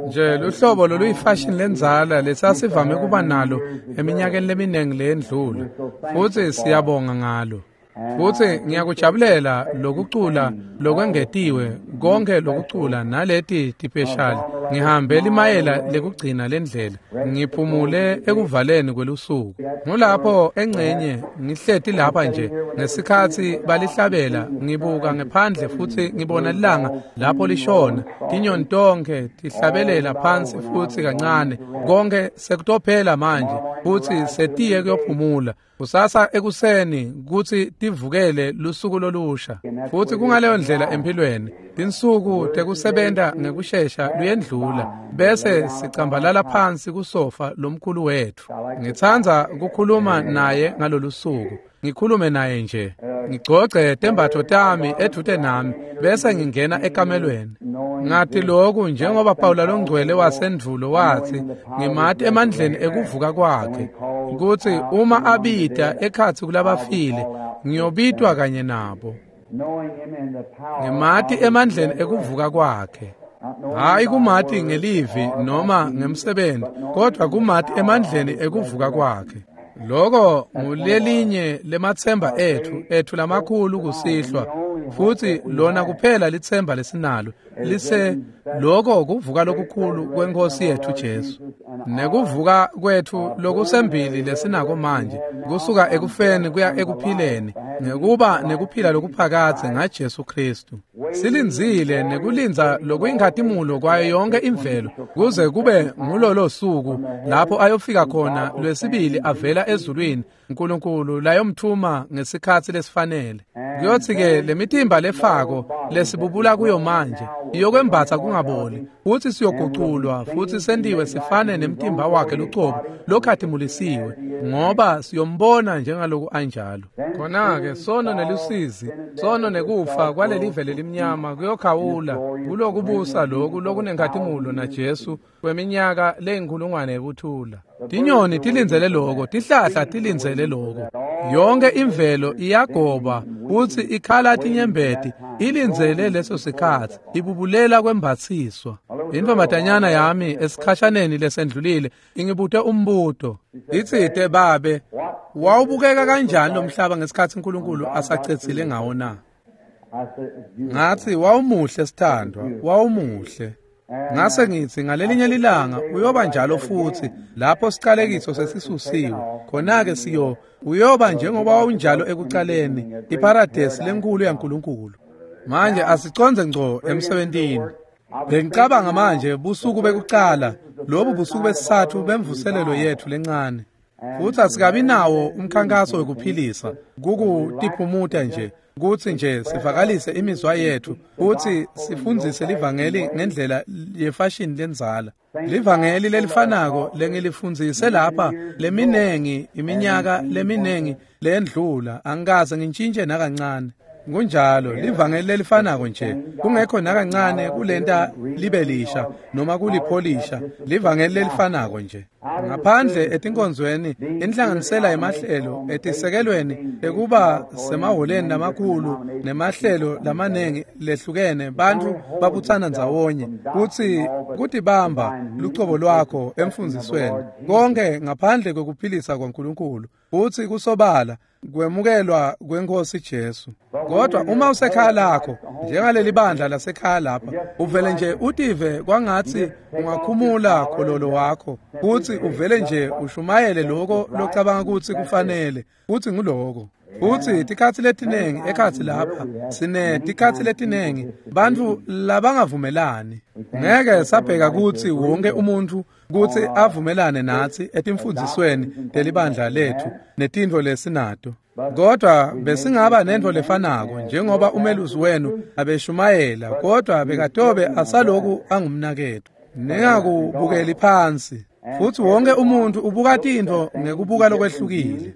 Nje luhlobo loluyifashini lendzala lesasivame kuba nalo eminyakeni leminingi leyendlula, futsi siyabonga ngalo. Futsi ngiyakujabulela lokucula lokwengetiwe, konke lokucula naleti tipeshali. Ngihambe limayela lekugcina lendlela, ngiphumule ekuvaleni kwelusuku. Ngulapho engcenye ngihleti lapha nje ngesikhatsi balihlabela, ngibuka ngephandle futsi ngibona lilanga lapho lishona, tinyoni tonkhe tihlabelela phansi futsi kancane, konke sekutophela manje futsi setiye kuyophumula. Kusasa ekuseni kutsi tivukele lusuku lolusha. Futsi kungaleyo ndlela empilweni, tinsuku tekusebenta ngekushesha luyendlula bese sicambalala phansi kusofa lomkhulu wetfu. Ngitsandza kukhuluma naye ngalolu suku, ngikhulume naye nje, ngigcogce tembatfo tami edvute nami bese ngingena ekamelweni. Ngathi lokhu njengoba Pawula longcwele wasendvulo wathi, ngimati emandleni ekuvuka kwakhe, kutsi uma abita ekhatsi kulabafile, ngiyobitwa kanye nabo. Ngimati emandleni ekuvuka kwakhe. Hayi kumati ngelivi noma ngemsebenzi, kodwa kumati emandleni ekuvuka kwakhe. Loko ngulelinye lematsemba ethu lamakhulu kusihlwa, futsi lona kuphela litsemba lesinalo lise loko kuvuka lokukhulu kweNkosi yethu Jesu, nekuvuka kwethu lokusembili lesinako manje, kusuka ekufeni kuya ekuphileni, ngekuba nekuphila lokuphakadze ngaJesu Kristu. Silindzile nekulindza lokuyinkhatimulo kwayo yonke imvelo kuze kube ngulolo suku lapho ayofika khona lwesibili avela ezulwini uNkulunkulu layomthuma ngesikhatsi lesifanele. Kuyothi-ke lemitimba lefako lesibubula kuyo manje iyokwembatsa kungaboli, futsi siyoguculwa futsi sentiwe sifane nemtimba wakhe lucobo lokhatimulisiwe, ngoba siyombona njengaloku anjalo. Khona-ke sono nelusizi, sono nekufa kwalelive lelimnyama kuyokhawula kulokubusa loku lokunenkhatimulo naJesu kweminyaka leyinkulungwane yekuthula. Tinyoni tilindzele loko, tihlahla tilindzele loko. Yonke imvelo iyagoba futsi ikhala tinyembeti, ilindzele leso sikhatsi, ibubulela kwembatsiswa. Intombatanyana yami esikhashaneni lesendlulile ingibute umbuto. Itsite, babe, wawubukeka kanjani lo mhlaba ngesikhatsi uNkulunkulu asacedzile ngawo na? Ngathi wawumuhle sithandwa, wawumuhle. Ngase ngithi ngalelinye lilanga uyoba njalo futhi lapho siqalekiso sesisusiwe. Khona-ke siyo uyoba njengoba wawunjalo ekucaleni, iparadesi lenkulu yaNkulunkulu. Manje asiconze ngco emsebentini. Bengicabanga manje busuku bekucala, lobu busuku besithathu bemvuselelo yethu lencane. Futhi asikabi nawo umkhankaso wekuphilisa, kukutiphumuta nje, kutsi nje sivakalise imizwa yethu, kutsi sifundzise livangeli ngendlela yefashini lendzala. Livangeli lelifanako lengilifundzise lapha leminengi iminyaka leminengi lendlula, angikaze ngintshintshe nakancane. Kunjalo, livangeli lelifanako nje, kungekho nakancane kulenta libe lisha noma kulipholisha, livangeli lelifanako nje. Ngaphandle etinkonzweni, inhlanganisela yemahlelo etisekelweni ekuba semaholeni lamakhulu nemahlelo lamanengi lehlukene, bantfu babutsana ndzawonye kutsi kutibamba lucobo lwakho emfundzisweni, konke ngaphandle kwekuphilisa kwaNkulunkulu, futsi kusobala kwemukelwa kweNkosi Jesu. Kodwa uma usekhaya lakho, njengaleli bandla lasekhaya lapha, uvele nje utive kwangatsi ungakhumula khololo wakho, futsi uvele nje ushumayele lokho locabanga kutsi kufanele, futsi nguloko. Futsi tikhatsi letinengi ekhatsi lapha, sinetikhatsi letinengi bantfu labangavumelani. Ngeke sabheka kutsi wonke umuntfu kutsi avumelane natsi etimfundzisweni telibandla lethu netintfo lesinato. Kodwa besingaba nentfo lefanako njengoba umelusi wenu abeshumayela, kodwa bekatobe asaloku angumnaketfu. Ningakubukeli phansi. Futsi wonke umuntfu ubuka tintfo ngekubuka lokwehlukile.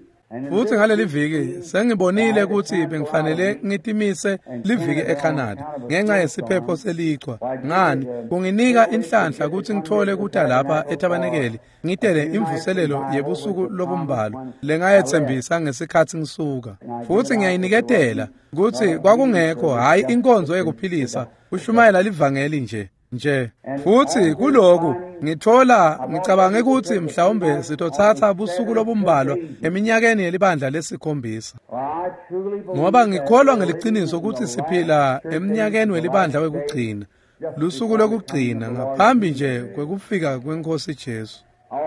Futsi ngaleli viki sengibonile kutsi bengifanele ngitimise liviki eCanada ngenxa yesiphepho selichwa. Ngani kunginika inhlanhla kutsi ngithole kuta lapha etabanekeli ngitele imvuselelo yebusuku lobumbalwa lengayetsembisa ngesikhatsi ngisuka. Futsi ngiyayiniketela kutsi kwakungekho hhayi inkonzo yekuphilisa, kushumayela livangeli nje. Nje futhi kuloku ngithola ngicabange ukuthi mhlawumbe sitothatha busuku lobumbalwa eminyakeni yelibandla lesikhombisa, ngoba ngikholwa ngeliciniso ukuthi siphila eminyakeni welibandla wekugcina, lusuku lokugcina ngaphambi nje kwekufika kwenkosi Jesu.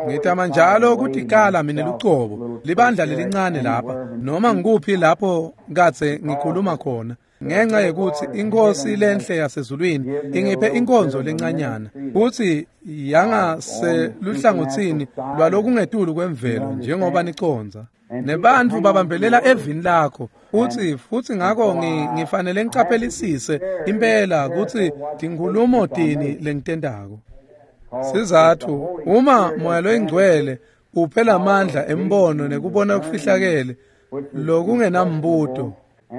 Ngitama njalo kutikala mina lucobo libandla lelincane lapha noma ngikuphi lapho kadze ngikhuluma khona, ngenxa yekuthi inkosi lenhle yasezulwini ingiphe inkonzo lencanyana futhi yangaseluhlangothini lwalokungetulu kwemvelo njengoba niconza. Nebantu babambelela evini lakho futhi ngakho ngifanele ngicaphelisise impela ukuthi tinkhulumo tini lengitendako. Sizathu uma moya loyingcwele uphela amandla embono nekubona okufihlakele lokungenambuto,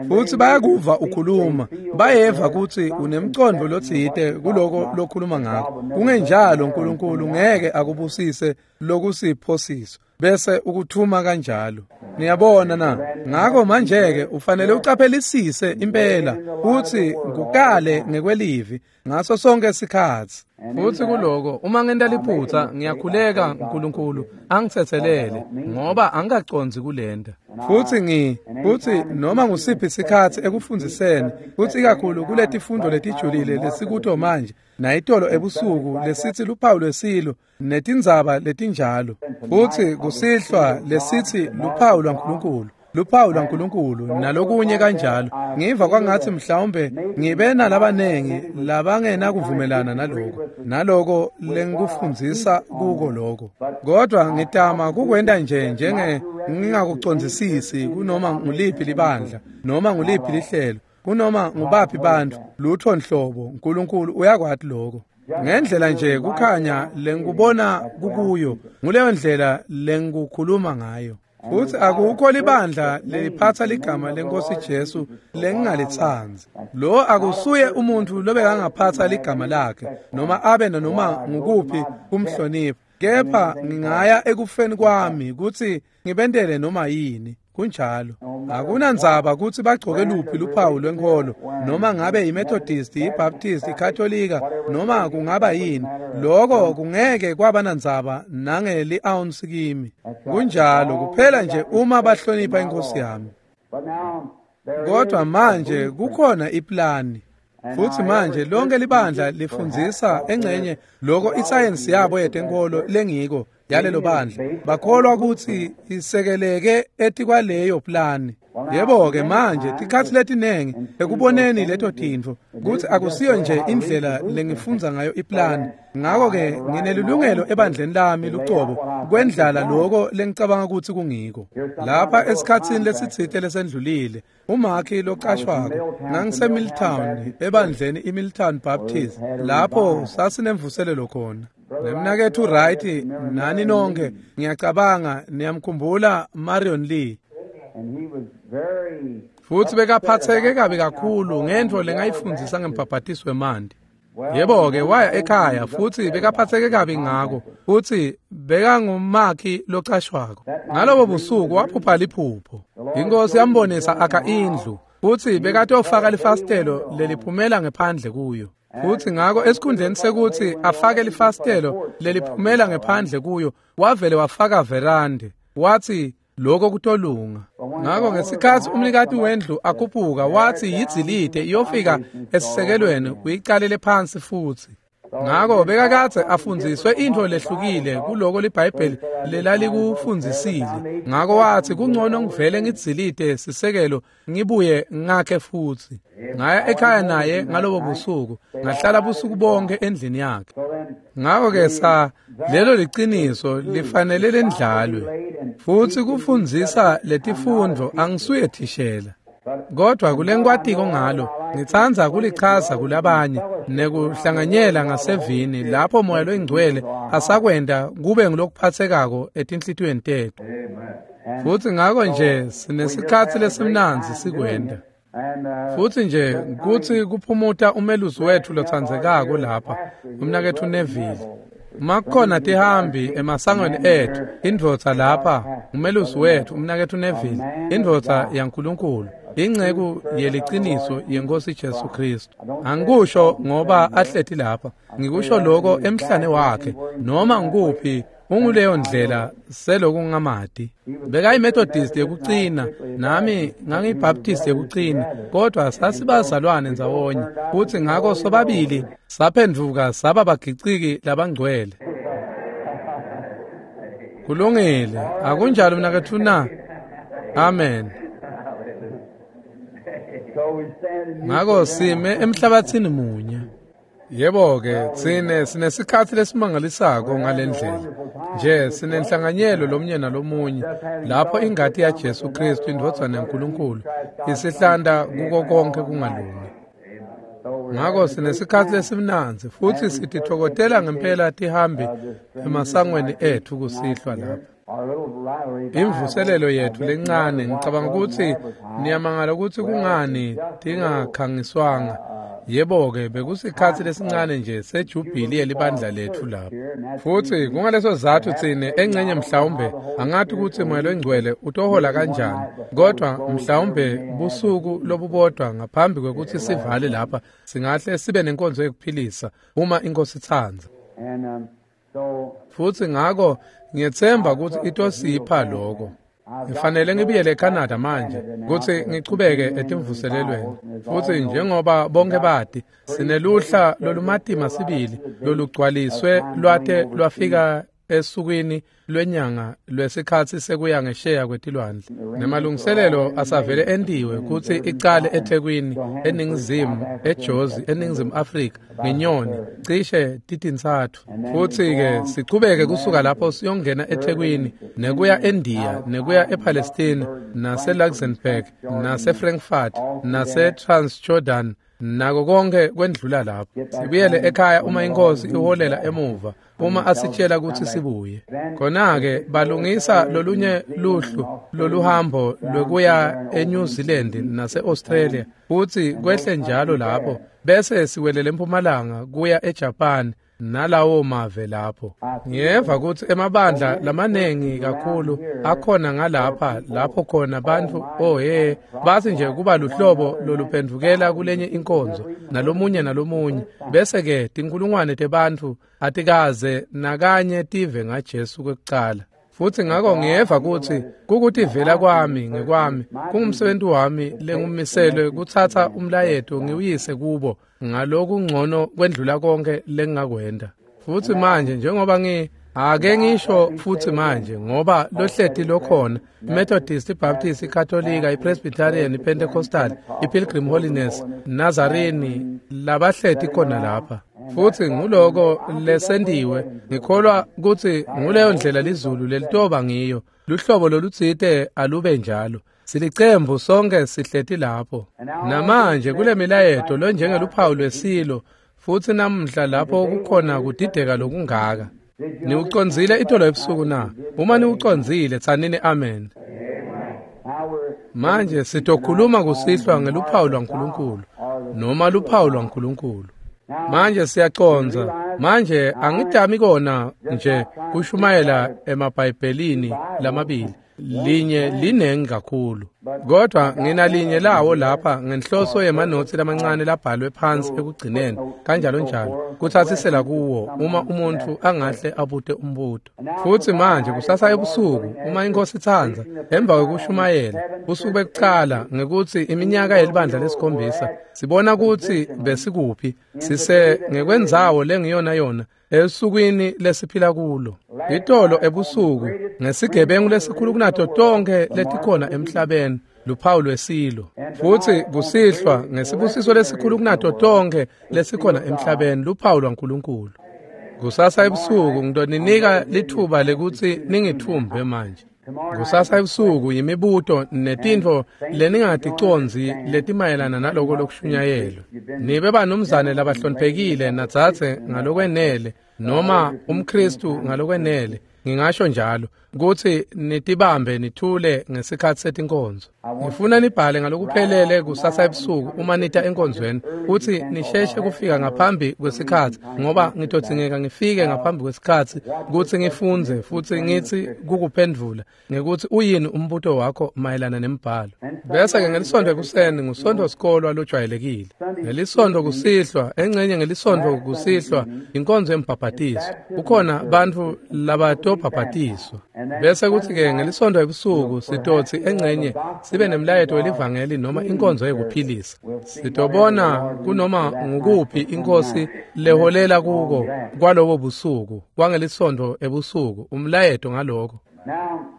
futhi bayakuva ukhuluma, bayeva ukuthi unemcondo lotsite kuloko lokhuluma ngakho. Kungenjalo uNkulunkulu ngeke akubusise lokusiphosiso bese ukuthuma kanjalo. Niyabona na? Ngakho manje-ke ufanele ucaphelisise impela futhi ngukale ngekwelivi ngaso sonke isikhathi. Futhi kuloko uma ngenta liphutha ngiyakhuleka uNkulunkulu angithethelele ngoba angikaconzi kulenda. Futhi futhi noma ngusiphi isikhathi ekufundziseni, futhi ikakhulu kuletifundo letijulile lesikuto manje nayitolo ebusuku lesithi luphawu lwesilo netindzaba letinjalo, futhi kusihlwa lesithi luphawu lwaNkulunkulu, luphawu lwaNkulunkulu nalokunye kanjalo. Ngiva kwangathi mhlawumbe ngibe nalabanengi labangenakuvumelana naloko naloko lengikufundzisa kuko lokho, kodwa ngitama kukwenta nje njenge ngingakucondzisisi kunoma nguliphi libandla noma nguliphi lihlelo kunoma ngubaphi bantu lutho nhlobo. uNkulunkulu uyakwati lokho. Ngendlela nje kukhanya lengikubona kukuyo, nguleyo ndlela lengikukhuluma ngayo. Futhi akukho libandla leliphatha ligama lenkosi Jesu lengingalitsandzi. Lo akusuye umuntu lobekangaphatha ligama lakhe noma abe noma ngukuphi kumhlonipha, kepha ngingaya ekufeni kwami ukuthi ngibentele noma yini. Kunjalo. Akunandzaba ukuthi bagcoke luphi luphawu lwenkolo, noma ngabe iMethodist, iBaptist, iKatolika, noma kungaba yini, lokho kungeke kwaba nandzaba nangeli-ounce kimi. Kunjalo kuphela nje uma bahlonipha inkosi yami. Kodwa manje kukhona iplani. Futhi manje lonke libandla lifundzisa engcenye lokho isayensi yabo yetenkolo lengiko yalelo bandla. Bakholwa ukuthi isekeleke etikwaleyo plani. Yebo-ke manje tikhathi letinengi ekuboneni leto tintfo ukuthi akusiyo nje indlela lengifundza ngayo iplani. Ngakho-ke nginelilungelo ebandleni lami lucobo kwendlala lokho lengicabanga ukuthi kungiko. Lapha esikhatsini lesitsite lesendlulile, umakhi locashwako ngangiseMilltown ebandleni iMilltown Baptist lapho sasinemvuselelo khona. Nemnakethu Wright nani nonke ngiyacabanga niyamkhumbula Marion Lee. Futhi bekaphatheke kabi kakhulu ngentfo lengayifundzisa ngembhabhatiso wemanti. Yebo-ke waya ekhaya futhi bekaphatheke kabi ngako, futhi bekangumakhi locashwako. Ngalobo busuku waphupha liphupho. Inkosi yambonisa akha indlu, futhi bekatofaka lifasitelo leliphumela ngephandle kuyo. Futhi ngakho esikhundleni sekuthi afake lifasitelo leliphumela ngephandle kuyo, wavele wafaka verande. Wathi lokho kutolunga. Ngakho ngesikhathi umnikati wendlu akhuphuka wathi yidzilide iyofika esisekelweni uyiqalele phansi futhi. Ngakho bekakadze afundziswe intfo lehlukile kuloko liBhayibheli lelalikufundzisile. Ngakho wathi kungcono ngivele ngidzilide sisekelo ngibuye ngakhe futhi. Ngaya ekhaya naye ngalobo busuku, ngahlala busuku bonke endlini yakhe. Ngakho-ke sa lelo liciniso lifanele lendlalwe. Futhi kufundzisa letifundvo angisuye thishela. Kodwa kulenkwatiko ngalo ngitsandza kulichaza kulabanye nekuhlanganyela ngasevini lapho moya loyingcwele asakwenda kube ngulokuphathekako etinhlitiyweni tethu. Futhi ngakho nje sinesikhathi lesimnandzi sikwenda. Futhi nje kuthi kuphumuta umelusi wethu lotsandzekako lapha, umnakethu Neville. Makukhona tihambi emasangweni ethu, indvodza lapha, umelusi wethu, umnakethu Neville, indvodza yaNkulunkulu. Inceku yeliciniso yenkosi Jesu Kristu. Angikusho ngoba ahleti lapha, ngikusho lokho emhlane wakhe, noma ngikuphi unguleyo ndlela selokungamati. BekayiMethodist yekucina, nami ngangiyiBaptist yekucina, kodwa sasibazalwane ndzawonye, futhi ngako sobabili saphenduka saba bagiciki labangcwele. Kulungile, akunjalo mnaketfu na? Amen. Ngako sime emhlabathini munye. Yebo-ke, tsine sinesikhatsi lesimangalisako ngalendlela. Nje sinenhlanganyelo lomunye nalomunye lapho ingati yaJesu Kristu indvodzana yaNkulunkulu isihlanda kuko konke kungalungi. Ngako sinesikhatsi lesimnandzi futhi sititfokotela ngempela tihambi emasangweni etfu kusihlwa lapha. Imvuselelo yetfu lencane, ngicabanga ukuthi niyamangala ukuthi kungani tingakhangiswanga. Yebo-ke, bekusikhatsi lesincane nje sejubhili yelibandla letfu lapha. Futhi kungaleso sizatfu tsine engcenye mhlawumbe angati ukuthi Moya Longcwele utohola kanjani, kodwa mhlawumbe busuku lobubodwa ngaphambi kwekutsi sivale lapha singahle sibe nenkonzo yekuphilisa uma inkosi itsandza. Futhi ngako ngiyetsemba ukuthi itosipha lokho. Ngifanele ngibuyele eCanada manje kutsi ngichubeke etimvuselelweni. Futhi njengoba bonke bati, sineluhla lolumatima sibili lolugcwaliswe lwate lwafika esukwini lwenyanga lwesikhatsi sekuya ngesheya kwetilwandle. Nemalungiselelo asavele entiwe kutsi icale eThekwini, eNingizimu, eJozi, eNingizimu Afrika, ngenyoni, cishe titintsatfu. Futhi-ke sichubeke kusuka lapho siyongena eThekwini, nekuya eNdiya, nekuya ePalestina, nase-Luxembourg, nase-Frankfurt, nase-Transjordan, nako konke kwendlula lapho. Sibuyele ekhaya uma inkosi iholela emuva, uma asitshela ukuthi sibuye. Khona-ke balungisa lolunye luhlu loluhambo lwekuya eNew Zealand nase-Australia, futhi kwehle njalo lapho, bese siwelele empumalanga kuya eJapan nalawo mave lapho. Ngiyeva ukuthi emabandla lamanengi kakhulu akhona ngalapha lapho khona bantfu ohe bathi nje kuba luhlobo loluphendvukela kulenye inkonzo nalomunye nalomunye, bese-ke tinkulungwane tebantfu atikaze nakanye tive ngaJesu kwekucala. Futhi ngako ngiyeva ukuthi kukutivela kwami ngekwami kungumsebenzi wami lengumiselwe kutsatsa umlayeto ngiwuyise kubo ngalokungcono kwendlula konke lengingakwenta. Futhi manje njengoba ake ngisho futhi manje ngoba lohleti lokhona iMethodist, iBaptist, iKatolika, iPresbyterian, iPentecostal, iPilgrim Holiness, Nazarene labahleti khona lapha. Futhi nguloko lesentiwe, ngikholwa kutsi nguleyo ndlela lizulu lelitoba ngiyo, luhlobo lolutsite alube njalo. Silicembu sonke sihleti lapho. Namanje kule milayeto lonjengeluphawu lwesilo, futhi namuhla lapho kukhona kudideka lokungaka. Niwucondzile itolo ebusuku na? Uma niwucondzile, tsanini amen. Manje sitokhuluma kusihlwa ngeluphawu lwaNkulunkulu, noma luphawu lwaNkulunkulu. Manje siyacondza. Manje angidami kona nje kushumayela emabhayibhelini lamabili. Linye linengi kakhulu, kodwa nginalinye lawo lapha ngenhloso yemanotsi lamancane labhalwe phansi ekugcineni kanjalo njalo kuthatsisela kuwo uma umuntu angahle abute umbuto. Futhi manje kusasa ebusuku uma inkosi itsandza, emva kwekushumayela busuku bekucala ngekutsi iminyaka yelibandla lesikhombisa, sibona kutsi besikuphi, sise ngekwendzawo lengiyona yona esukwini lesiphila kulo. Itolo ebusuku ngesigebengu lesikhulu kunato tonke letikhona emhlabeni, luphawu lwesilo. Futhi kusihlwa ngesibusiso lesikhulu kunato tonke lesikhona emhlabeni, luphawu lwaNkulunkulu. Kusasa ebusuku ngitoninika lithuba lekutsi ningithumbe manje. Kusasa ebusuku yimibuto netintfo leningaticondzi letimayelana naloko lokushunyayelwa. Nibe banumzane labahloniphekile nadzadze ngalokwenele, noma umKristu ngalokwenele. ngingasho njalo, kutsi nitibambe nithule ngesikhatsi setinkonzo. Ngifuna nibhale ngalokuphelele kusasa ebusuku uma nita enkonzweni, kutsi nisheshe kufika ngaphambi kwesikhatsi, ngoba ngitodzingeka ngifike ngaphambi kwesikhatsi kutsi ngifundze futsi ngitsi kukuphendvula ngekutsi uyini umbuto wakho mayelana nembhalo. Bese-ke ngelisontfo ekuseni ngusontfo sikolwa lojwayelekile. Ngelisontfo kusihlwa, engcenye ngelisontfo kusihlwa inkonzo yembhabhatiso. Kukhona bantfu labatobhabhatiswa. Bese kuthi-ke ngelisontfo ebusuku sitotsi engcenye sibe nemlayeto welivangeli noma inkonzo yekuphilisa. Sitobona kunoma ngukuphi inkosi leholela kuko kwalobo busuku, kwangelisontfo ebusuku, umlayeto ngaloko.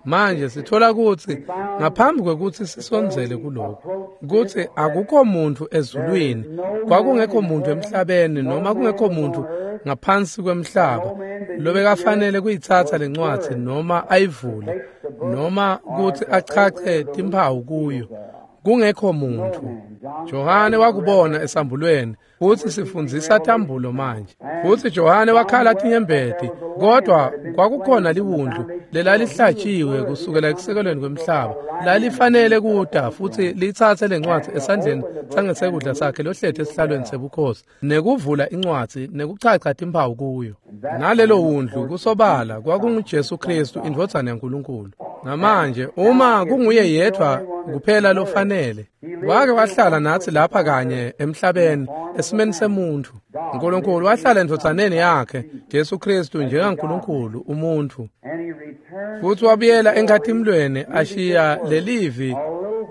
Manje sithola kutsi ngaphambi kwekutsi sisondzele kuloko, kutsi akukho muntfu ezulwini, kwakungekho muntfu emhlabeni noma kungekho muntfu ngaphansi kwemhlaba lobekafanele kuyitsatsa lencwadzi noma ayivule noma kutsi achache timphawu kuyo. Kungekho muntfu. Johane wakubona esambulweni, futsi sifundzisa tambulo manje. Futsi Johane wakhala tinyembeti, kodwa kwakukhona liwundlu lelalihlatshiwe kusukela ekusekelweni kwemhlaba, lalifanele kuta futsi litsatse lencwadzi esandleni sangesekudla sakhe lohleti esihlalweni sebukhosi, nekuvula incwadzi nekuchacha timphawu kuyo. Nalelo wundlu kusobala kwakunguJesu Kristu, indvodzana yaNkulunkulu. Namanje uma kunguye yedvwa kuphela lofanele, wake wahlala natsi lapha kanye emhlabeni esimeni semuntfu. Nkulunkulu wahlala endvodzaneni yakhe Jesu Kristu njengaNkulunkulu umuntfu, futsi wabuyela enkhatimlweni ashiya lelivi.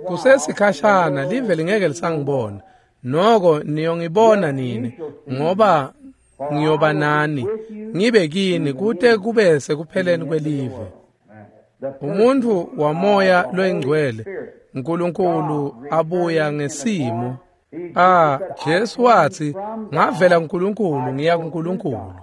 Kusesikhashana live lingeke lisangibona, noko niyongibona nini, ngoba ngiyoba nani, ngibe kini kute kube sekupheleni kwelive. Umuntfu wamoya loyingcwele, Nkulunkulu abuya ngesimo. Jesu watsi, ngavela kuNkulunkulu ngiya kuNkulunkulu.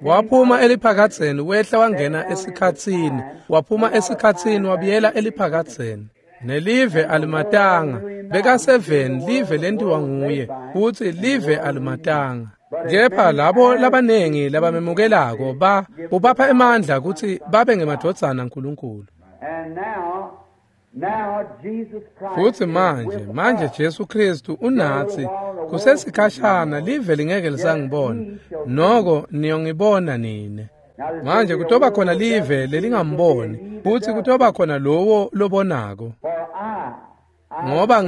Waphuma eliphakadzeni wehla wangena esikhatsini, waphuma esikhatsini wabuyela eliphakadzeni. Nelive alimatanga, bekaseveni live lentiwa nguye, futsi live alimatanga. Kepha labo labanengi labamemukelako ubapha emandla kutsi babe ngemadvodzana aNkulunkulu. Futsi manje Jesu Kristu unatsi, kusesikhashana live lingeke lisangibona, noko niyongibona nine. Manje kutoba khona live lelingamboni, futsi kutoba khona lowo lobonako. Ngoba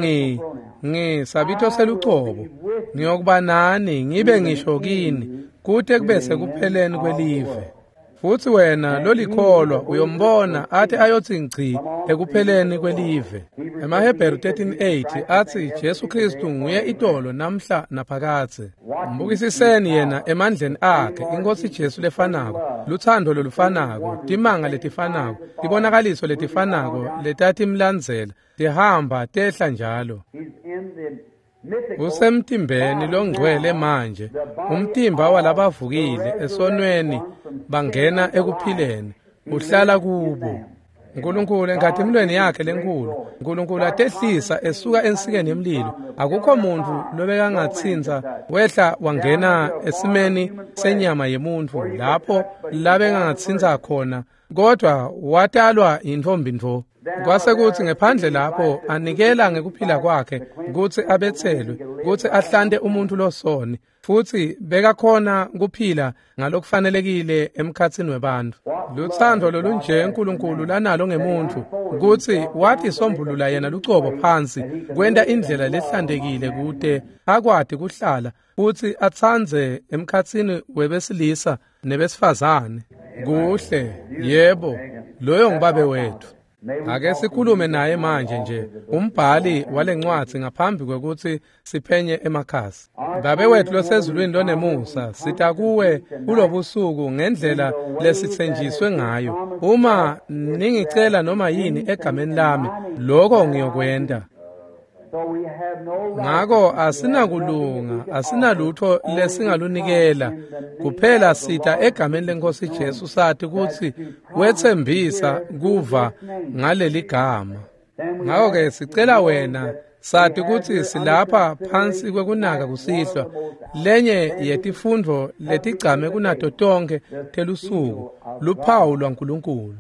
ngisabito selucobo, ngiyokuba nani ngibe ngisho kini kute kube sekupheleni kwelive. Futsi wena lolikholwa uyombona athi ayotsi ngci ekupheleni kwelive. EmaHebheru 13:8 atsi Jesu Kristu nguye itolo namhla naphakadze. Mbukisiseni yena emandleni akhe, iNkhosi Jesu lefanako, luthando lolufanako, timanga letifanako, tibonakaliso letifanako letatimlandzela, tihamba tehla njalo. Usemtimbeni longcwele manje, umtimba walabavukile esonweni bangena ekuphileni, uhlala kubo. Nkulunkulu enkhatimulweni yakhe lenkulu, Nkulunkulu atehlisa esuka ensikeni yemlilo. Akukho muntfu lobekangatsintsa wehla wangena esimeni senyama yemuntfu lapho labengangatsintsa khona, kodwa watalwa yintfombi ntfo. Kwase kutsi ngephandle lapho anikela ngekuphila kwakhe kutsi abetselwe, kutsi ahlante umuntfu losoni, futsi bekakhona kuphila ngalokufanelekile emkhatsini webantfu. Lutsandvo lolunje Nkulunkulu lanalo ngemuntfu, kutsi watisombulula yena lucobo phansi kwenta indlela lehlantekile kute akwati kuhlala futsi atsandze emkhatsini webesilisa nebesifazane. Kuhle, yebo, loyo ngubabe wetfu. Ake sikhulume naye manje nje, umbhali walencwadzi, ngaphambi kwekutsi siphenye emakhasi. Babe wethu losezulwini lonemusa, sita kuwe kulobusuku ngendlela lesitsenjiswe ngayo. Uma ningicela noma yini egameni lami, lokho ngiyokwenta. Ngako asinakulunga, asinalutho lesingalunikela, kuphela sita egameni leNkhosi Jesu sati kutsi wetsembisa kuva ngaleli gama. Ngako-ke sicela wena Sati kutsi silapha phansi kwekunaka kusihlwa, lenye yetifundvo letigcame kunato tonkhe telusuku, luphawu lwaNkulunkulu.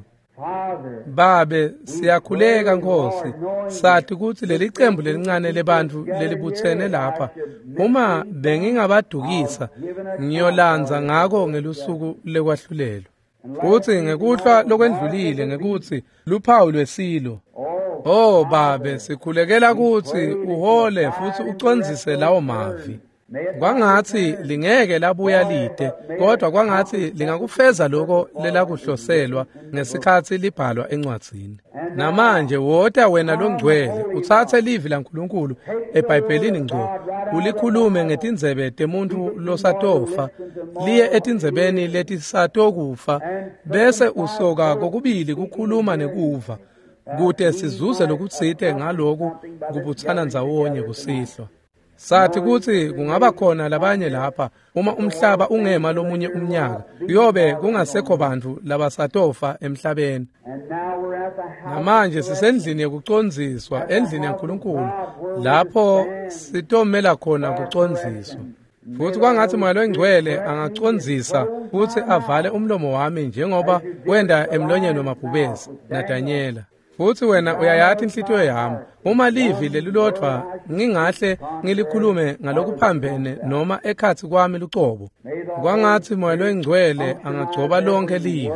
Babe, siyakhuleka Nkosi, sati kutsi lelicembu lelincane lebantfu lelibutsene lapha, uma bengingabadukisa, ngiyolandza ngako ngelusuku lekwahlulelwa. Futsi ngekuhlwa lokwendlulile ngekutsi luphawu lwesilo. Oh Babe, sikhulekela kutsi uhole futsi ucondzise lawo mavi. Kwangatsi lingeke labuya lide, kodwa kwangatsi lingakufeza lokho lelakuhloselwa ngesikhatsi libhalwa encwadzini. Namanje wota wena longcwele, utsatse livi laNkulunkulu eBhayibhelini ngco, ulikhulume ngetindzebe temuntfu losatofa, liye etindzebeni letisatokufa, bese usoka kokubili kukhuluma nekuva, kute sizuze lokutsite ngaloku kubutsana ndzawonye kusihlwa. Sathi kutsi kungaba khona labanye lapha uma umhlaba ungema lomunye umnyaka, kuyobe kungasekho bantfu labasatofa emhlabeni. Namanje sisendlini yekucondziswa, endlini yaNkulunkulu, lapho sitomela khona kucondziswa. Futsi kwangatsi Moya Longcwele angacondzisa futsi avale umlomo wami njengoba wenda emlonyeni wemabhubesi naDanyela. Futsi wena uyayati inhlitiyo yami, uma livi lelilodvwa ngingahle ngilikhulume ngalokuphambene noma ekhatsi kwami lucobo, kwangatsi Moya Longcwele angagcoba lonke livi.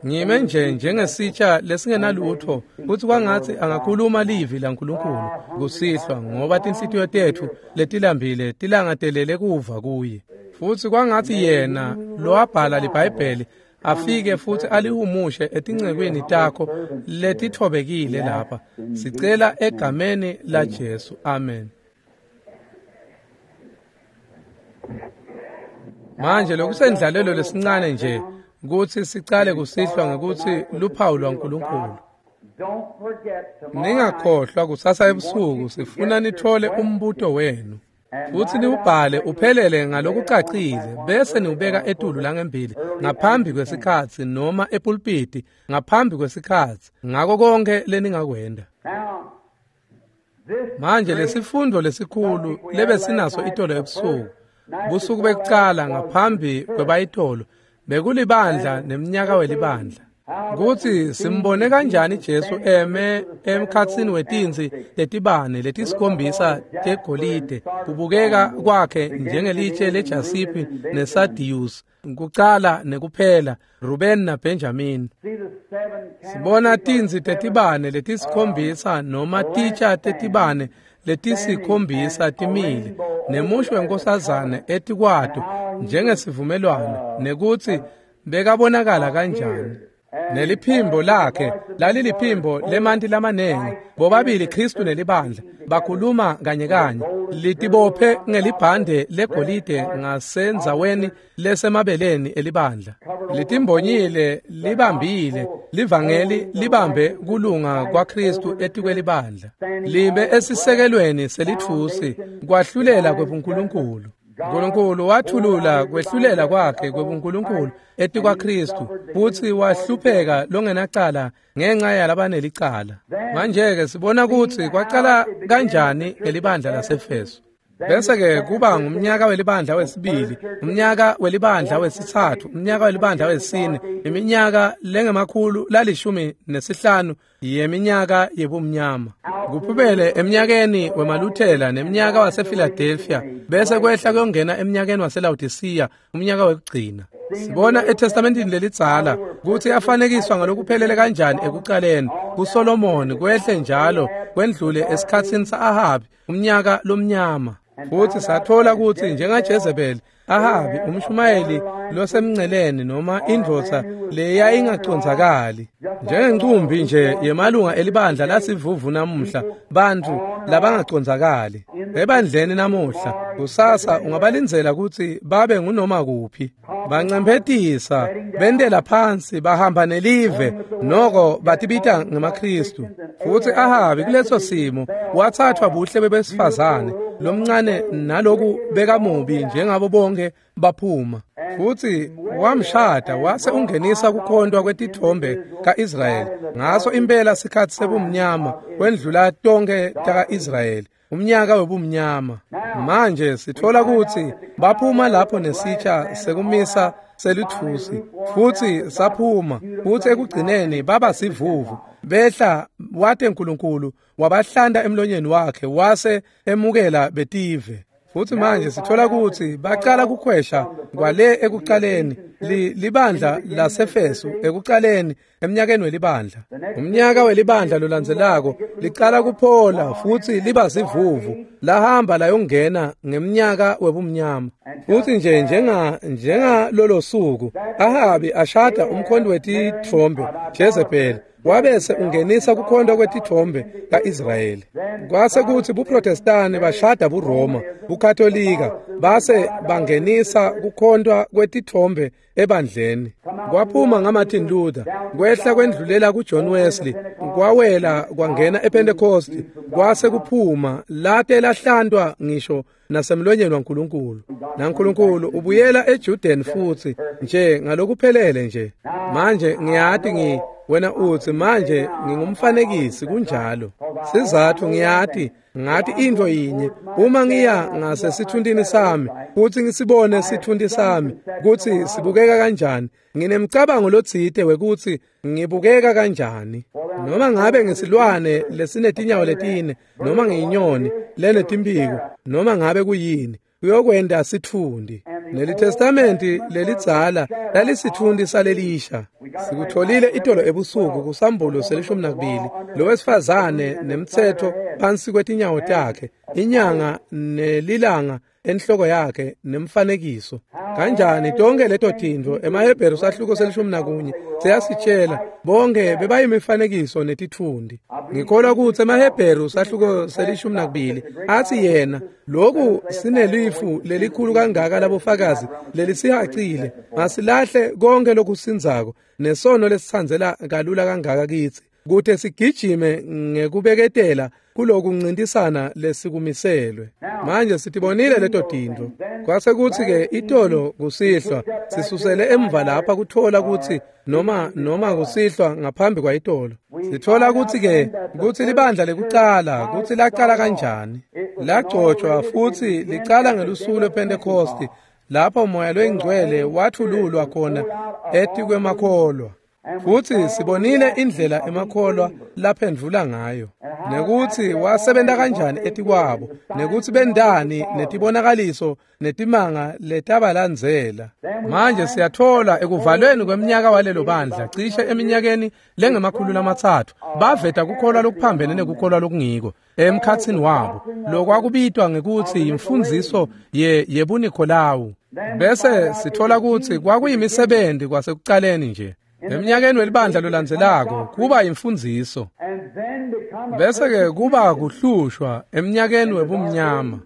Ngime nje njengesitsha lesingenalutfo, futsi kwangatsi angakhuluma livi laNkulunkulu kusihlwa, ngoba tinhlitiyo tetfu letilambile tilangatelele kuva kuye. Futsi kwangatsi yena lowabhala liBhayibheli afike futsi alihumushe etincekwini takho letitfobekile lapha. Sicela egameni laJesu, amen. Manje lokusendlalelo lesincane nje kutsi sicale kusihlwa ngekutsi luphawu lwaNkulunkulu. Ningakhohlwa kusasa ebusuku sifuna nithole umbuto wenu. Futsi niwubhale uphelele ngalokucacile bese niwubeka etulu langembili ngaphambi kwesikhatsi noma epulpiti ngaphambi kwesikhatsi, ngako konke leningakwenda. Manje lesifundo lesikhulu lebesinaso itolo ebusuku, busuku bekucala ngaphambi kwebayitolo, bekulibandla nemnyaka welibandla. Kutsi simbone kanjani Jesu eme emkhatsini wetinsi tetibane letisikhombisa tegolide, kubukeka kwakhe njengelitshe lejasiphi neSadiyusi, kucala nekuphela, Ruben naBenjamin. Sibona tinsi tetibane letisikhombisa noma titsha tetibane letisikhombisa timile, nemusho wenkosazane etikwato njengesivumelwano, nekutsi bekabonakala kanjani. Neliphimbo lakhe laliliphimbo lemanti lamanengi, bobabili Kristu nelibandla bakhuluma kanye kanye, litibophe ngelibhande legolide ngasendzaweni lesemabeleni elibandla, litimbonyile libambile livangeli libambe kulunga kwaKristu etikwelibandla, libe esisekelweni selitfusi kwahlulela kwebuNkulunkulu. Nkulunkulu wathulula kwehlulela kwakhe kwebuNkulunkulu etikwaKristu, futsi wahlupheka longenacala ngenxa yalabanelicala. Manje-ke sibona kutsi kwacala kanjani ngelibandla laseEfeso. Bese-ke kuba ngumnyaka welibandla wesibili, umnyaka welibandla wesitsatfu, umnyaka welibandla wesine, iminyaka lengama-115 yeminyaka yebumnyama. Kuphumele emnyakeni wemaLuthela nemnyaka wasePhiladelphia, bese kwehla kuyongena emnyakeni waseLaodicea, umnyaka wekugcina. Sibona eTestamentini lelidzala kutsi afanekiswa ngalokuphelele kanjani ekucaleni kuSolomoni, kwehle njalo kwendlule esikhatsini sa-Ahabi, umnyaka lomnyama. Futsi sathola kutsi njengaJezebeli, Ahabi umshumayeli losemnceleni noma indvodza leyayingacondzakali, njengencumbi nje yemalunga elibandla lasivuvu namuhla, bantfu labangacondzakali ebandleni namuhla. Kusasa ungabalindzela kutsi babe ngunoma kuphi, bancemphetisa, bentela phansi, bahamba nelive, noko batibita ngemaKristu. Futsi Ahabi kuleso simo wathathwa buhle bebesifazane, lomncane naloku bekamubi njengabo bonke baphuma. Futhi wamshada wase ungenisa kukhontwa kwetithombe kaIsrayeli. Ngaso impela sikhathi sebumnyama kwendlula tonke takaIsrayeli, umnyaka webumnyama. Manje sithola ukuthi baphuma lapho nesitsha sekumisa selithusi, futhi saphuma, futhi ekugcineni baba sivuvu. Behla wate uNkulunkulu wabahlanda emlonyeni wakhe wase emukela betive. Futhi manje sithola ukuthi baqala kukhwesha kwale ekuqaleni libandla laseFesu ekuqaleni emnyakeni welibandla. Umnyaka welibandla lolandzelako liqala kuphola futhi liba sivuvu, lahamba layongena ngemnyaka webumnyama. Futhi nje njenga lolo suku Ahabi ashada umkhonto wetithombe Jezebel, wabese ungenisa kukhonto kwetithombe kaIsrayeli. Kwase kuthi buProtestani bashada buRoma, buKatolika base bangenisa kukhontwa kwetithombe ebandleni. Kwaphuma ngaMartin Luther, kwehla kwendlulela kuJohn Wesley, kwawela kwangena ePentecost, kwase kuphuma late lahlantwa ngisho nasemlonyeni waNkulunkulu. NaNkulunkulu ubuyela eJuden futhi nje ngalokuphelele nje. Manje ngiyati wena uthi manje ngingumfanekisi, kunjalo. Sizathu ngiyati ngathi into yinye, uma ngiya ngasesithuntini sami futhi ngisibone sithunti sami ukuthi sibukeka kanjani, nginemcabango lotsite wekuthi ngibukeka kanjani. Noma ngabe ngisilwane lesinetinyawo letine, noma ngiyinyoni lenetimpiko, noma ngabe kuyini, kuyokwenda sithundi. Leli testamenti lelidzala lalisithundi salelisha. Sikutholile itolo ebusuku kusambulo se-12, lowesifazane nemtsetfo phansi kwetinyawo takhe, inyanga nelilanga enhloko yakhe nemfanekiso. Kanjani tonke leto tintfo emaHebheru sahluko se-11 siyasitshela bonke bebayimifanekiso netitfundi. Ngikholwa ukuthi emaHebheru sahluko se-12 athi yena lokhu sinelifu lelikhulu kangaka labofakazi lelisihacile, masilahle konke lokusinzako nesono lesitsandzela kalula kangaka kitsi, kute sigijime ngekubeketela kulokuncintisana lesikumiselwe. Manje sitibonile leto tintfo. Kwase kuthi-ke itolo kusihlwa sisusele emva lapha kuthola ukuthi noma kusihlwa ngaphambi kwayitolo, sithola ukuthi-ke kutsi libandla lekucala kutsi laqala kanjani. Lagcotshwa futhi licala ngelusuku lwePentecost, lapho moya loyingcwele wathululwa khona etikwemakholwa. Futhi sibonile indlela emakholwa laphendvula ngayo, nekuthi wasebenta kanjani etikwabo, nekuthi bendani netibonakaliso netimanga letabalandzela. Manje siyathola ekuvalweni kweminyaka walelo bandla cishe eminyakeni lengama-300 baveta kukholwa lokuphambene nekukholwa lokungiko emkhatsini wabo, lokwakubitwa ngekuthi imfundziso yebuNikolawu. Bese sithola ukuthi kwakuyimisebenzi kwasekucaleni nje. Eminyakeni welibandla lolandzelako kuba imfundziso, bese-ke kuba kuhlushwa eminyakeni webumnyama,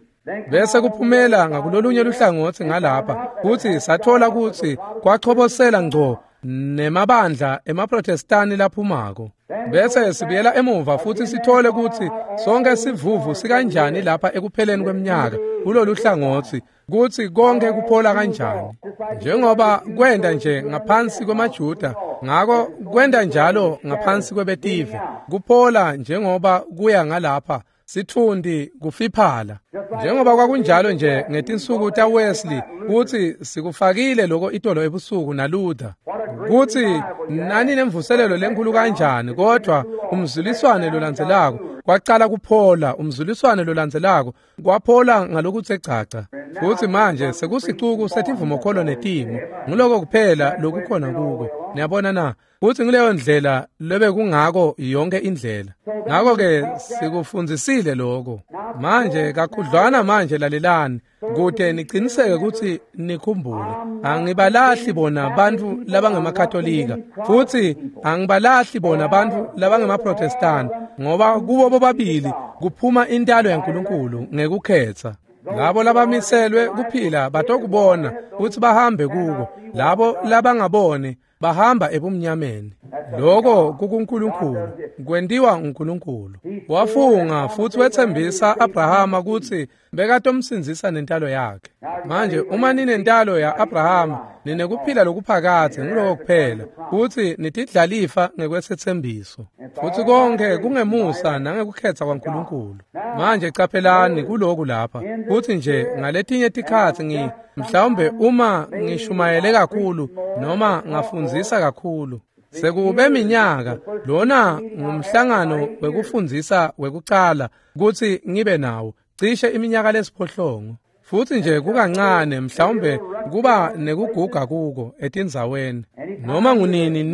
bese kuphumela ngakulolunye luhlangotsi ngalapha. Futhi sathola ukuthi kwachobosela ngco nemabandla emaProtestani laphumako. Bese sibuyela emuva futhi sithole ukuthi sonke sivuvu sikanjani lapha ekupheleni kweminyaka kulolu hlangotsi, kuthi konke kuphola kanjani. Njengoba kwenda nje ngaphansi kwemaJuda, ngako kwenda njalo ngaphansi kwebetive, kuphola njengoba kuya ngalapha sithundi kufiphala. Njengoba kwakunjalo nje ngetinsuku taWesley, kuthi sikufakile lokho itolo ebusuku naLuther, kuthi nani nemvuselelo lenkulu kanjani, kodwa umzuliswane lolandzelako kwaqala kuphola, umzuliswane lolandzelako kwaphola ngalokuthe gcaca. Futhi manje sekusicuku setivumokholo netimo, nguloko kuphela lokukhona kuko. Niyabona na? Futhi ngileyo ndlela lebekungako yonke indlela. Ngakho-ke sikufundzisile lokho. Manje kakhudlwana manje lalelani, kute niciniseke ukuthi nikhumbule. Angibalahli bona bantfu labangemakatolika, futhi angibalahli bona bantfu labangemaProtestani, ngoba kubo bobabili kuphuma intalo yaNkulunkulu ngekukhetha. Labo labamiselwe kuphila batokubona futhi bahambe kuko, labo labangaboni Bahamba ebumnyameni. Lokho kukuNkulunkulu, kwentiwa uNkulunkulu. Wafunga futhi wethembisa Abrahama kutsi bekatomsindzisa nentalo yakhe. Manje uma ninentalo ya-Abrahama, ninekuphila lokuphakadze, nguloko kuphela, futsi nitidlalifa ngekwesethembiso. Futsi konke kungemusa nangekukhetsa kwaNkulunkulu. Manje caphelani kuloku lapha, kutsi nje ngaletinye tikhatsi mhlawumbe uma ngishumayele kakhulu noma ngafundzisa kakhulu, sekube minyaka, lona ngumhlangano wekufundzisa wekucala kutsi ngibe nawo, cishe iminyaka lesiphohlongo. Futsi nje kukancane mhlawumbe kuba nekuguga kuko etindzaweni. Noma ngunini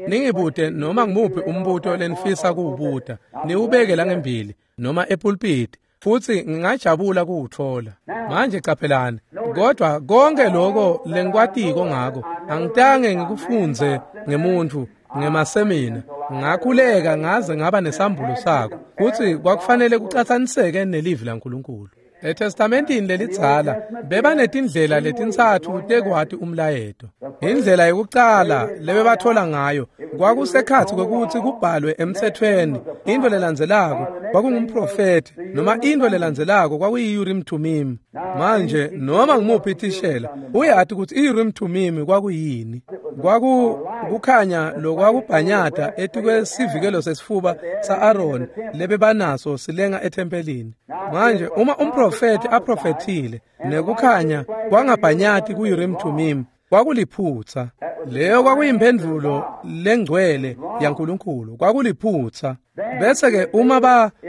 ningibute noma ngimuphi umbuto lenifisa kuwubuta, niwubeke langembili noma epulpiti, futsi ngingajabula kuwutfola. Manje caphelani, kodwa konke lokho lengikwatiko ngako angitange ngikufundze ngemuntfu ngemasemina. Ngakhuleka ngaze ngaba nesambulo sako kutsi kwakufanele kucatsaniseke nelivi laNkulunkulu. ETestamentini lelidzala bebanetindlela letintsatfu tekwati umlayeto. Indlela yokucala lebebathola ngayo kwakusekhatsi kwekutsi kubhalwe emtsetfweni. Into lelandzelako kwakungumprofethi, noma into lelandzelako kwakuyi-Urim Thummim. Manje noma ngimuphi thishela uyati kutsi i-Urim Thummim kwakuyini. Kwakukhanya lokwakubhanyata etikwesivikelo sesifuba sa-Aaron lebebanaso silenga ethempelini. Manje uma umprofethi aprofethile nekukhanya kwangabhanyati ku-Urim Thummim, kwakuliphutsa. Leyo kwakuyimphendvulo lengcwele yaNkulunkulu, kwakuliphutsa. Bese-ke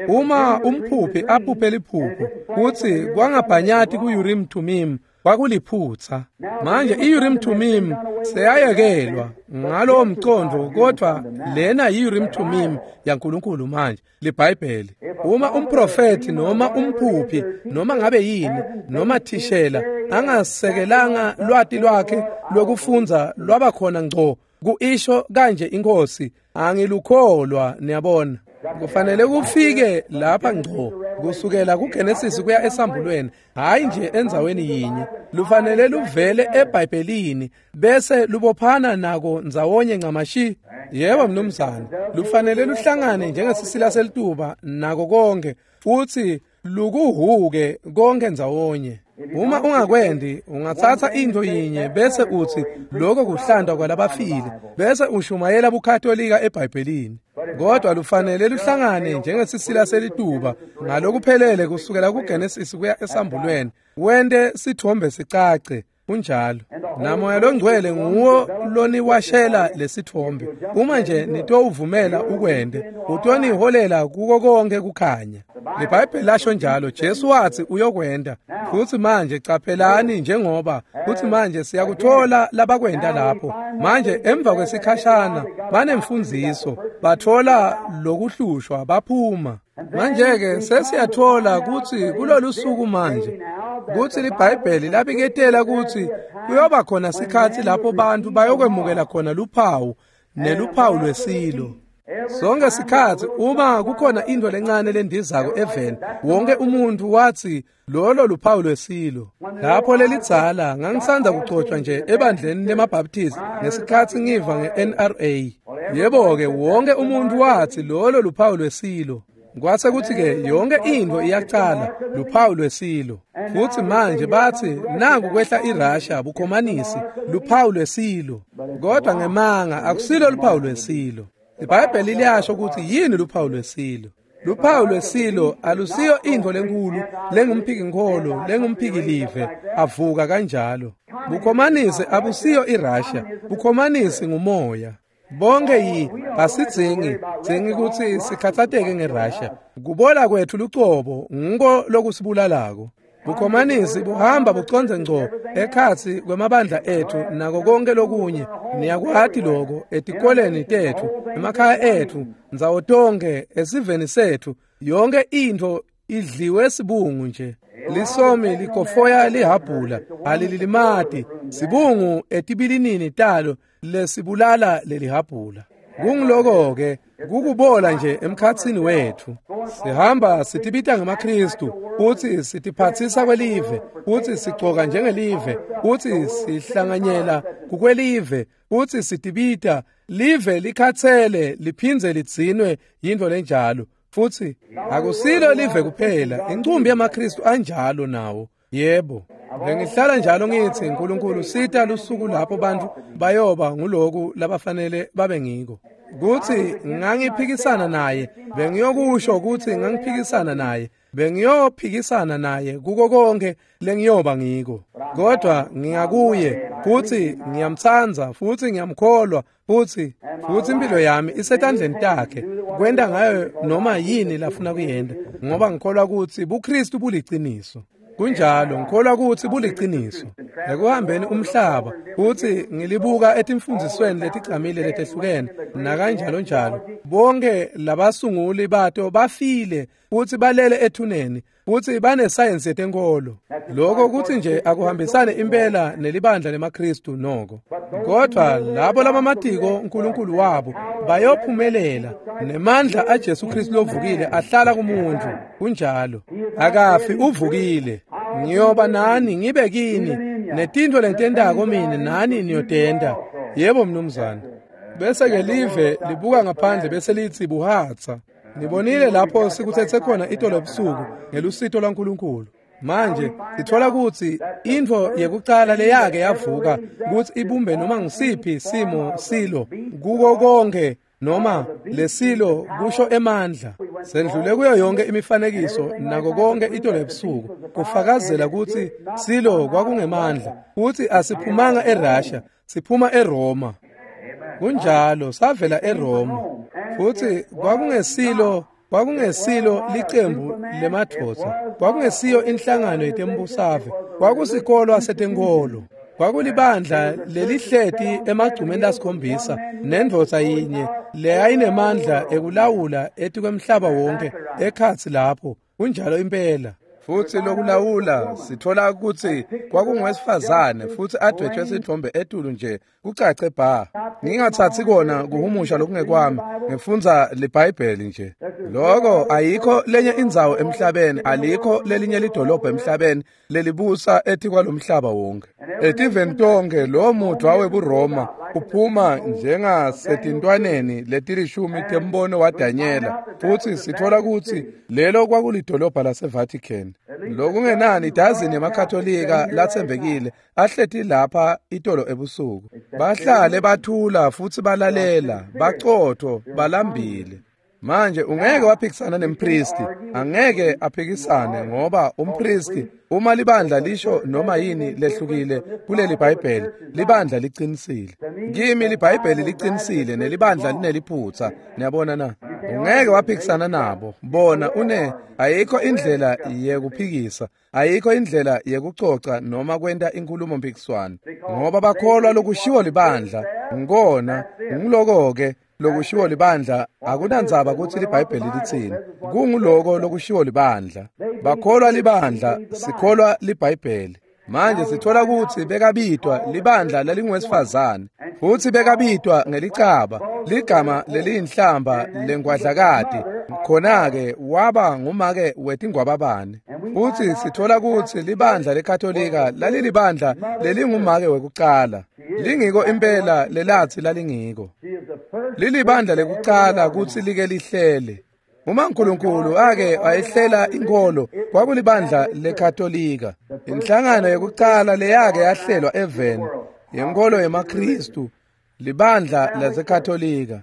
uma umphuphi aphuphe liphupho kutsi kwangabhanyati ku-Urim Thummim, kwakuliphutsa. Manje i-Urim Thummim seyayekelwa ngalowo mcondvo, kodwa lena yi-Urim Thummim yaNkulunkulu manje, liBhayibheli. Uma umprofethi noma umphuphi noma ngabe yini noma thishela angasekelanga lwati lwakhe lokufundza lwabakhona ngco kuisho kanje inkosi, angilukholwa. Niyabona, kufanele kufike lapha ngco kusukela kuGenesis kuya esambulweni, hayi nje endzaweni yinye. Lufanele luvele eBhayibhelini bese lubophana nako ndzawonye ncamashi. Yebo mnumzane, lufanele luhlangane njengesisila selituba nako konke, futsi lukuhuke konke ndzawonye. Uma ungakwendi, ungatsatsa into yinye bese utsi lokho kuhlantwa kwalabafile, bese ushumayela buKatolika eBhayibhelini. Kodwa lufanele luhlangane njengesisila selituba ngalokuphelele kusukela kuGenesis kuya esambulweni, wente sithombe sicace. Kunjalo. Namoya longcwele nguwo loniwashela lesithombe. Uma nje nitowuvumela ukwende, utoniholela kuko konke kukhanya. LiBhayibheli lasho njalo, Jesu watsi uyokwenda. Futsi manje caphelani, njengoba futsi manje siyakuthola labakwenda lapho. Manje emva kwesikhashana banemfundziso, bathola lokuhlushwa baphuma. Manje-ke sesiyathola kutsi kulolu suku manje kutsi liBhayibheli labiketela kutsi kuyoba khona sikhatsi lapho bantu bayokwemukela khona luphawu neluphawu lwesilo. Sonke sikhatsi uma kukhona into lencane lendizako eveni, wonke umuntu watsi lolo luphawu lwesilo. Lapho lelidzala ngangisandza kucotshwa nje ebandleni lemaBaptist ngesikhatsi ngiva nge-NRA. Yebo-ke, wonke umuntu watsi lolo luphawu lwesilo. Kwase kuthi-ke yonke into iyacala luphawu lwesilo. Futhi manje bathi nangu kwehla iRussia bukhomanisi, luphawu lwesilo. Kodwa ngemanga akusilo luphawu lwesilo. IBhayibheli liyasho ukuthi yini luphawu lwesilo. Luphawu lwesilo alusiyo intfo lenkulu lengumphiki-nkholo lengumphiki-live avuka kanjalo. Bukhomanisi abusiyo iRussia, bukhomanisi ngumoya. Bonke asidzingi kutsi sikhatsateke ngeRussia. Kubola kwethu lucobo nguko lokusibulalako. Bukhomanisi buhamba bucondze ngco ekhatsi kwemabandla ethu nako konke lokunye. Niyakwati loko etikoleni tethu, emakhaya ethu, ndzawo tonke, esiveni sethu, yonke intfo idliwe sibungu nje. Lisomi likofoya lihabhula, alililimati, sibungu etibilinini talo lesibulala lelihabhula. Kungiloko-ke kukubola nje emkhatsini wetfu. Sihamba sitibita ngemaKhristu, futsi sitiphatsisa kwelive, futsi sigcoka njengelive, futsi sihlanganyela kukwelive, futsi sitibita live likhatsele liphindze lidzinwe yintfo lenjalo. Futsi akusilo live kuphela, incumbi yemaKhristu anjalo nawo. Yebo, bengihlala njalo ngitsi Nkulunkulu sita lusuku lapho bantfu bayoba nguloku labafanele babe ngiko. Kutsi ngangiphikisana naye, bengiyokusho kutsi ngangiphikisana naye, bengiyophikisana naye kuko konke lengiyoba ngiko. Kodwa ngingakuye futsi ngiyamtsandza futsi ngiyamkholwa futsi impilo yami isetandleni takhe kwenta ngayo noma yini lafuna kuyenta, ngoba ngikholwa kutsi buKhristu buliciniso. Kunjalo, ngikholwa kutsi buliciniso. Ekuhambeni umhlaba futsi ngilibuka etimfundzisweni letigcamile letehlukene nakanjalo njalo, bonke labasunguli bato bafile futsi balele ethuneni futsi banesayensi yetenkolo. Lokho kutsi nje akuhambisane impela nelibandla lemaKhristu noko. Kodwa labo labamatiko uNkulunkulu wabo bayophumelela, nemandla aJesu Kristu lovukile ahlala kumuntu. Kunjalo, akafi, uvukile. Ngiyoba nani ngibe kini, netintfo lengitentako mine nani niyotenta. Yebo mnumzane. Bese ke live libuka ngaphandle bese lithi buhatsa. Nibonile lapho sikutsetse khona itolo ebusuku ngelusito lwaNkulunkulu. Manje sithola kutsi intfo yekucala leyake yavuka kutsi ibumbe noma ngisiphi simo silo kuko konke noma lesilo kusho emandla. Sendlule kuyo yonke imifanekiso nako konke itolo ebusuku kufakazela kutsi silo kwakungemandla, kutsi asiphumanga eRussia, siphuma eRoma. Kunjalo, savela eRoma. Futsi kwakungesilo licembu lemadvodza, kwakungesiyo inhlangano yetembusave, kwakusikolwa setenkolo. Kwakulibandla lelihleti emagcumeni lasikhombisa nendvodza yinye leyayinemandla ekulawula etikwemhlaba wonke ekhatsi lapho. Kunjalo impela. Futsi lokulawula sithola kutsi kwakungowesifazane futsi adwetshwe sithombe etulu nje kucace bha. Ngingathatsi kona kuhumusha lokungekwami, ngifundza liBhayibheli nje. Loko ayikho lenye indzawo emhlabeni, alikho lelinye lidolobha emhlabeni lelibusa etikwalomhlaba wonke. Etiveni tonke lo mudvwa webuRoma uphuma njengasetintwaneni letilishumi tembono waDanyela, futsi sithola kutsi lelo kwakulidolobha laseVatican. Lokungenani idazini yemaKatolika latsembekile ahleti lapha itolo ebusuku. Bahlale bathula futsi balalela, bacotho, balambile. Manje ungeke waphikisana nempristi, angeke aphikisane, ngoba umpristi uma libandla lisho noma yini lehlukile kuleli Bhayibheli, libandla liqinisile. Kimi liBhayibheli liqinisile nelibandla lineliphutsa. Niyabona na? Ungeke waphikisana nabo. Bona une ayikho indlela yekuphikisa, ayikho indlela yekucoca noma kwenta inkhulumo mpikiswano, ngoba bakholwa lokushiwo libandla. Ngikona ngiloko-ke lokushiwo libandla, akunandzaba kutsi liBhayibheli litsini. Kunguloko lokushiwo libandla. Bakholwa libandla, sikholwa liBhayibheli. Manje sithola kutsi bekabitwa libandla lalingowesifazane, futsi bekabitwa ngelicaba, ligama leliyinhlamba lengwadlakati. Khona-ke waba ngumake wetingwababane. Futsi sithola kutsi libandla leKatolika lalilibandla lelingumake wekucala. Lingiko impela lelatsi lalingiko. Lilibandla lekucala kutsi like lihlele. Uma uNkulunkulu ake wayihlela inkolo, kwakulibandla leKatolika. Inhlangano yekucala leyake yahlelwa eveni yenkolo yemaKhristu, libandla laseKatolika.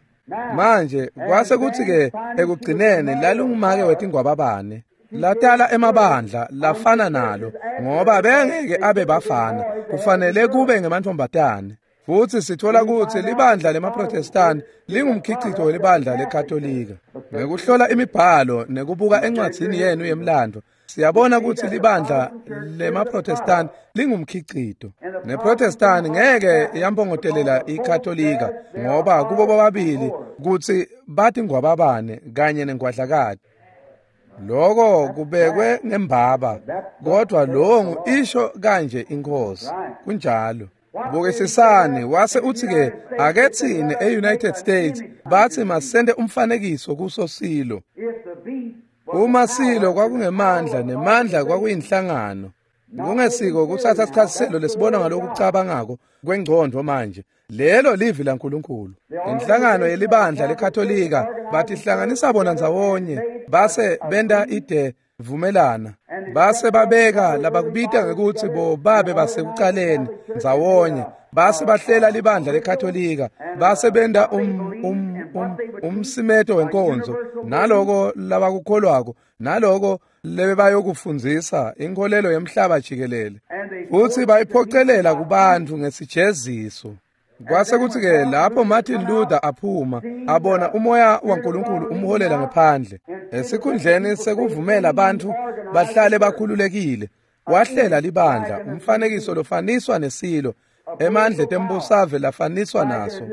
Manje kwase kutsi-ke ekugcineni lalungumake wetingwababane. Latala emabandla lafana nalo, ngoba bengeke abe bafana, kufanele kube ngemantfombatane. Futsi sithola kutsi libandla lemaProtestani lingumkhicito welibandla leKatolika. Ngekuhlola imibhalo nekubuka encwadzini yenu yemlando, siyabona kutsi libandla lemaProtestani lingumkhicito. NeProtestani ngeke yampongotelela iKatolika, ngoba kubo bobabili kutsi batingwababane kanye nengwadlakati. Loko kubekwe ngembaba, kodwa longu isho kanje inkosi. Kunjalo. Bukisisani, wase uthi-ke ake tsine e-United States bathi masente umfanekiso kuso silo. Uma silo kwakungemandla nemandla kwakuyinhlangano. Kungesiko kutsatsa sikhatsi selo lesibona ngalokucabangako kwengcondvo manje. Lelo livi laNkulunkulu. Inhlangano yelibandla leKatolika batihlanganisa bona ndzawonye base benta ide vumelana base babeka labakubita ngekutsi bobabe basekucaleni ndzawonye base bahlela libandla leKatolika base benta umsimeto wenkonzo naloko labakukholwako naloko lebebayokufundzisa inkholelo yemhlaba jikelele futsi bayiphocelela kubantfu ngesijeziso. Kwase kutsi-ke lapho Martin Luther aphuma abona umoya waNkulunkulu umholela ngephandle esikhundleni sekuvumela bantfu bahlale bakhululekile wahlela libandla umfanekiso lofaniswa nesilo emandla etembusave lafaniswa naso.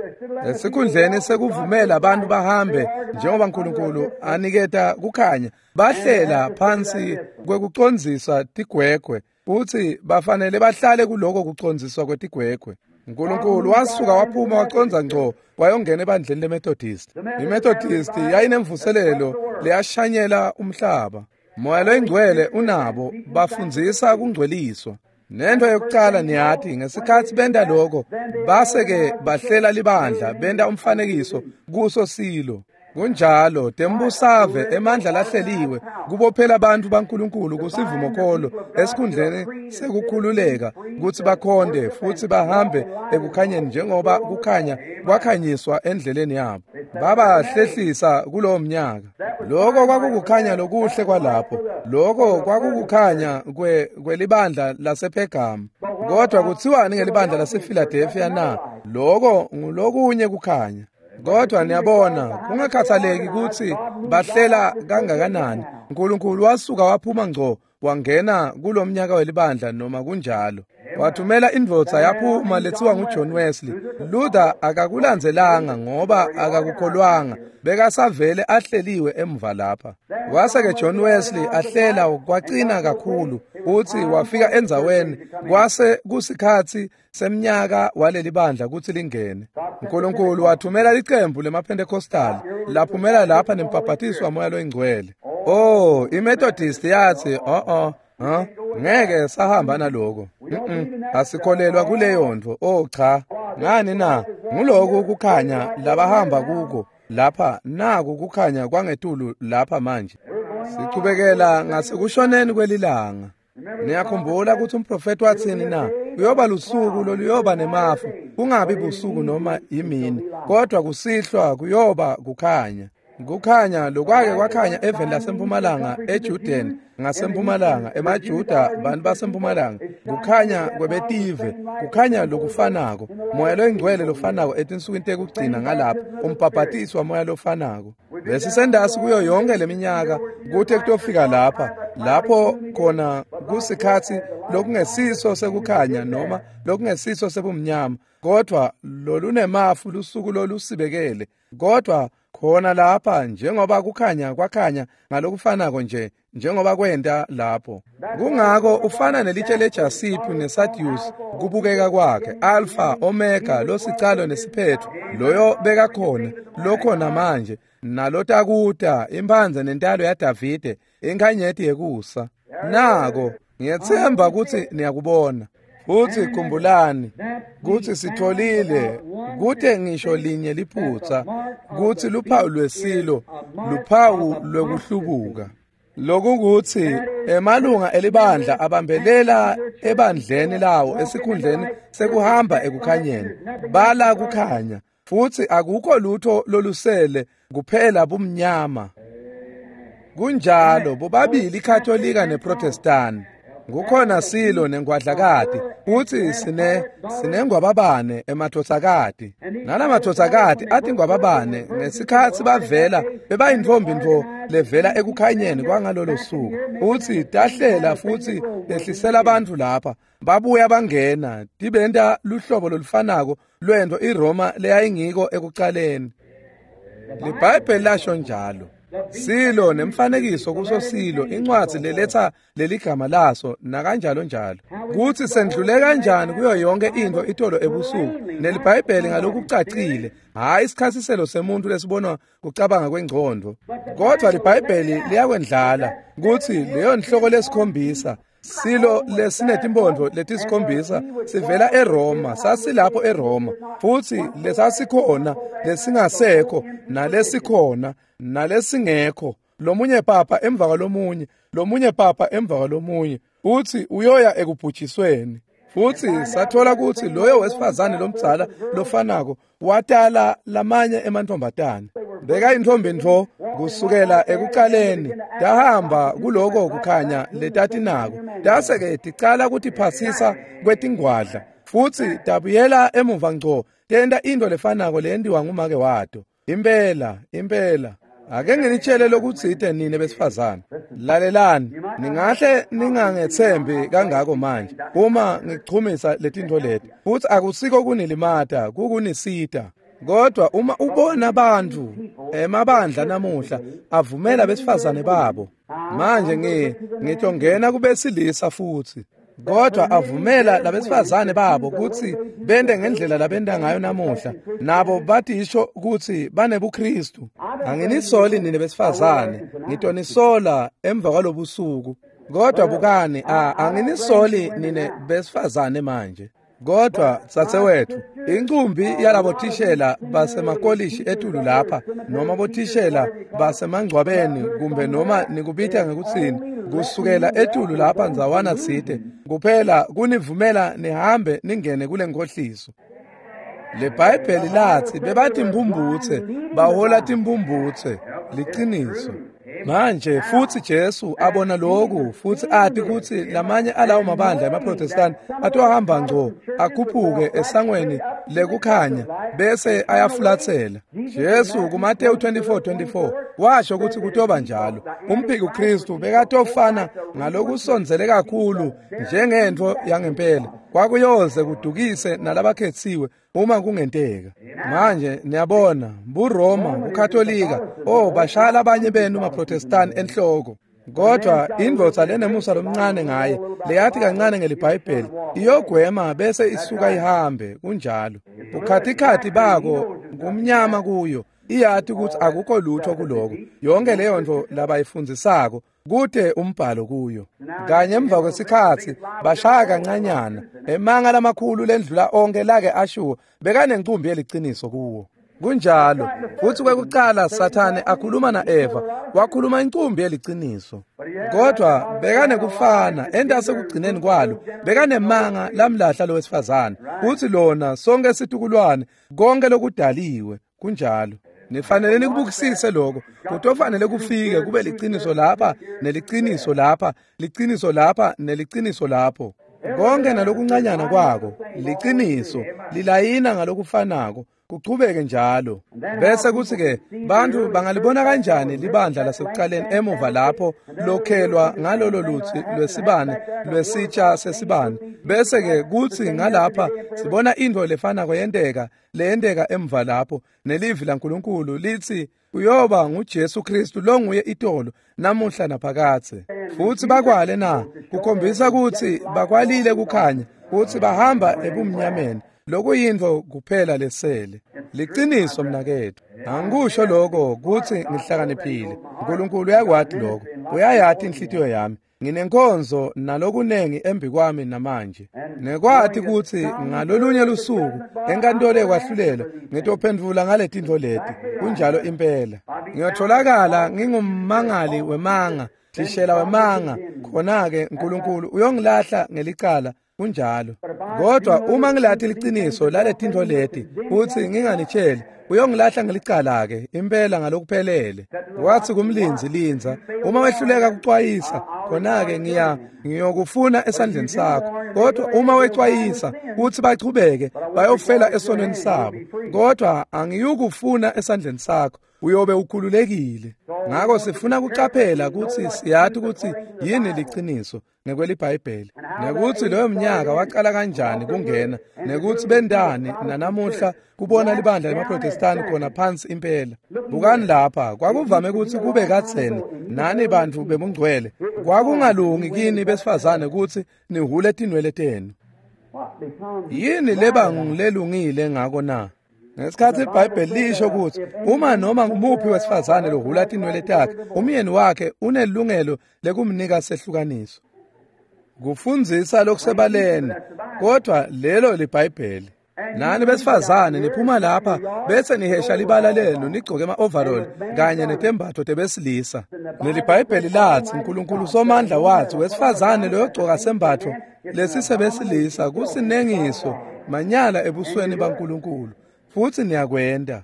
Esikhundleni sekuvumela abantu bahambe njengoba uNkulunkulu aniketa kukhanya bahlela phansi kwekucondziswa tigwegwe futsi bafanele bahlale kuloko kucondziswa kwetigwegwe. uNkulunkulu wasuka waphuma wacondza ngco wayongena ebandleni leMethodist. IMethodist yayinemvuselelo leyashanyela umhlaba. Moya loyingcwele unabo bafundzisa kungcweliswa. Nento yokucala niyati ngesikhatsi benta lokho base-ke bahlela libandla benta umfanekiso kuso silo. Kunjalo tembusave emandla lahleliwe kubophela abantu baNkulunkulu kusivumokholo esikhundleni sekukhululeka kutsi bakhonde futsi bahambe ekukhanyeni njengoba kukhanya kwakhanyiswa endleleni yabo. Babahlehlisa kulowo mnyaka. Lokho kwakukukhanya lokuhle kwalapho. Lokho kwakukukhanya kwelibandla lasePhergamu. Kodwa kutsiwani ngelibandla lasePhiladelphia na? Lokho ngulokunye kukhanya. Kodwa niyabona kungakhathaleki kutsi bahlela kangakanani uNkulunkulu wasuka waphuma ngco wangena kulomnyaka welibandla noma kunjalo. Wathumela indvodza yaphuma letsiwa nguJohn Wesley. Luther akakulandzelanga ngoba akakukholwanga bekasavele ahleliwe emva lapha. Wase-ke John Wesley ahlela kwacina kakhulu utsi wafika endzaweni kwase kusikhatsi semnyaka waleli bandla kutsi lingene. uNkulunkulu wathumela licembu lemaPentecostal laphumela lapha nembhabhatiso wamoya loyingcwele. Oh, iMethodist yathi ngeke sahamba naloko. Asikholelwa kuleyo nto. Oh cha, ngani na? Nguloku kukhanya labahamba kuko lapha naku kukhanya kwangetulu lapha manje. Sichubekela ngasekushoneni kwelilanga. Niyakhumbula ukuthi umprofeti wathini na? Kuyoba lusuku loluyoba nemafu, kungabi busuku noma imini, kodwa kusihlwa kuyoba kukhanya. Kukhanya lokwake kwakhanya eveni lasempumalanga eJuden ngasempumalanga emaJuda bantu basempumalanga kukhanya kwebetive kukhanya lokufanako moya loyingcwele lofanako etinsukwini tekugcina ngalapha umbhabhatiso wamoya lofanako. Besisendasi kuyo yonke leminyaka kuthe kutofika lapha lapho khona kusikhatsi lokungesiso sekukhanya noma lokungesiso sebumnyama kodwa lolunemafu lusuku lolusibekele kodwa khona lapha njengoba kukhanya kwakhanya ngalokufanako nje njengoba kwenta lapho. Kungako ufana nelitshe lejasiphu nesadius kubukeka kwakhe Alpha Omega losicalo nesiphetho loyo bekakhona lokhona manje nalotakuta imphanze nentalo yaDavide inkhanyeti yekusa. Nako ngiyethemba ukuthi niyakubona. Futhi khumbulani kutsi sitholile kute ngisho linye liphutsa kutsi luphawu lwesilo luphawu lwekuhlubuka. Lokukuthi emalunga elibandla abambelela ebandleni lawo esikhundleni sekuhamba ekukhanyeni bala kukhanya futsi akukho lutho lolusele kuphela bumnyama. Kunjalo bobabili iKatolika neProtestani. Kukhona silo nengwadlakati futsi sinengwababane emathotsakati nalamathotsakati athi ngwababane ngesikhatsi bavela bebayintfombi ntfo levela ekukhanyeni kwangalolo suku futsi tahlela futsi tehlisela abantu lapha babuya bangena tibenta luhlobo lolufanako lwento iRoma leyayingiko ekucaleni. LiBhayibheli lasho njalo. Silo nemfanekiso kuso silo, incwadzi leletha leligama laso nakanjalo njalo. Kutsi sendlule kanjani kuyo yonke intfo itolo ebusuku neliBhayibheli ngalokucacile, hhayi isichasiselo semuntu lesibonwa kucabanga kwengcondvo, kodvwa liBhayibheli liyakwendlala kutsi leyo nhloko lesikhombisa, silo lesinetimphondvo letisikhombisa sivela eRoma, sasilapho eRoma, futsi lesasikhona lesingasekho nalesikhona nalesingekho, lomunye papa emva kwalomunye, lomunye papa emva kwalomunye, utsi uyoya ekubhujisweni. Futsi sathola kutsi loyo wesifazane lomdzala lofanako watala lamanye emantfombatane. Bekayintfombi ntfo kusukela ekucaleni, tahamba kuloko kukhanya letatinako, tase-ke ticala kutiphasisa kwetingwadla, futsi tabuyela emuva ngco tenta intfo lefanako leyentiwa ngumake wato. Impela, impela. Ake nginitshele lokutsite nine besifazane. Lalelani, ningahle ningangetsembi kangako manje uma ngichumisa letintfo leti. Futsi akusiko kunilimata, kukunisita. Kodwa uma ubona bantfu emabandla namuhla avumela besifazane babo, manje ngitongena kubesilisa futsi, kodwa avumela labesifazane babo kutsi bente ngendlela labenta ngayo namuhla, nabo batisho kutsi banebuKristu. Anginisoli nine besifazane, ngitonisola emva kwalobusuku. Kodwa bukani, anginisoli nine besifazane manje. Kodwa dzadzewethu, incumbi yalabothishela basemakolishi etulu lapha, noma bothishela basemangcwabeni, kumbe noma nikubita ngekutsini, kusukela etulu lapha ndzawana tsite, kuphela kunivumela nihambe ningene kule nkhohliso. LeBhayibheli latsi bebatimphumphutse, bahola timphumphutse, liciniso. Manje futsi Jesu abona loku futsi ati kutsi lamanye alawo mabandla emaProtestani atohamba ngco akhuphuke esangweni lekukhanya bese ayafulatsela. Jesu kuMateyu 24:24 washo kutsi kutoba njalo. Umphiki Kristu bekatofana ngalokusondzele kakhulu njengentfo yangempela, kwakuyoze kudukise nalabakhetsiwe uma kungenteka. Manje niyabona, buRoma, buKatolika, bashaya labanye benu maProtestani enhloko. Kodwa indvodza lenemusa lomncane ngaye, leyathi kancane ngeliBhayibheli, iyogwema bese isuka ihambe, kunjalo. Bukhatikhathi bako kumnyama kuyo, iyati kutsi akukho lutho kuloko. Yonke leyo nto labayifundzisako kute umbhalo kuyo. Kanye emva kwesikhatsi bashaya kancanyana emanga lamakhulu lendlula onke lake ashiwo, bekanencumbi yeliciniso kuwo. Kunjalo. Futsi kwekucala Sathane akhuluma na-Eva, wakhuluma incumbi yeliciniso. Kodwa bekanekufana entase kugcineni kwalo, bekanemanga lamlahla lowesifazane. Futsi lona sonke situkulwane, konke lokudaliwe, kunjalo. Nifanele nikubukisise lokho. Kutofanele kufike kube liciniso lapha, neliciniso lapha, liciniso lapha, neliciniso lapho. Konke nalokuncanyana kwako, liciniso, lilayina ngalokufanako, kuchubeke njalo. Bese kutsi-ke bantfu bangalibona kanjani libandla lasekucaleni emuva lapho lokhelwa ngalolo lutsi lwesibane lwesitsha sesibane, bese-ke kutsi ngalapha sibona intfo lefanako yenteka leyenteka emva lapho, nelivi laNkulunkulu litsi uyoba nguJesu Kristu longuye itolo namuhla naphakadze. Futsi bakwale na kukhombisa kutsi bakwalile kukhanya, kutsi bahamba ebumnyameni, lokuyintfo kuphela lesele. Liciniso mnaketfu, angikusho lokho kutsi ngihlakaniphile. uNkulunkulu uyakwati lokho, uyayati inhlitiyo yami. Nginenkonzo nalokunengi embi kwami namanje. Nekwati kutsi ngalolunye lusuku enkantolo yekwahlulela ngitophendvula ngaletintfo leti. Kunjalo impela. Ngiyotholakala ngingummangali wemanga, thishela wemanga. Khona-ke uNkulunkulu uyongilahla ngelicala. Kunjalo. Kodwa uma ngilati liciniso laletintfo leti futsi nginganitsheli, uyongilahla ngelicala-ke impela ngalokuphelele. Wathi kumlindzi, lindza, uma wehluleka kucwayisa, khona-ke ngiyokufuna esandleni sakho. Kodwa uma wecwayisa kutsi bachubeke bayofela esonweni sabo, kodwa angiyukufuna esandleni sakho. Uyobe ukhululekile. Ngako sifuna kucaphela kutsi siyati kutsi yini liciniso ngekweliBhayibheli, nekutsi loyo mnyaka waqala kanjani kungena, nekutsi bendani nanamuhla kubona libandla lemaProtestani khona phansi impela. Bukani lapha, kwakuvame kutsi kube kadzeni nani bantfu bebungcwele, kwakungalungi kini besifazane kutsi nihhule tinwele tenu. Yini leba ngulelungile ngako na? Ngesikhathi iBhayibheli lisho kutsi uma noma ngumuphi wesifazane lohhula tinwele takhe, umyeni wakhe unelungelo lekumnika sehlukaniso. Kufundzisa lokusebaleni, kodwa lelo liBhayibheli. Nani besifazane niphuma lapha bese nihesha libala lenu nigcoke ema-overall kanye netembatfo tebesilisa. LeliBhayibheli lathi uNkulunkulu Somandla wathi wesifazane loyogcoka sembatfo lesisebesilisa kusinengiso manyala ebusweni baNkulunkulu. Futsi niyakwenta.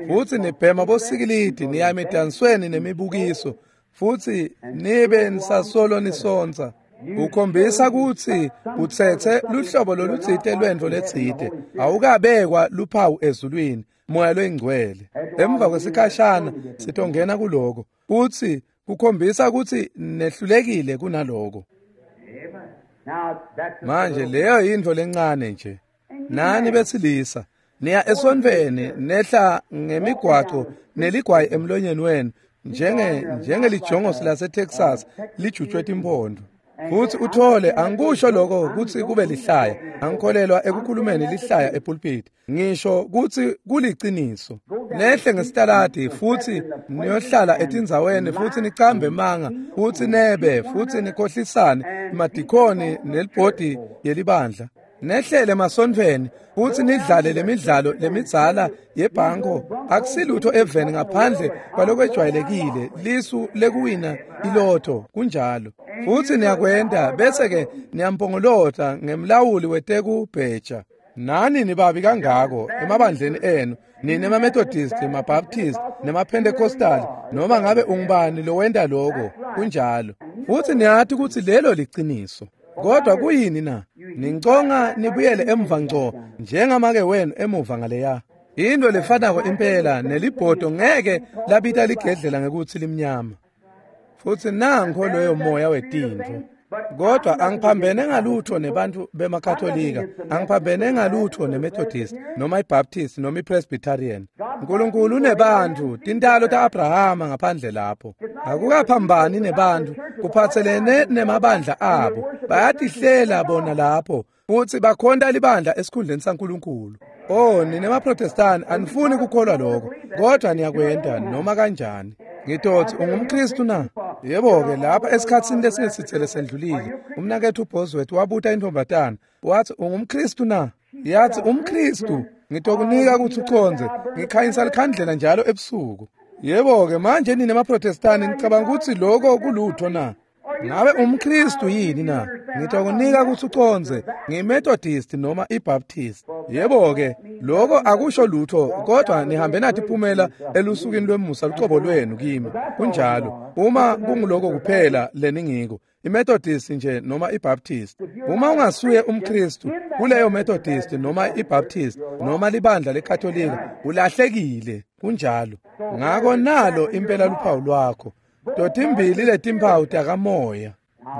Futsi nibhema bosikilidi niya emidansweni nemibukiso futsi nibe nisasolo nisontsa. Ukhombisa kutsi utsetse luhlobo lolutsite lwentfo letsite, awukabekwa luphawu ezulwini, Moya loyiNgcwele. Emva kwesikhashana sitongena kuloko, kutsi kukhombisa kutsi nehlulekile kunaloko. Manje leyo yintfo lencane nje. Nani besilisa niya esontfweni nehla ngemigwaco neligwayi emlonyeni wenu njengelijongosi laseTexas lijutshwe timpondo. Futsi uthole, angikusho lokho kutsi kube lihlaya, angikholelwa ekukhulumeni lihlaya epulpiti, ngisho kutsi kuliciniso. Nehle ngesitaladi futsi niyohlala etindzaweni futsi nicambe manga futsi nebe futsi nikhohlisane emadikhoni nelibhodi yelibandla. Nehlele emasontfweni futsi nidlale lemidlalo lemidzala yebhanko, akusilutho eveni ngaphandle kwalokwejwayelekile lisu lekuwina ilotho, kunjalo. Futsi niyakwenta bese-ke niyampongolota ngemlawuli wetekubheja. Nani nibabi kangako emabandleni enu, nine emaMethodist, emaBaptist nemaPentecostal, noma ngabe ungubani lowenta loko, kunjalo. Futsi niyati kutsi lelo liciniso. Kodwa kuyini na? Ninconga nibuyele emva ngco njengamake wenu emuva ngaleya. Into lefanako impela nelibhodo ngeke labita ligedlela ngekutsi limnyama. Futsi nankho loyo moya wetintfo. Kodwa angiphambene ngalutho nebantfu bemaKatolika, angiphambene ngalutho neMethodist noma iBaptist noma iPresbyterian. Nkulunkulu unebantfu, tintalo ta-Abrahama ngaphandle lapho. Akukaphambani nebantfu, kuphatselene nemabandla abo. Bayatihlela bona lapho futsi bakhonta libandla esikhundleni saNkulunkulu. Oh, nine maProtestani anifuni kukholwa lokho, kodwa niyakwenta noma kanjani. Ngitotsi ungumKristu na? Yebo-ke, lapha esikhatsini lesingesitsele sendlulile, umnaketfu Bosworth wabuta intombatana, wathi ungumKristu na? Yathi umKristu, ngitokunika kutsi ucondze, ngikhanyisa likhandlela njalo ebusuku. Yebo-ke, manje nine maProtestani nicabanga kutsi loko kulutho na? Ngabe umKristu yini na? Ngitokunika kutsi ucondze, ngiyiMethodist noma iBaptist. Yebo-ke, loko akusho lutho, kodwa nihambe natiphumela elusukwini lwemusa lucobo lwenu kimi. Kunjalo, uma kunguloko kuphela leningiko, iMethodist nje noma iBaptist. Uma ungasuye umKristu, kuleyo Methodist noma iBaptist noma libandla leKatolika, ulahlekile. Kunjalo. Ngako nalo impela luphawu lwakho. Totimbili letimphawu takamoya.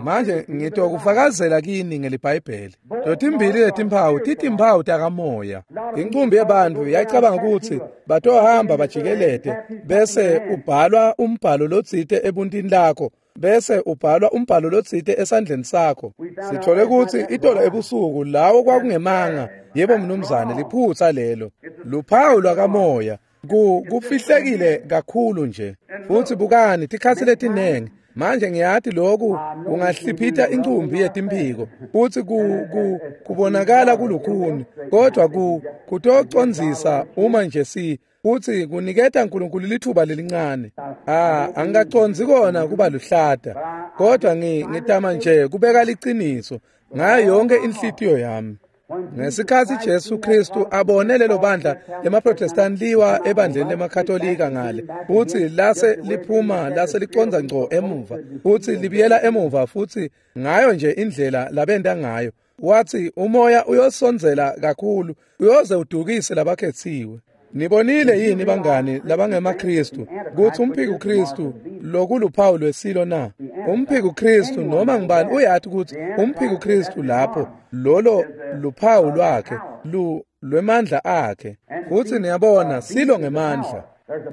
Manje ngitokufakazela kini ngeliBhayibheli. Totimbili letimphawu titimphawu takamoya. Inqumbi yebantfu yayicabanga kutsi batohamba bajikelete bese ubhalwa umbhalo lotsite ebuntini lakho, bese ubhalwa umbhalo lotsite esandleni sakho. Sithole kutsi itolo ebusuku lawo kwakungemanga. Yebo mnumzane, liphutsa lelo. Luphawu lwakamoya kufihlekile kakhulu nje. Futsi bukani tikhatsi letinengi. Manje ngiyati lokhu kungahliphita incumbi yetimphiko futsi kubonakala kulukhuni, kodwa kutocondzisa uma nje si futsi kuniketa uNkulunkulu lithuba lelincane. Angikacondzi kona kuba luhlata, kodwa ngitama nje kubeka liciniso ngayo yonke inhlitiyo yami. Ngesikhatsi Jesu Kristu abone lelo bandla lemaProtestant liwa ebandleni lemaKatolika ngale, futsi lase liphuma lase licondza ngco emuva, futsi libuyela emuva futsi ngayo nje indlela labenta ngayo, wathi umoya uyosondzela kakhulu uyoze udukise labakhetsiwe. Nibonile yini bangani labangemaKristu kutsi umphiko Kristu lokuluphawu lwesilo na? Umphiko Kristu noma ngibani uyati kutsi umphiko Kristu lapho lolo luphawu lwakhe lwemandla akhe. Futsi niyabona silo ngemandla.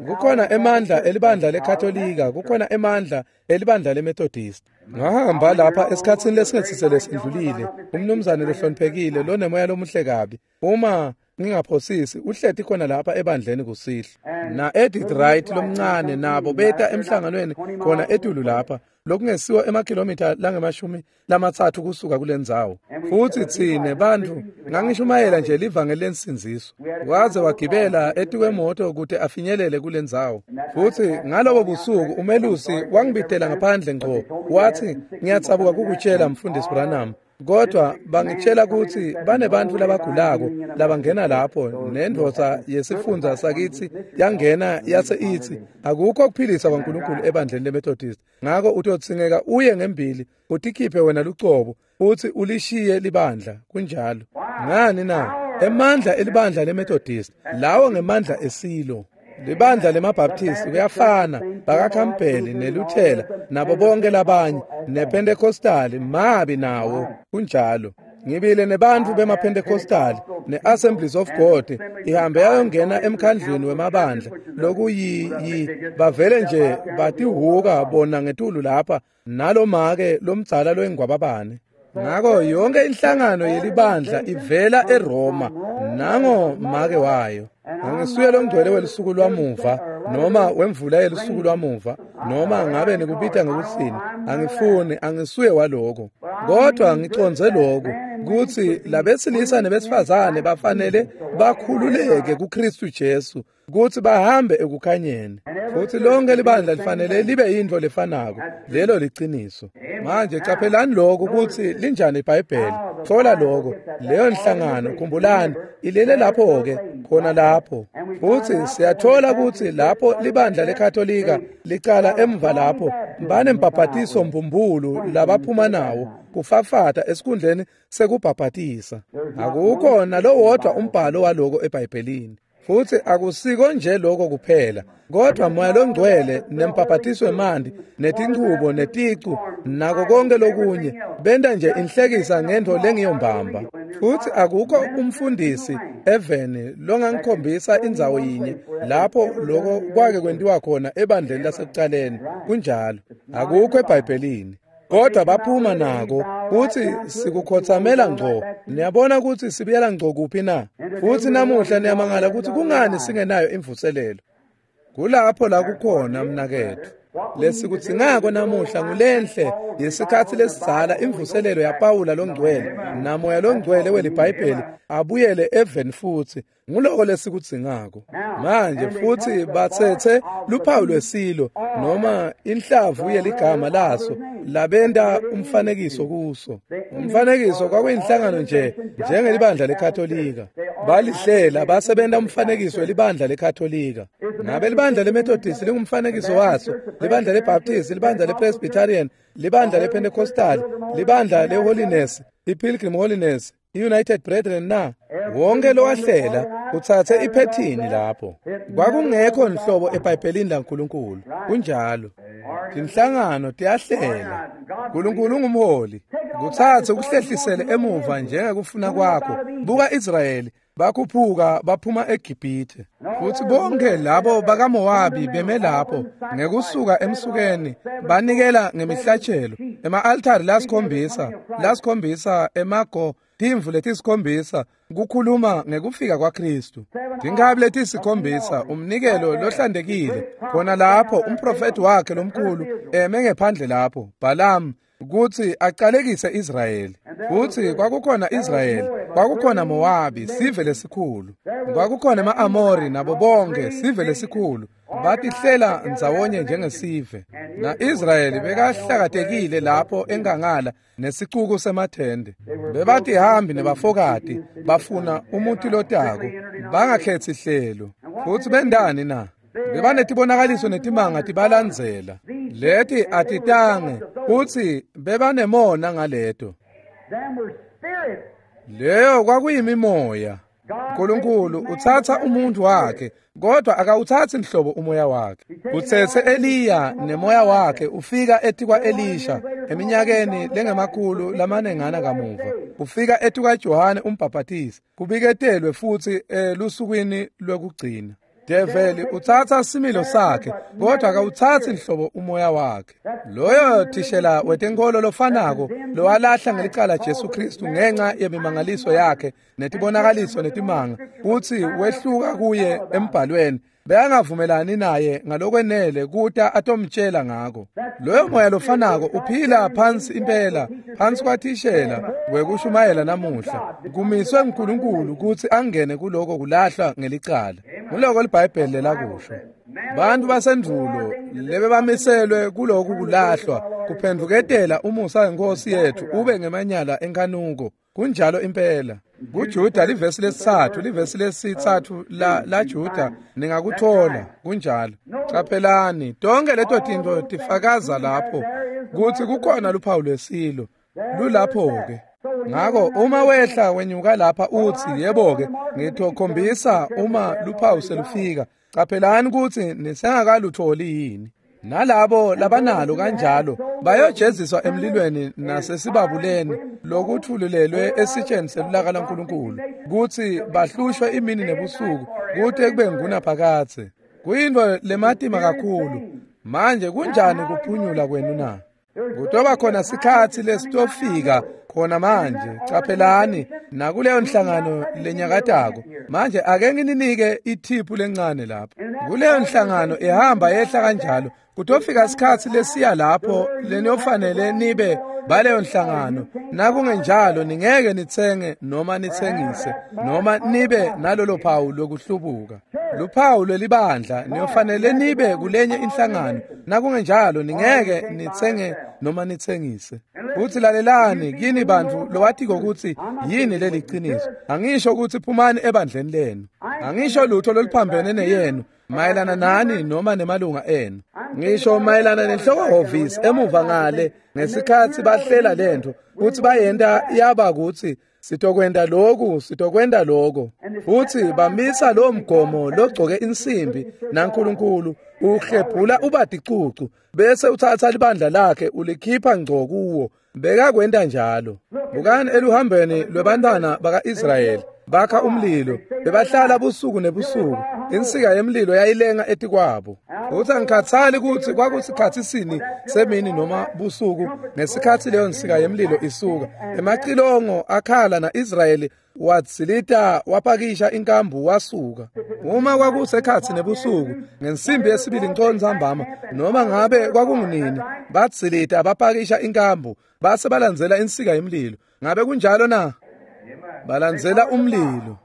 Kukhona emandla elibandla leKatolika, kukhona emandla elibandla leMethodist. Ngahamba lapha esikhatsini lesingesisele sendlulile, umnumzane lohloniphekile lonemoya lomuhle kabi. Uma ngingaphosisi uhleti khona lapha ebandleni kusihlwa. Na Edith Wright lomncane nabo beta emhlanganweni khona etulu lapha lokungesiwa emakhilomitha langemashumi lamatsatfu kusuka kulendzawo. Futsi tsine bantfu ngangishumayela nje livangeli lensindziso. Waze wagibela etikwemoto kute afinyelele kulendzawo. Futsi ngalobo busuku umelusi wangibitela ngaphandle ngco wathi ngiyatsabuka kukutshela Mfundisi Branham, kodwa bangitshela kutsi banebantfu labagulako labangena lapho nendvodza yesifundza sakitsi yangena yase itsi akukho kuphilisa kwaNkulunkulu ebandleni leMethodist, ngako utodzingeka uye ngembili utikhiphe wena lucobo futsi ulishiye libandla. Kunjalo. Ngani na? Emandla elibandla leMethodist lawo ngemandla esilo. Libandla lemaBaptist kuyafana, bakaKampeli neLuthela nabo bonke labanye nePentecostal mabi nawo. Kunjalo. Ngibile nebantfu bemaPentecostal neAssemblies of God ihambe yayongena emkhandlwini wemabandla lokuyi bavele nje batihuka bona ngetulu lapha nalomake lomdzala loyingwababane. Ngako yonke inhlangano yelibandla ivela eRoma nango make wayo. Angisuye longcwele welusuku lwamuva noma wemvula yelusuku lwamuva noma ngabe nikubita ngekutsini, angifuni, angisuye waloko. Kodwa ngicondze lokhu kutsi labesilisa nebesifazane bafanele bakhululeke kuKristu Jesu kutsi bahambe ekukhanyeni. Futsi lonke libandla lifanele libe yintfo lefanako. Lelo liciniso. Manje caphelani lokhu kutsi linjani iBhayibheli. Thola lokho leyo nhlangano, khumbulani ilele lapho ke khona lapho. Futsi siyathola kutsi lapho libandla leKatolika licala emva lapho banembhabhatiso mbumbulu labaphuma nawo kufafata esikhundleni sekubhabhatisa. Akukho nalowodwa umbhalo waloko eBhayibhelini. Futsi akusiko nje lokho kuphela, kodwa moya longcwele nembhabhatiso wemanti netinchubo neticu nako konke lokunye benta nje inhlekisa ngentfo lengiyombamba. Futsi akukho umfundisi eveni longangikhombisa indzawo yinye lapho lokho kwake kwentiwa khona ebandleni lasekucaleni. Kunjalo. Akukho eBhayibhelini. Kodwa baphuma nako kutsi sikukhotsamela ngco. Niyabona kutsi sibuyela ngco kuphi na? Futsi namuhla niyamangala kutsi kungani singenayo imvuselelo. Kulapho la kukhona mnaketfu. Lesikudzingako namuhla ngulenhle yesikhatsi lesidzala imvuselelo yaPawula longcwele namoya longcwele weliBhayibheli abuyele eveni futsi. Nguloko lesikudzingako. Manje futsi batsetse luphawu lwesilo noma inhlavu yeligama laso labenta umfanekiso kuso. Umfanekiso kwakuyinhlangano nje njengelibandla leKatolika. Balihlela basebenta umfanekiso welibandla leKatolika. Ngabe libandla leMethodist lingumfanekiso waso, libandla leBaptist, libandla lePresbyterian, libandla lePentecostal, libandla leHoliness, iPilgrim Holiness, iUnited Brethren na? Wonke lowahlela utsatse iphethini lapho. Kwakungekho nhlobo eBhayibhelini laNkulunkulu. Kunjalo. Tinhlangano tiyahlela. uNkulunkulu ungumholi. Kutsatse ukuhlehlisele emuva njengekufuna kwakho. Buka Israyeli bakhuphuka baphuma eGibhithe. Futsi bonke labo bakaMowabi beme lapho ngekusuka emsukeni banikela ngemihlatshelo ema-altari lasikhombisa emago timvu letisikhombisa kukhuluma ngekufika kwaKristu. Tinkabi letisikhombisa umnikelo lohlantekile khona lapho umprofeti wakhe lomkhulu eme ngephandle lapho Balaam kutsi acalekise Israyeli. Futsi kwakukhona Israyeli, kwakukhona Mowabi, sive lesikhulu, kwakukhona ema-Amori nabo bonke sive lesikhulu. Batihlela ndzawonye njengesive. Na-Israyeli bekahlakatekile lapho enkangala nesicuku semathende. Bebatihambi nebafokati bafuna umuti lotako, bangakhetsi hlelo. Futsi bendani na? Bebanetibonakaliso netimanga tibalandzela. Leti atitange kutsi bebanemona ngaleto. Leyo kwakuyimimoya. Nkulunkulu utsatsa umuntu wakhe, kodwa akawutsatsi nhlobo umoya wakhe. Utsetse Eliya nemoya wakhe ufika etikwa Elisha eminyakeni lengemakhulu lamanengana kamuva. Ufika etikwa Johane umbhaphatisi, kubiketelwe futsi elusukwini lwekugcina. Develi utsatsa similo sakhe, kodwa akawutsatsi nhlobo umoya wakhe. Loyo thishela wetenkolo lofanako lowalahla ngelicala Jesu Kristu ngenxa yemimangaliso yakhe netibonakaliso netimanga, futsi wehluka kuye embhalweni, bekangavumelani naye ngalokwenele kuta atomtshela ngako. Loyo moya lofanako uphila phansi impela, phansi kwathishela wekushumayela namuhla. Kumiswe nguNkulunkulu kutsi angene kuloko kulahlwa ngelicala. Nguloko liBhayibheli lelakusho. Bantu basendvulo lebebamiselwe kuloku kulahlwa kuphendvuketela umusa wenkosi yethu ube ngemanyala enkanuko. Kunjalo impela. KuJuda livesi lesithathu, livesi lesithathu la Juda ningakuthola kunjalo. Caphelani, tonke leto tintfo tifakaza lapho kutsi kukhona luphawu lwesilo lulapho-ke. Ngako uma wehla wenyuka lapha utsi yebo-ke ngitokhombisa uma luphawu selufika. Caphelani kutsi nisengakalutholi yini. Nalabo labanalo kanjalo bayojeziswa emlilweni nasesibabuleni lokuthululelwe esitsheni selulaka laNkulunkulu, kutsi bahlushwe imini nebusuku kute kube ngunaphakadze. Kuyintfo lematima kakhulu. Manje kunjani kuphunyula kwenu na? Kutoba khona sikhatsi lesitofika khona manje. Caphelani nakuleyo nhlangano lenyakatako. Manje ake ngininike ithiphu lencane lapha. Kuleyo nhlangano ihamba yehla kanjalo. Kutofika sikhatsi lesiya lapho leniyofanele nibe baleyo nhlangano. Nakungenjalo ningeke nitsenge noma nitsengise noma nibe nalolo phawu lokuhlubuka. Luphawu lwelibandla niyofanele nibe kulenye inhlangano. Nakungenjalo ningeke nitsenge noma nitsengise. Futsi lalelani kini bantfu lowatiko kutsi yini leli qiniso. Angisho kutsi phumani ebandleni lenu. Angisho lutho loluphambene neyenu mayelana nani noma nemalunga enu. Ngisho mayelana nenhloko-hhovisi emuva ngale ngesikhatsi bahlela lentfo kutsi bayenta yaba kutsi sitokwenta loku, sitokwenta loko. Futsi bamisa lo mgomo logcoke insimbi naNkulunkulu uhlephula ubaticucu bese utsatsa libandla lakhe ulikhipha ngco kuwo. Bekakwenta njalo. Bukani eluhambeni lwebantwana baka-Israyeli bakha umlilo, bebahlala busuku nebusuku. Insika yemlilo yayilenga etikwabo. Futsi angikhatsali kutsi kwakusikhatsi sini semini noma busuku ngesikhatsi leyo nsika yemlilo isuka. Emacilongo akhala na-Israyeli wadzilita wapakisha inkambu wasuka. Uma kwakusekhatsi nebusuku ngensimbi yesibili nconzambama noma ngabe kwakungunini, badzilita bapakisha inkambu base balandzela insika yemlilo. Ngabe kunjalo na? Balandzela umlilo.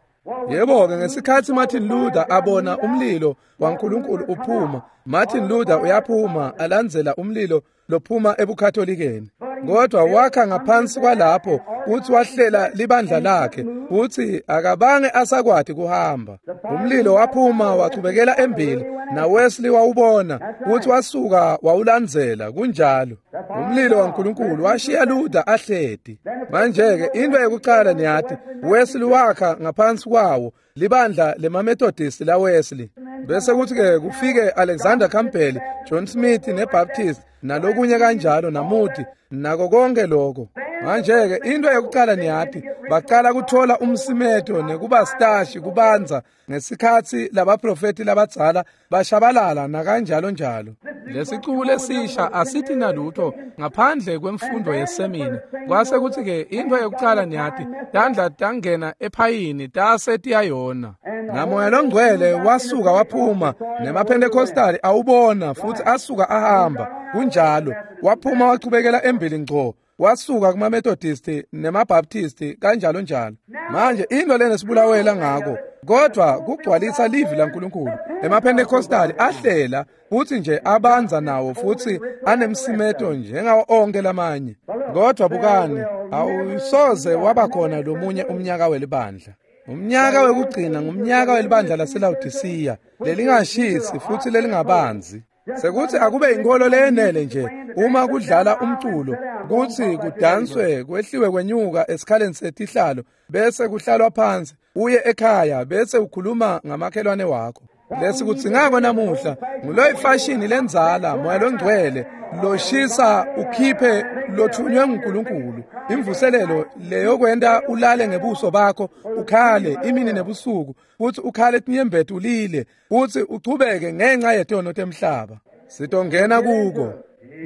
Yebo-ke ngesikhatsi Martin Luther abona umlilo waNkulunkulu uphuma, Martin Luther uyaphuma alandzela umlilo lophuma ebuKatholikeni. Kodwa wakha ngaphansi kwalapho kutsi wahlela libandla lakhe kutsi akabange asakwati kuhamba. Umlilo waphuma wachubekela embili naWesley wawubona kutsi wasuka wawulandzela. Kunjalo. Umlilo waNkulunkulu washiya Luther ahleti. Manje-ke into yekucala niyati, Wesley wakha ngaphansi kwawo libandla lemaMethodist la Wesley. Bese kuthi-ke kufike Alexander Campbell, John Smith neBaptist nalokunye kanjalo naMoody nako konke lokho. Manje-ke into yokucala niyati, baqala kuthola umsimeto nekuba stashi kubanza ngesikhatsi labaprofeti labadzala bashabalala nakanjalo njalo. Lesicuku lesisha asithi nalutho ngaphandle kwemfundo yesemina. Kwase kuthi-ke into yokucala niyati, tandla tangena ephayini tase tiyayona. Namoya longcwele wasuka waphuma nemaPentecostali awubona futhi asuka ahamba. Kunjalo, waphuma wachubekela embili ngco. Wasuka kuma-Methodist nema-Baptist kanjalo njalo. Manje into lena sibulawela ngako, kodwa kugcwalisa livi laNkulunkulu. EmaPentecostali ahlela futhi nje abanza nawo futhi anemsimeto njengawo onke lamanye. Kodwa bukani, awusoze waba khona lomunye umnyaka welibandla. Umnyaka wekugcina ngumnyaka welibandla laseLawodisiya, lelingashisi futhi lelingabanzi. Sekuthi akube inkolo leyenele nje uma kudlala umculo kutsi kudanswe kwehliwe kwenyuka esikhaleni setihlalo bese kuhlalwa phansi uye ekhaya bese ukhuluma ngamakhelwane wakho. Lesikudzingako namuhla nguloyi fashini lendzala moya longcwele loshisa ukhiphe lothunywe nguNkulunkulu imvuselelo leyokwenta ulale ngebuso bakho ukhale imini nebusuku futhi ukhale tinyembeti ulile futhi uchubeke ngenxa yetono temhlaba. Sitongena kuko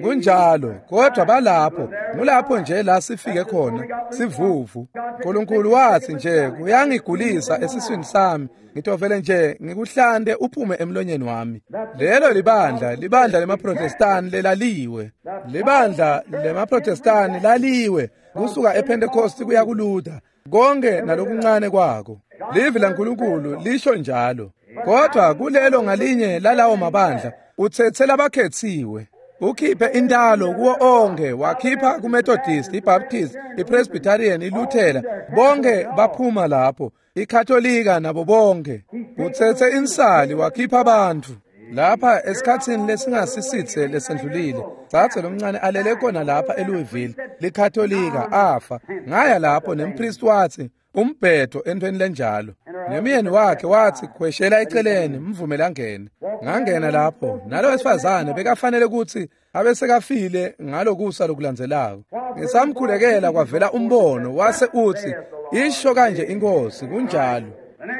kunjalo, kodwa balapho ngulapho nje la sifike khona sivuvu. uNkulunkulu wathi nje kuyangigulisa esiswini sami, ngitovele nje ngikuhlante uphume emlonyeni wami. Lelo libandla, libandla lemaProtestani lelaliwe, libandla lemaProtestani laliwe kusuka ePentecost kuya kuLuther, konke nalokuncane kwako. Livi laNkulunkulu lisho njalo. Kodwa kulelo ngalinye lalawo mabandla utsetse labakhetsiwe, ukhiphe intalo kuwo onke, wakhipha kuMethodist, iBaptist, iPresbyterian, iLuthela, bonke baphuma lapho, iKatolika nabo bonke. Utsetse insali wakhipha abantu. Lapha esikhatsini lesingasisitse lesendlulile, tsatse lomncane alele khona lapha eLouisville, liKatolika afa. Ngaya lapho nempriest wathi umbhedo entweni lenjalo. Nemyeni wakhe wathi khweshela eceleni mvumele angene. Ngangena lapho nalo wesifazane bekafanele ukuthi abesekafile ngalokusa lokulandzelako. Ngisamkhulekela kwavela umbono wase uthi isho kanje inkosi, kunjalo.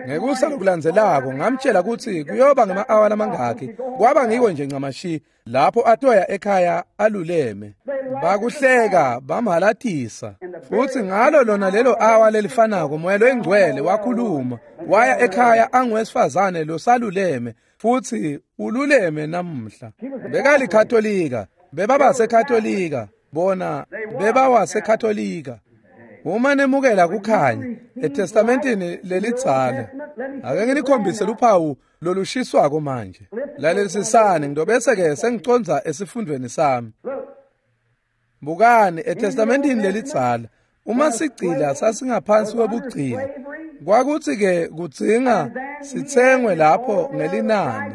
Ngekusa lokulandzelako ngamtshela ukuthi kuyoba ngama-awa lamangakhi, kwaba ngiko nje ncamashi lapho atoya ekhaya aluleme. Bakuhleka bamhalatisa. Futhi ngalo lona lelo awa lelifanako moya loyingcwele wakhuluma waya ekhaya anguwesifazane losaluleme, futhi ululeme namuhla. Bekalikatolika, bebabasekatolika, bona bebawasekatolika. Uma nemukela kukhanya eTestamentini lelidzala, ake nginikhombise luphawu lolushiswako manje. Lalelisisani ngidobese ke sengicondza esifundweni sami. Bukani eTestamentini lelidzala, uma sigcila sasingaphansi kwebugcila, kwakuthi ke kudzinga sitsengwe lapho ngelinani.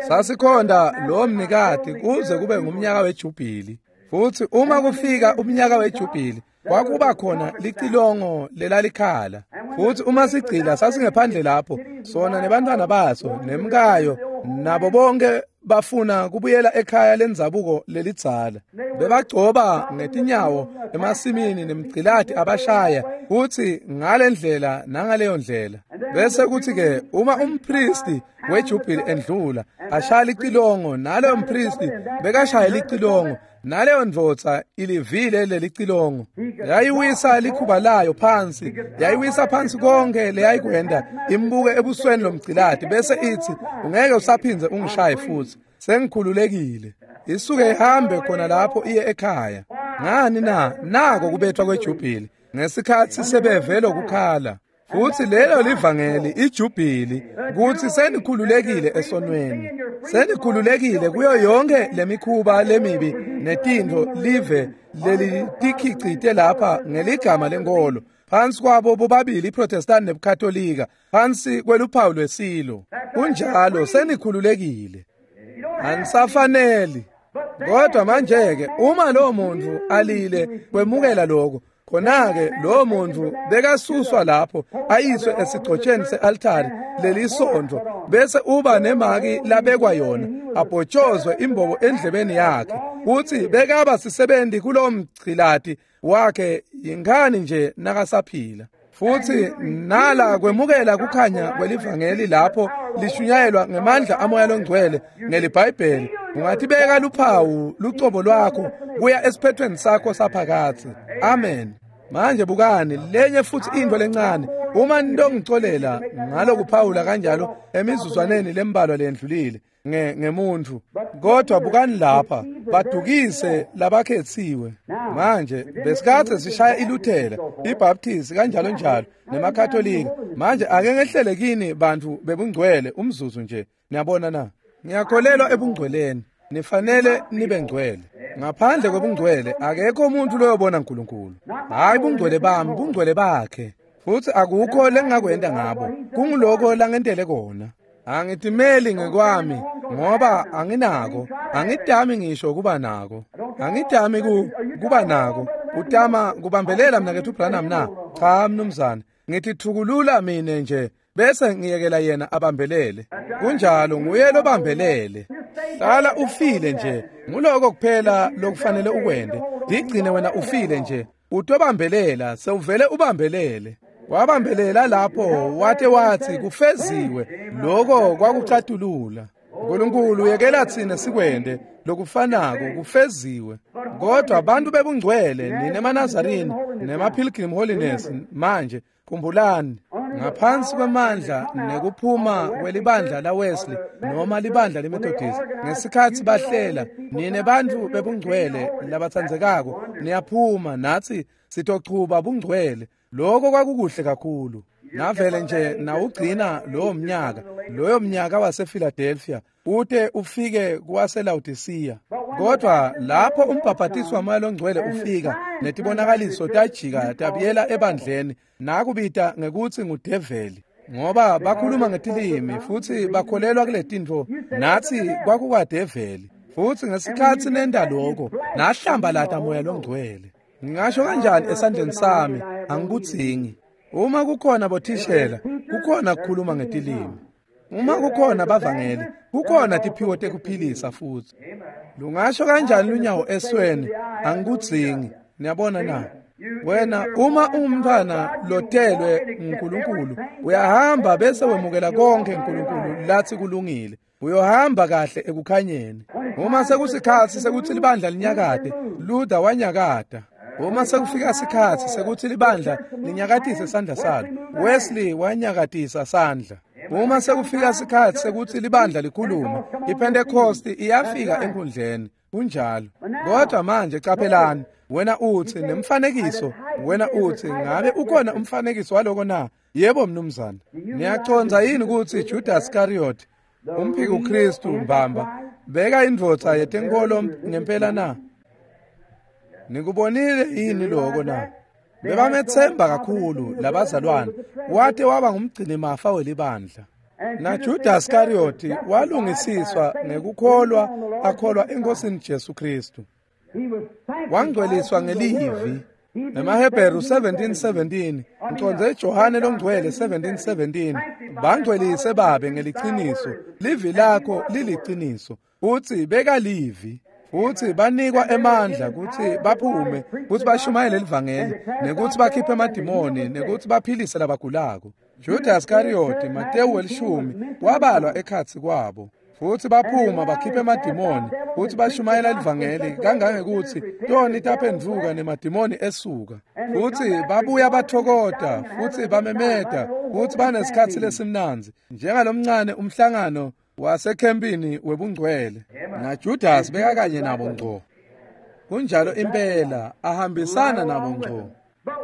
Sasikhonda lo mnikati kuze kube ngumnyaka wejubhili. Futhi uma kufika umnyaka wejubhili kwakuba khona licilongo lelalikhala. Futhi uma sigcila sasingephandle lapho sona nebantwana baso nemkayo nabo bonke bafuna kubuyela ekhaya lendzabuko lelidzala. Bebagcoba ngetinyawo emasimini nemgcilati abashaya futhi ngalendlela nangaleyo ndlela. Bese kuthi ke uma umpristi wejubhili endlula ashaya licilongo, naloyo mpristi bekashaya licilongo, naleyo ndvodza ilivile lelicilongo yayiwisa likhuba layo phansi, yayiwisa phansi konke leyayikwenda, imbuke ebusweni lomgcilati bese ithi ungeke usaphindze ungishaye futhi, sengikhululekile. Isuke ihambe khona lapho iye ekhaya. Ngani na? Nako kubethwa kwejubhili ngesikhathi sebeve lokukhala. Futhi lelo livangeli ijubhili kuthi senikhululekile esonweni, senikhululekile kuyo yonke lemikhuba lemibi netintfo live lelitikhicite lapha ngeligama lenkolo, phansi kwabo bobabili iProtestant nebuKatolika, phansi kweluphawu lwesilo. Kunjalo, senikhululekile, anisafaneli. Kodwa manje ke uma lo muntu alile kwemukela lokho, khona-ke lowo muntu bekasuswa lapho ayiswe esigcotsheni se-altari lelisonto, bese uba nemaki labekwa yona, abhotshozwe imbobo endlebeni yakhe. Uthi bekaba sisebenzi kulowo mgcilati wakhe yingani nje nakasaphila. Futhi nala kwemukela kukhanya kwelivangeli lapho lishunyayelwa ngemandla amoya longcwele ngeliBhayibheli, ungathibeka luphawu lucobo lwakho kuya esiphethweni sakho saphakatsi. Amen. Manje bukani lenye futhi into lencane, uma ntongicolela ngalokuphawula kanjalo emizuzwaneni lembalwa lendlulile ngemuntu, kodwa bukani lapha badukise labakhetsiwe. Manje besikade sishaya iLuthela, iBaptist kanjalo njalo nemaKatolika. Manje ake ngehlele kini bantu bebungcwele umzuzu nje. Niyabona na? Ngiyakholelwa ebungcweleni. Nifanele nibe ngcwele. Ngaphandle kwebungcwele akekho umuntu loyobona uNkulunkulu. Hayi bungcwele bami, bungcwele bakhe. Futhi akukho lengingakwenda ngabo. Kunguloko langentele kona. Angitimeli ngekwami ngoba anginako, angidami ngisho kuba nako, angidami kuba nako. Utama kubambelela mnaketfu Branham na? Cha mnumzane, ngitithukulula mine nje bese ngiyekela yena abambelele. Kunjalo, nguye lobambelele. Hlala ufile nje, nguloko kuphela lokufanele ukwente. Digcine wena ufile nje, utobambelela, sewuvele ubambelele. Wabambelela lapho wate wathi kufeziwe, lokho kwakucatulula. uNkulunkulu yekela tsine sikwente lokufanako, kufeziwe. Kodwa abantu bebungcwele nine emaNazarini nema-Pilgrim Holiness manje khumbulani, ngaphansi kwemandla nekuphuma kwelibandla la Wesley noma libandla leMethodist, ngesikhathi bahlela, nine bantu bebungcwele labatsandzekako niyaphuma nathi sitochuba bungcwele. Lokho kwakukuhle kakhulu. Navele nje nawugcina lowo mnyaka, loyo mnyaka wasePhiladelphia ute ufike kwaseLaodicea. Kodwa lapho umbhaphatisi waMoya loNgcwele ufika, netibonakaliso tajika tabuyela ebandleni, nakubita ngekuthi ngudeveli, ngoba bakhuluma ngetilimi futhi bakholelwa kule tintfo, nathi kwakukwadeveli. Futhi ngesikhathi nenda lokho, nahlambalata Moya loNgcwele. Ngingasho kanjani esandleni sami, angikudzingi. Uma kukhona bothishela, kukhona kukhuluma ngetilimi. Uma kukhona bavangeli, kukhona tiphiwo tekuphilisa futhi. Lungasho kanjani lunyawo esweni, angikudzingi. Niyabona na? Wena uma ungumntwana lotelwe uNkulunkulu, uyahamba bese wemukela konke uNkulunkulu lathi kulungile. Uyohamba kahle ekukhanyeni. Uma sekusikhathi sekuthi libandla linyakade, Luther wanyakada. Uma sekufika sikhathi sekuthi libandla linyakatise sandla salo, Wesley wanyakatisa sandla. Uma sekufika sikhathi sekuthi libandla likhulume, iPentecost iyafika enkundleni. Kunjalo. Kodwa manje qaphelani, wena uthi nemfanekiso, wena uthi ngabe ukhona umfanekiso waloko na? Yebo mnumzane. Niyacondza yini ukuthi Judas Iscariot, umphiki uKristu mbamba, beka indvodza yetenkolo ngempela na? Nikubonile yini lokho na? Bebamethemba kakhulu labazalwane, wate waba ngumgcinimafa welibandla. Na Judas Iscariot walungisiswa ngekukholwa akholwa eNkosini Jesu Kristu. Wangcweliswa ngelivi. NemaHebheru 17:17, ngicondze Johane longcwele 17:17, bangcwelise babe ngeliciniso, livi lakho liliciniso. Uthi beka livi. Futhi banikwa emandla ukuthi baphume, ukuthi bashumayele livangeli, nekuthi bakhiphe amadimoni, nekuthi baphilise labagulako. Judas Iscariot, Matewu 10, wabalwa ekhatsi kwabo. Futhi baphuma bakhiphe amadimoni, futhi bashumayela livangeli kangangekuthi toni taphendvuka nemadimoni esuka. Futhi babuya bathokota, futhi bamemeta, futhi banesikhathi lesimnandzi njengalomncane umhlangano wasekhempini webungcwele. Na Judas bekakanye nabo ngco. Kunjalo impela, ahambisana nabo ngco.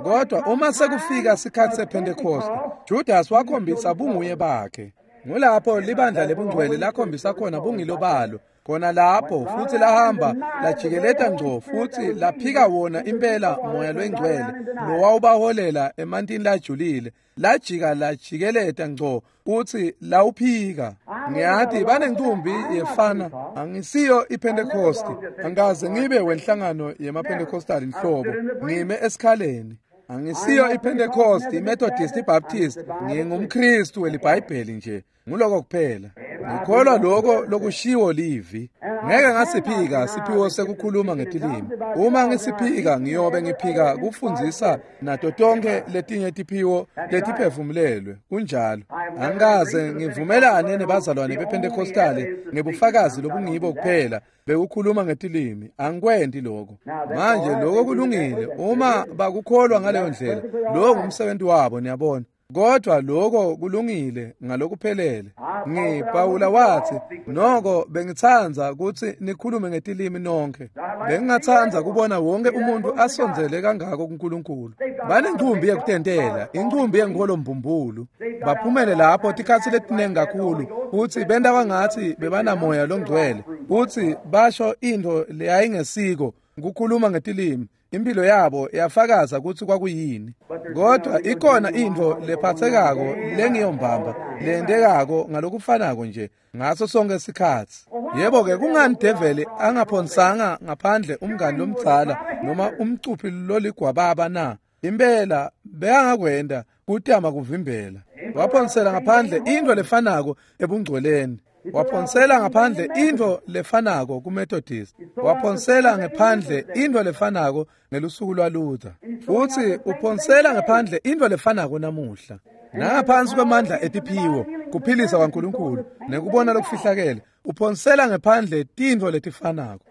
Kodwa uma sekufika sikhathi sePentecost, Judas wakhombisa bunguye bakhe. Ngulapho libandla lebungcwele lakhombisa khona bungilo balo, khona lapho, futhi lahamba lajikeleta ngco futhi laphika wona impela Moya loNgcwele lowawubaholela emantini lajulile, lajika lajikeleta ngco uthi lawuphika. Ngiyathi banencumbi yefana, angisiyo iPentecost, angikaze ngibe wenhlangano yemaPentecostal inhlobo, ngime esikhaleni. Angisiyo iPentecost, iMethodist, iBaptist, ngingumKristu weliBhayibheli nje. Nguloko kuphela. Ngikholwa lokho lokushiwo livi. Ngeke ngasiphika siphiwo sekukhuluma ngetilimi. Uma ngisiphika ngiyobe ngiphika kufundzisa nato tonke letinye tiphiwo letiphefumulelwe. Kunjalo. Angikaze ngivumelane nebazalwane bePentecostale ngebufakazi lobungibo kuphela bekukhuluma ngetilimi. Angikwenti lokho. Manje lokho kulungile uma bakukholwa ngaleyo ndlela. Lokho ngumsebenzi wabo, niyabona. Kodwa lokho kulungile ngalokuphelele. NgiPawula wathi, noko bengithanda ukuthi nikhulume ngetilimi nonke. Bengingathanda kubona wonke umuntu asondzele kangako kuNkulunkulu. Banencumbi yekutentela, incumbi yenkolo mbumbulu. Baphumele lapho tikhatsi letinengi kakhulu, futhi benta kwangathi bebanamoya longcwele, futhi basho into leyayingesiko ukukhuluma ngetilimi. Impilo yabo yafakaza kutsi kwakuyini. Kodwa ikhona intfo lephatsekako lengiyombamba lentekako ngalokufanako nje ngaso sonke sikhatsi. Yebo-ke, kungani develi angaphonsanga ngaphandle umngani lomdzala noma umcuphi loligwababa na? Impela bekangakwenta kutama kuvimbela. Waphonsela ngaphandle intfo lefanako ebungcweleni. Waphonsela ngaphandle intfo lefanako kuMethodist. Waphonsela ngaphandle intfo lefanako ngelusuku lwaLuther. Futsi uphonsela ngaphandle intfo lefanako namuhla. Nangaphansi kwemandla etiphiwo, kuphilisa kwaNkulunkulu nekubona lokufihlakele, uphonsela ngaphandle tintfo letifanako.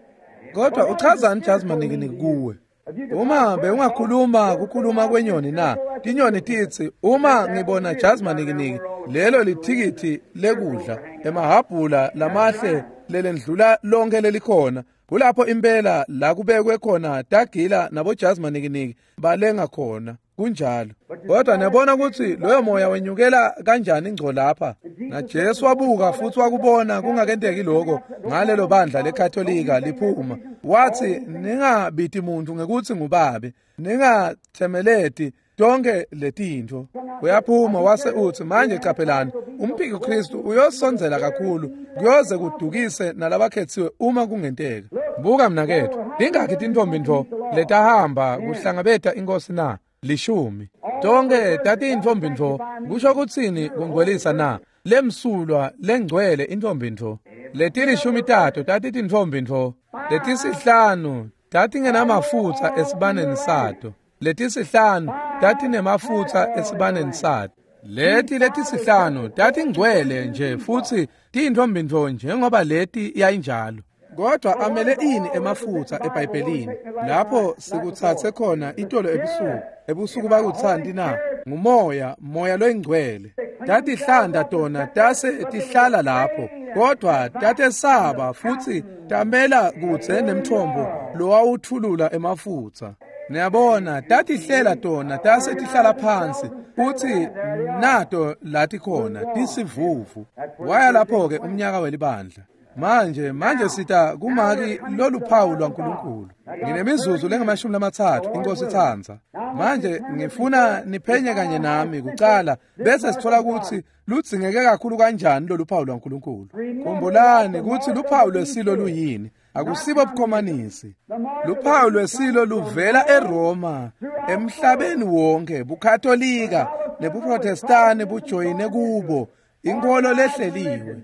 Kodwa uchazani Jazi Manikiniki kuwe? Uma bewungakhuluma kukhuluma kwenyoni na? Tinyoni titsi, uma ngibona Jazi Manikiniki, lelo lithikithi lekudla, emahabhula lamahle lelendlula lonke lelikhona. Kulapho impela la kubekwe khona tagila naboJazi Manikiniki balenga khona. Kunjalo. Kodwa niyabona kutsi loyo moya wenyukela kanjani ngco lapha. NaJesu wabuka futsi wakubona kungakenteki lokho ngalelo bandla leKatolika liphuma. Watsi ningabiti muntu ngekutsi ngubabe, ningathemeleti tonke letintfo. Uyaphuma wase utsi manje caphelani, umphiki Kristu uyosondzela kakhulu kuyoze kudukise nalabakhetsiwe uma kungenteka. Buka mnaketfu, tingakhi tintfombi ntfo letahamba kuhlangabeta inkosi na? 10. Tonke tatiyintfombi ntfo. Kusho kutsini kungcwelisa na? Lemsulwa lengcwele intfombi ntfo. Letilishumi tato tatitintfombi ntfo. Letisihlanu tatingenamafutsa esibaneni sato. Letisihlanu tatinemafutsa esibaneni sato. Leti letisihlanu tatingcwele nje futsi tiyintfombi ntfo njengoba leti yayinjalo. Kodwa amele ini emafutsa eBhayibhelini lapho sikutsatse khona itolo ebusuku? Ebusuku bakutsanti na? Ngumoya, moya loyingcwele. Tatihlanda tona tase tihlala lapho, kodwa tatesaba futsi tamela kudze nemthombo lowawuthulula emafutsa. Niyabona, tatihlela tona tase tihlala phansi futsi nato lati khona tisivuvu. Waya lapho-ke umnyaka welibandla. Manje sita kumaki loluphawu lwaNkulunkulu. Nginemizuzu lengamashumi 30 inkosi itsandza. Manje ngifuna niphenye kanye nami kucala bese sithola kutsi ludzingeke kakhulu kanjani loluphawu lwaNkulunkulu. Khumbulani kutsi luphawu lwesilo luyini. Akusibo bukhomanisi. Luphawu lwesilo luvela eRoma, emhlabeni wonke, buKatolika nebuProtestani bujoyine kubo, inkolo lehleliwe.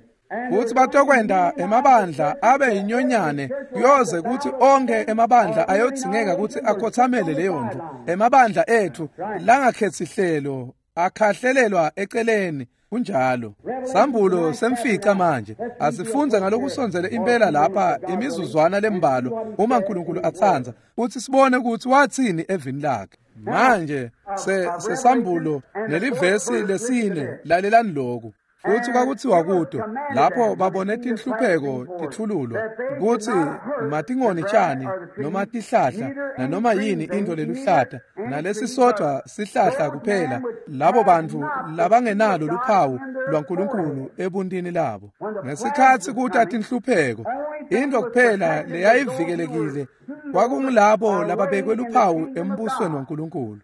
Futsi batokwenta emabandla abe yinyonyane kuyoze kutsi onke emabandla ayodzingeka kutsi akhothamele leyo ntfo. Emabandla etfu langakhetsi hlelo akhahlelelwa eceleni. Kunjalo. Sambulo semfica manje. Asifundze ngalokusondzele impela lapha imizuzwana lembalwa uma uNkulunkulu atsandza, kutsi sibone kutsi watsini evini lakhe. Manje sesambulo nelivesi 4, lalelani lokhu. Futsi kwakutsiwa kuto lapho babone tinhlupheko titfululwa kutsi matingoni tjani noma tihlahla nanoma yini intfo leluhlata nalesisodvwa sihlahla kuphela, labo bantfu labangenalo luphawu lwaNkulunkulu ebuntini labo. Ngesikhatsi kuta tinhlupheko, intfo kuphela leyayivikelekile kwakungulabo lababekwe luphawu embusweni waNkulunkulu.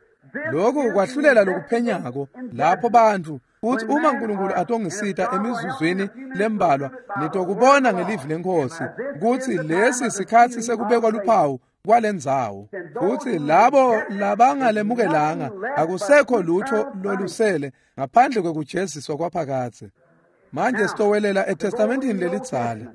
Lokhu kwahlulela lokuphenyako lapho bantfu kutsi uma uNkulunkulu atongisita emizuzwini lembalwa, nitokubona ngelivi leNkhosi kutsi lesi sikhatsi sekubekwa luphawu kwalendzawo. Futsi labo labangalemukelanga akusekho lutho lolusele ngaphandle kwekujeziswa kwaphakadze. Manje sitowelela eTestamentini lelidzala.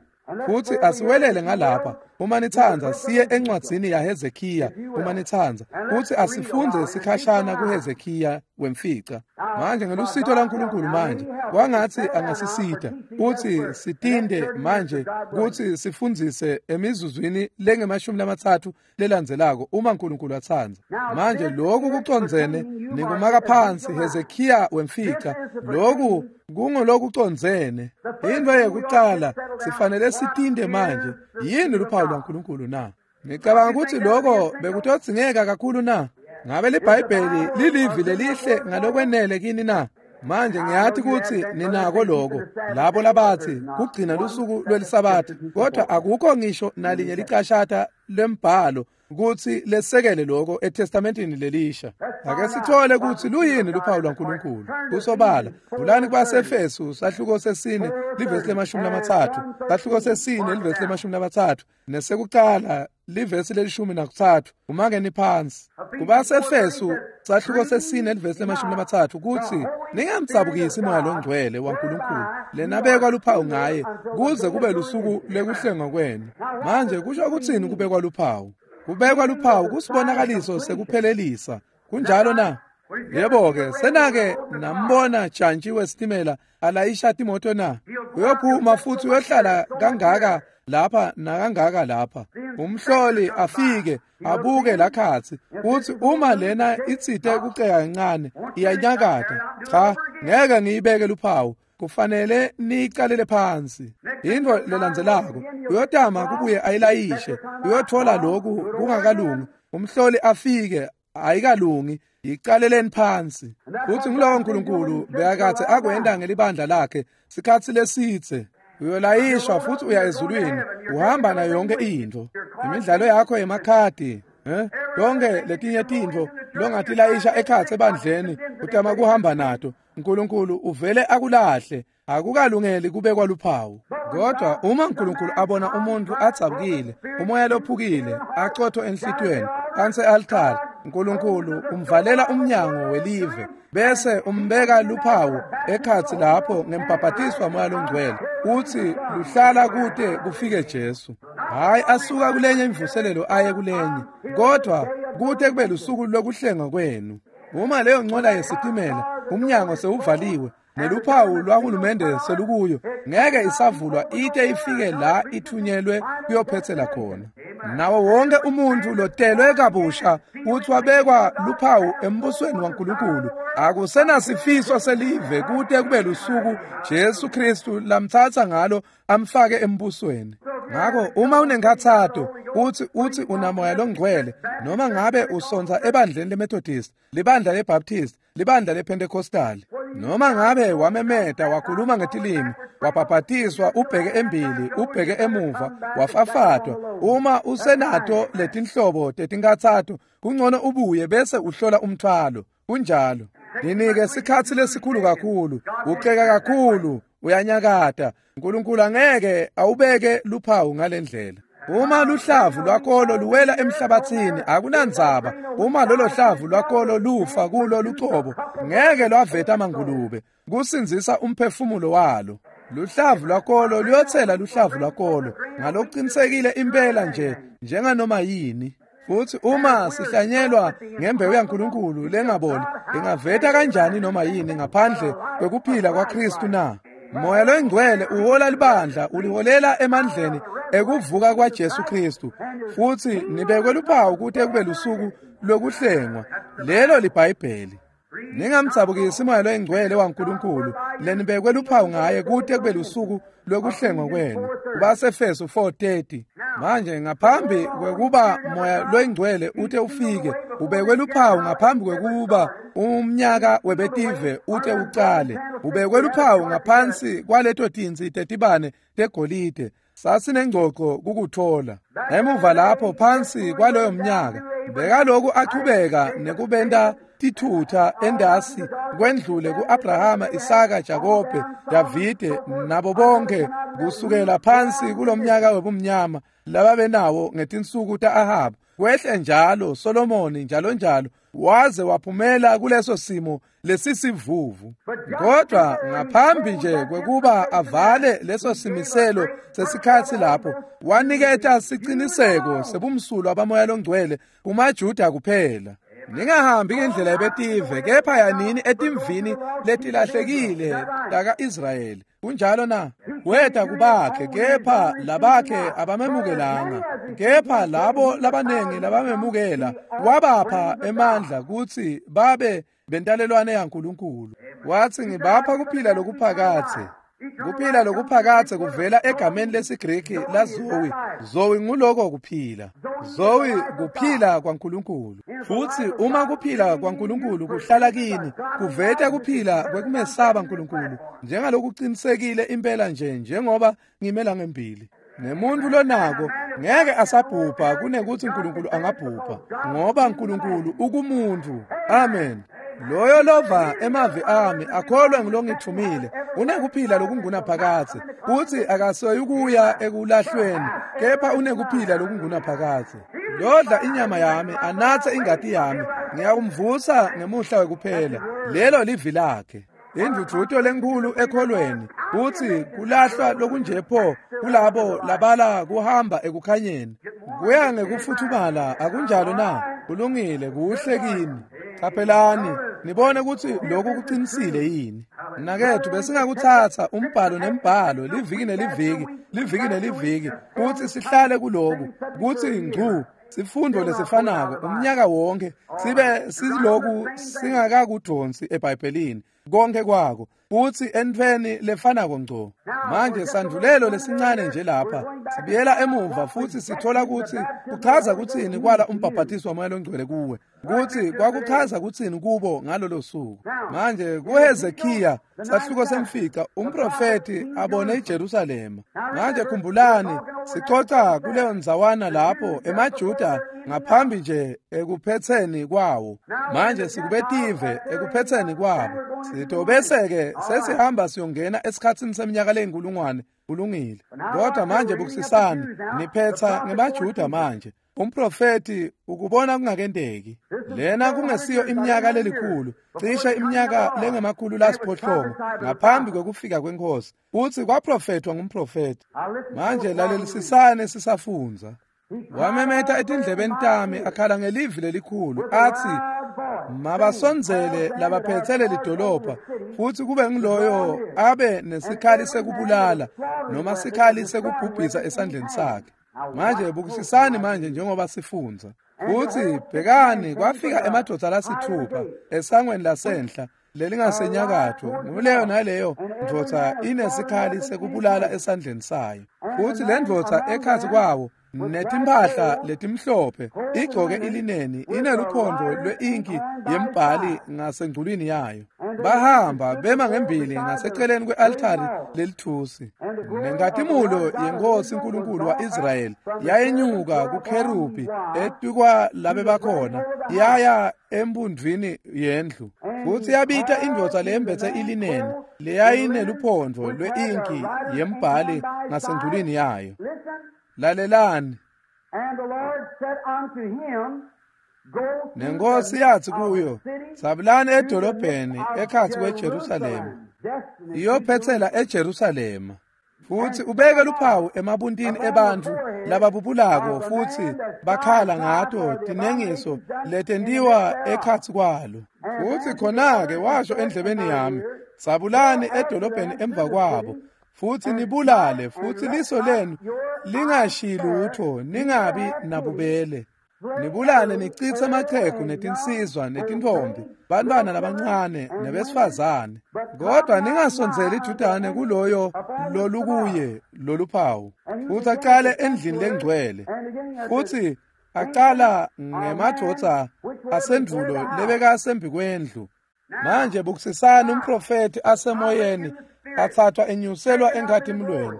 Futsi asiwelele ngalapha uma nitsandza, siye encwadzini yaHezekiya uma nitsandza, futsi asifundze sikhashana kuHezekiya wemfica. Manje ngelusito laNkulunkulu manje kwangatsi angasisita kutsi sitinde manje kutsi sifundzise emizuzwini lengemashumi 30 lelandzelako uma uNkulunkulu atsandza. Manje lokhu kucondzene nikumaka phansi Hezekiya wemfica. Lokhu kungolokucondzene. Into yekucala sifanele sitinde manje, yini luphawu lwaNkulunkulu na? Ngicabanga kutsi lokho bekutodzingeka kakhulu na? Ngabe liBhayibheli lilivi lelihle ngalokwenele kini na? Manje ngiyathi kutsi ninako lokho, labo labathi kugcina lusuku lwelisabatha, kodwa akukho ngisho nalinye licashata lembhalo kutsi lesekele lokho eTestamentini lelisha. Ake sithole kutsi luyini luphawu lwaNkulunkulu. Kusobala, vulani kwaseEfesu sahluko sesine livesi le-30, sahluko sesine livesi le-30 nesekuqala livesi le-13 umakeni phansi. KubaseEfesu sahluko sesine livesi le-30 kuthi ningamdzabukisi Moya loNgcwele waNkulunkulu lenabekwa luphawu ngaye kuze kube lusuku lekuhlengwa kwenu. Manje kusho ukuthini kubekwa luphawu? Kubekwa luphawu kusibonakaliso sekuphelelisa. Kunjalo na? Yebo-ke, senake nambona jantshi wesitimela alayisha timoto na? Uyophuma futhi uyohlala kangaka lapha nakangaka lapha. Umhloli afike abuke lakhatsi uthi uma lena itsite kuceka kancane iyanyakata. Cha, ngeke ngiyibeke luphawu. Kufanele niyiqalele phansi. Into lelandzelako uyotama kubuye ayilayishe, uyothola lokhu kungakalungi. Umhloli afike ayikalungi, yiqaleleni phansi. Futhi ngulowo uNkulunkulu bekathe akwenda ngelibandla lakhe sikhatsi lesitse. Uyolayishwa futhi uya ezulwini, uhamba nayo yonke into. Imidlalo yakho yemakhadi, yonke letinye tintfo longatilayisha ekhatsi ebandleni utama kuhamba nato. uNkulunkulu uvele akulahle, akukalungeli kubekwa luphawu. Kodwa uma uNkulunkulu abona umuntu adzabukile, umoya lophukile, acotho enhlitiyweni, phansi e-altare, uNkulunkulu umvalela umnyango welive bese umbeka luphawu ekhatsi lapho ngembhabhatiswa Moya loNgcwele, uthi luhlala kude kufike Jesu. Hayi asuka kulenye imvuselelo aye kulenye, kodwa kude kube lusuku lokuhlengwa kwenu. Uma leyo ncola yesitimela umnyango sewuvaliwe neluphawu lwahulumende selukuyo, ngeke isavulwa ite ifike la ithunyelwe kuyophethela khona. Nawo wonke umuntu lotelwe kabusha uthi wabekwa luphawu embusweni waNkulunkulu. Akusenasifiso selive kude kube lusuku Jesu Kristu lamthatha ngalo amfake embusweni. Ngakho uma unenkathato uthi unamoya longcwele, noma ngabe usonza ebandleni leMethodist, libandla leBaptist, libandla lePentecostal, noma ngabe wamemeta wakhuluma ngetilimi, wabhabhatiswa ubheke embili ubheke emuva, wafafatwa, uma usenato letinhlobo tetinkathato, kungcono ubuye bese uhlola umthwalo. Kunjalo. Ninike sikhatsi lesikhulu kakhulu, uceka kakhulu, uyanyakata. uNkulunkulu angeke awubeke luphawu ngalendlela. Uma luhlavu lwakolo luwela emhlabathini akunandzaba. Uma lolo hlavu lwakolo lufa kulo lucobo, ngeke lwaveta amangulube kusindzisa umphefumulo walo. Luhlavu lwakolo luyothela luhlavu lwakolo ngalokuqinisekile impela nje njenganoma yini. Futhi uma sihlanyelwa ngembewu yaNkulunkulu lengaboli, ingaveta kanjani noma yini ngaphandle kwekuphila kwaKristu na? Moya loNgcwele uhola libandla, uliholela emandleni ekuvuka kwaJesu Kristu, futhi nibekwe luphawu kute kube lusuku lokuhlengwa. Lelo liBhayibheli. Ningamdzabukisi Moya loNgcwele waNkulunkulu lenibekwe luphawu ngaye kute kube lusuku lokuhlengwa kwenu. KubaseEfesu 4:30. Manje ngaphambi kwekuba Moya loNgcwele ute ufike, ubekwe luphawu ngaphambi kwekuba umnyaka webetive ute ucale. Ubekwe luphawu ngaphansi kwaleto tintsi tetibane tegolide. Sasinengcoco kukuthola. Emuva lapho phansi kwaloyo mnyaka, bekaloku achubeka nekubenta tithutha endasi kwendlule kuAbrahama, Isaka, Jakobe, Davide nabo bonke kusukela phansi kulomnyaka webumnyama lababenawo ngetinsuku taAhab, kwehle njalo Solomoni njalo njalo, waze waphumela kuleso simo lesisivuvu. Kodwa ngaphambi nje kwekuba avale leso simiselo sesikhatsi lapho, waniketa siciniseko sebumsulwa baMoya loNgcwele kumaJuda kuphela. Ningahambi ngendlela yebetive, kepha yanini etimvini letilahlekile taka-Israyeli. Kunjalo na? Weta kubakhe, kepha labakhe abamemukelanga. Kepha labo labanengi labamemukela wabapha emandla kutsi babe bentalelwane yaNkulunkulu. Wathi ngibapha kuphila lokuphakadze. Kuphila lokuphakadze kuvela egameni lesiGreki la Zoe. Zoe nguloko kuphila. Zoe kuphila kwaNkulunkulu. Futhi uma kuphila kwaNkulunkulu kuhlala kini, kuveta kuphila kwekumesaba uNkulunkulu njengalokuqinisekile impela nje njengoba ngimela ngembili. Nemuntu lonako Ngeke asabhubha kunekuthi uNkulunkulu angabhubha, ngoba uNkulunkulu ukumuntu. Amen. Loyo lova emavi ami akholwe ngulongithumile unekuphila lokungunaphakadze, futhi akasoyukuya ekulahlweni, kepha unekuphila lokungunaphakadze. Lodla inyama yami anatse ingati yami, ngiyakumvusa ngemuhla wekuphela. Lelo livi lakhe. Indvudvuto lenkulu ekholweni kutsi kulahlwa lokunje pho kulabo labala kuhamba ekukhanyeni. Kuya ngekufuthumala, akunjalo na? Kulungile, kuhle kini. Qaphelani nibone kutsi lokhu kuqinisile yini. Mnaketfu, besingakutsatsa umbhalo nembhalo, liviki neliviki, liviki neliviki, kutsi sihlale kuloku, kutsi ngcu sifundo lesifanako umnyaka wonke, sibe siloku singakakudonsi eBhayibhelini konke kwako, kutsi entfweni lefanako ngco. Manje sandvulelo lesincane nje lapha sibuyela emuva futhi sithola kutsi kuchaza kutsini kwala umbhaphathiso waMoya loNgcwele kuwe, kutsi kwakuchaza kutsini kubo ngalolo suku. Manje kuHezekiya sahluko semfica, umprofeti abone iJerusalema. Manje khumbulani, sicoca kuleyo ndzawana lapho emaJuda ngaphambi nje ekuphetseni kwawo. Manje sikubetive ekuphetseni kwabo. Sitobese-ke sesihamba siyongena esikhatsini seminyaka leyinkulungwane. Kulungile. Kodwa manje bukisisani, niphetsa ngemaJuda manje. Umprofeti ukubona kungakenteki. Lena kungesiyo iminyaka lelikhulu, cishe iminyaka lengemakhulu lasiphohlongo ngaphambi kwekufika kwenkosi. Utsi kwaprofethwa ngumprofeti. Manje lalelisisane sisafundza. Wamemeta etindlebeni tami akhala ngelivi lelikhulu athi, mabasondzele labaphetse lelidolobha, futhi kube ngiloyo abe nesikhali sekubulala noma sikhali sekubhubhisa esandleni sakhe. Manje bukisisani manje njengoba sifundza. Futhi bhekani, kwafika emadvodza lasithupha esangweni lasenhla lelingasenyakatho, nguleyo naleyo ndvodza inesikhali sekubulala esandleni sayo. Futhi le ndvodza ekhatsi kwawo netimphahla letimhlophe, igcoke ilineni, ineluphondvo lwe-inki yembhali ngasengculwini yayo. Bahamba bema ngembili ngaseceleni kwe-altari lelithusi. Nenkhatimulo yenkosi uNkulunkulu wa-Israyeli yayenyuka kukherubi etukwa labe bakhona, yaya embundvini yendlu. Futhi yabita indvodza leyembetse ilineni leyayineluphondvo lwe-inki yembhali ngasengculwini yayo. Lalelani. Nenkosi yathi kuyo, sabulani edolobheni ekhatsi kweJerusalema, iyophetsela eJerusalema, futhi ubeke luphawu emabuntini ebantfu lababubulako futhi bakhala ngato tinengiso letentiwa ekhatsi kwalo. Futhi khona-ke washo endlebeni yami, sabulani edolobheni emva kwabo, futhi nibulale, futhi liso lenu lingashiyi lutho, ningabi nabubele. Nibulale nichitse amachegu netinsizwa netintombi, bantwana labancane nebesifazane, kodwa ningasondzeli idudane kuloyo lolukuye loluphawu. Futhi aqale endlini lengcwele, futhi aqala ngemadvodza asendvulo lebekasembi kwendlu. Manje bukisisani umprofeti asemoyeni athathwa enyuselwa enkhatimulweni.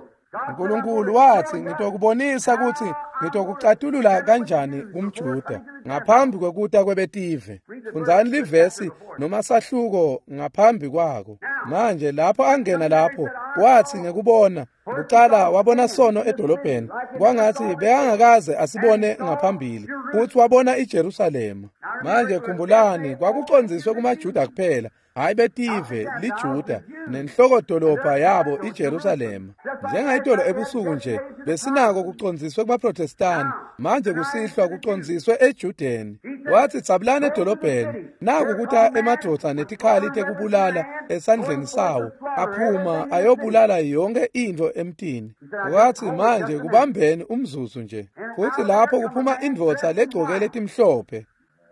uNkulunkulu wathi, ngitokubonisa ukuthi ngitokucatulula kanjani kumJuda ngaphambi kwekuta kwebetive. Fundzani livesi noma sahluko ngaphambi kwako. Manje lapho angena lapho, wathi ngekubona kucala wabona sono edolobheni, kwangathi bekangakaze asibone ngaphambili, futhi wabona iJerusalema. Manje khumbulani, kwakucondziswe kumaJuda kuphela, hayi betive, liJuda nenhlokodolobha yabo iJerusalema. Njengayitolo ebusuku nje besinako kucondziswe kubaProtestani, manje kusihlwa kucondziswe eJudeni. Wathi dzabulani edolobheni, naku kuta emadvodza netikhali tekubulala esandleni sawo, aphuma ayobulala yonke intfo emtini. Wathi manje kubambeni umzuzu nje. Futhi lapho kuphuma indvodza legcoke letimhlophe.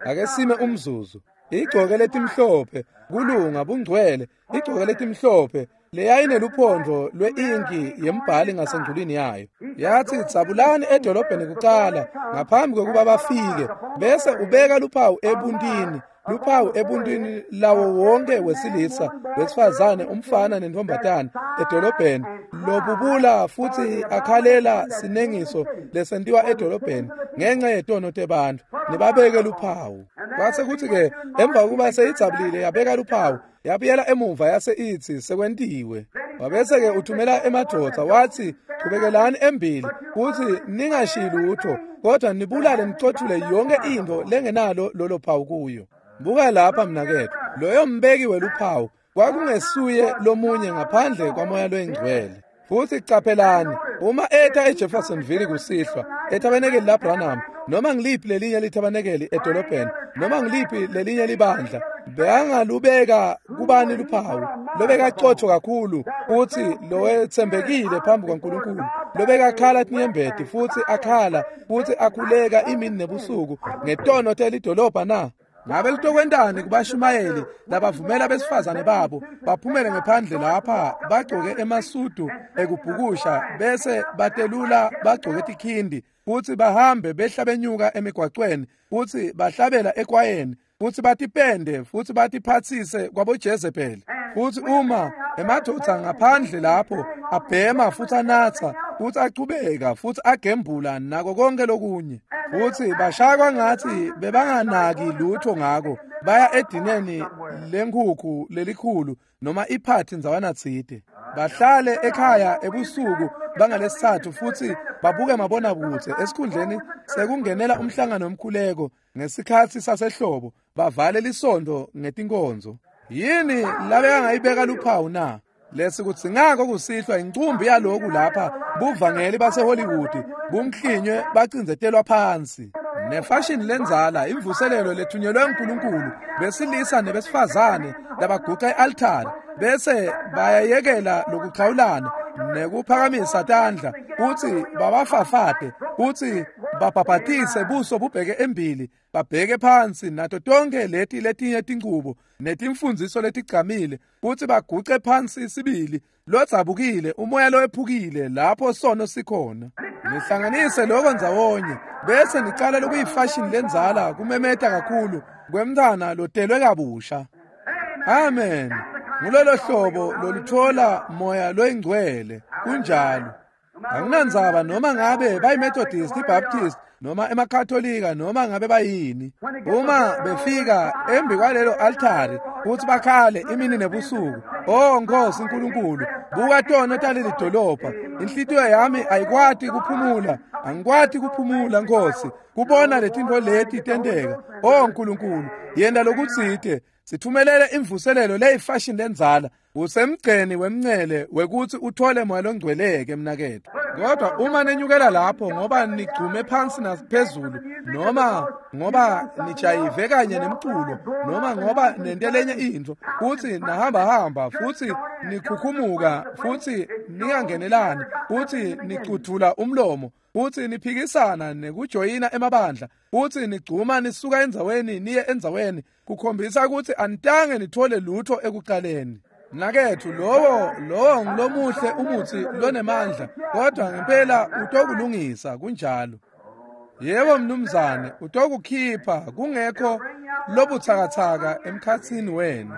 Ake sime umzuzu. Igcoke letimhlophe, kulunga, bungcwele, igcoke letimhlophe leyayineluphondvo lwe-inki yembhali ngasengculwini yayo. Yathi dzabulani edolobheni kucala ngaphambi kwekuba bafike, bese ubeka luphawu ebuntini, luphawu ebuntini lawo wonke wesilisa, wesifazane, umfana nentombazane edolobheni lobubula futhi akhalela sinengiso lesentiwa edolobheni ngenxa yetono tebantfu, nibabeke luphawu. Kwase kuthi-ke emva kokuba seyidzabulile yabeka luphawu, yabuyela emuva yase itsi sekwentiwe. Wabese-ke uthumela emadvodza wathi chubekelani embili futhi ningashiyi lutho, kodwa nibulale nicothule yonke intfo lengenalo lolo phawu kuyo. Buka lapha mnaketfu, loyo mbeki weluphawu kwakungesuye lomunye ngaphandle kwaMoya loyiNgcwele. Futhi caphelani, uma eta eJeffersonville kusihlwa, ethabanekeli laBranham, noma ngiliphi lelinye lithabanekeli edolobheni, noma ngiliphi lelinye libandla, bekangalubeka kubani luphawu, lobekacotho kakhulu futhi lowetsembekile phambi kwaNkulunkulu, lobekakhala tinyembeti futhi akhala futhi akhuleka imini nebusuku ngetono telidolobha na? Ngabe litokwentani kubashumayeli labavumela besifazane babo baphumele ngephandle lapha bagcoke emasudu ekubhukusha bese batelula bagcoke tikhindi futhi bahambe behla benyuka emigwacweni futhi bahlabela ekwayeni futhi batipende futhi batiphathise kwaboJezebeli? Futhi uma emadvodza ngaphandle lapho abhema futhi anatsa futhi achubeka futhi agembula nako konke lokunye, futhi bashaya ngathi bebanganaki lutho ngako, baya edineni lenkhukhu lelikhulu noma iphathi ndzawana tsite, bahlale ekhaya ebusuku bangalesithathu futhi babuke mabonakudze esikhundleni sekungenela umhlangano womkhuleko ngesikhatsi sasehlobo, bavale lisondo ngetinkonzo. Yini labekangayibeka luphawu na? Lesikudzingako kusihlwa incumbi yaloku lapha buvangeli baseHollywood bumklinywe bacindzetelwa phansi nefashini lendzala, imvuselelo lethunyelwe uNkulunkulu, besilisa nebesifazane labaguca e-altari bese bayayekela lokuxhawulana nekuphakamisa tandla futhi babafafate futhi babhabhatise buso bubheke embili babheke phansi nato tonke leti letinye tinchubo netimfundziso letigcamile futhi baguce phansi sibili lodzabukile, umoya lowephukile lapho sono sikhona. Nihlanganise lokho ndzawonye bese nicala lokuyifashini lendzala kumemeta kakhulu kwemntfwana lotelwe kabusha. Amen. Ngulolo hlobo loluthola moya loyingcwele. Kunjalo. Anginandzaba noma ngabe bayiMethodist, iBaptist noma emaKatolika noma ngabe bayini. Uma befika embi kwalelo altari futhi bakhale imini nebusuku, oh Nkosi uNkulunkulu, buka tono taleli dolobha, inhlitiyo yami ayikwati kuphumula, angikwati kuphumula Nkosi, kubona letintfo leti tenteka. Oh Nkulunkulu, yenta lokutsite, sithumelele imvuselelo leyifashini lendzala. Usemgceni wemncele wekuthi uthole moya longcweleke mnaketfu. Kodwa uma nenyukela lapho ngoba nigcume phansi naphezulu, noma ngoba nijayive kanye nemculo, noma ngoba nente lenye intfo, futhi nahamba-hamba futhi nikhukhumuka futhi ningangenelani futhi nicudvula umlomo futhi niphikisana nekujoyina emabandla futhi nigcuma nisuka endzaweni niye endzaweni, kukhombisa ukuthi anitange nithole lutho ekuqaleni. Mnaketfu, lowo ngilomuhle umuthi lonemandla, kodwa ngempela utokulungisa. Kunjalo. Yebo mnumzane, utokukhipha kungekho lobutsakatsaka emkhatsini wenu.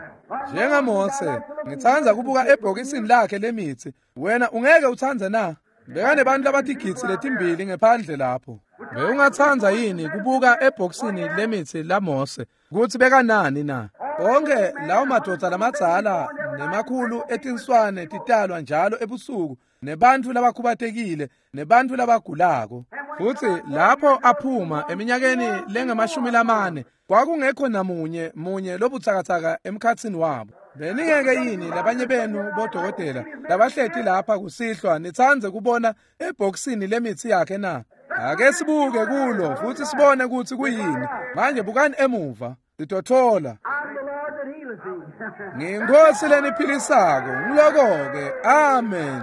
NjengaMose, ngitsandza kubuka ebhokisini lakhe lemitsi. Wena ungeke utsandze na? Bekanebantu labatigidzi letimbili ngephandle lapho. Bewungatsandza yini kubuka ebhokisini lemitsi laMose kutsi bekanani na? Onke lawo madvodza lamadzala nemakhulu etinswane titalwa njalo ebusuku, nebantfu labakhubatekile nebantfu labagulako. Futhi lapho aphuma eminyakeni lengamashumi lamane, kwakungekho namunye munye lobutsakatsaka emkhatsini wabo. Beningeke yini labanye benu bodokotela labahleti lapha kusihlwa nitsandze kubona ebhokisini lemitsi yakhe na? Ake sibuke kulo futhi sibone ukuthi kuyini. Manje bukani emuva, sitothola. Ngiyinkosi leniphilisako, ngiloko-ke. Amen.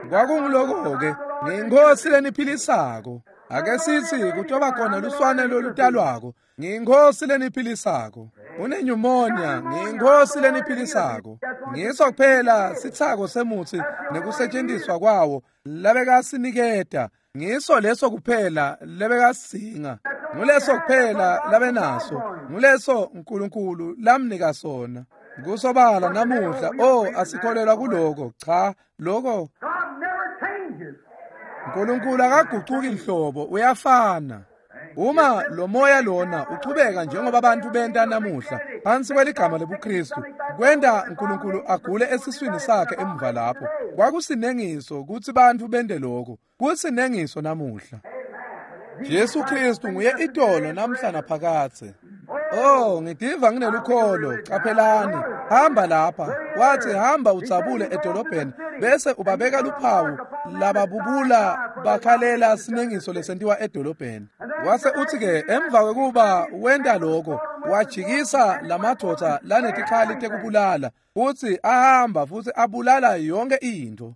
Kwakungiloko-ke, ngiyinkosi leniphilisako. Ake sithi kutoba khona luswane lolutalwako, ngiyinkosi leniphilisako. Une-pneumonia, ngiyinkosi leniphilisako. Ngiso kuphela sithako semutsi nekusetshenziswa kwawo labekasiniketa. Ngiso leso kuphela lebekasinga, nguleso kuphela labenaso, nguleso uNkulunkulu lamnika sona. Kusobala namuhla, oh asikholelwa kuloko. Cha, lokho Nkulunkulu akagucuki nhlobo, uyafana. Uma lo moya lona uchubeka njengoba abantu benta namuhla phansi kweligama lebuKristu, kwenta uNkulunkulu agule esiswini sakhe emva lapho. Kwakusinengiso kutsi bantfu bente lokho, kusinengiso namuhla. Jesu Kristu nguye itolo namhla naphakadze. Oh, ngitiva nginelukholo. Caphelani, hamba lapha. Wathi hamba udzabule edolobheni bese ubabeka luphawu lababubula bakhalela sinengiso lesentiwa edolobheni. Wase uthi ke emva kwekuba wenta lokho, wajikisa lamadvodza lanetikhali tekubulala, uthi ahamba futhi abulala yonke into.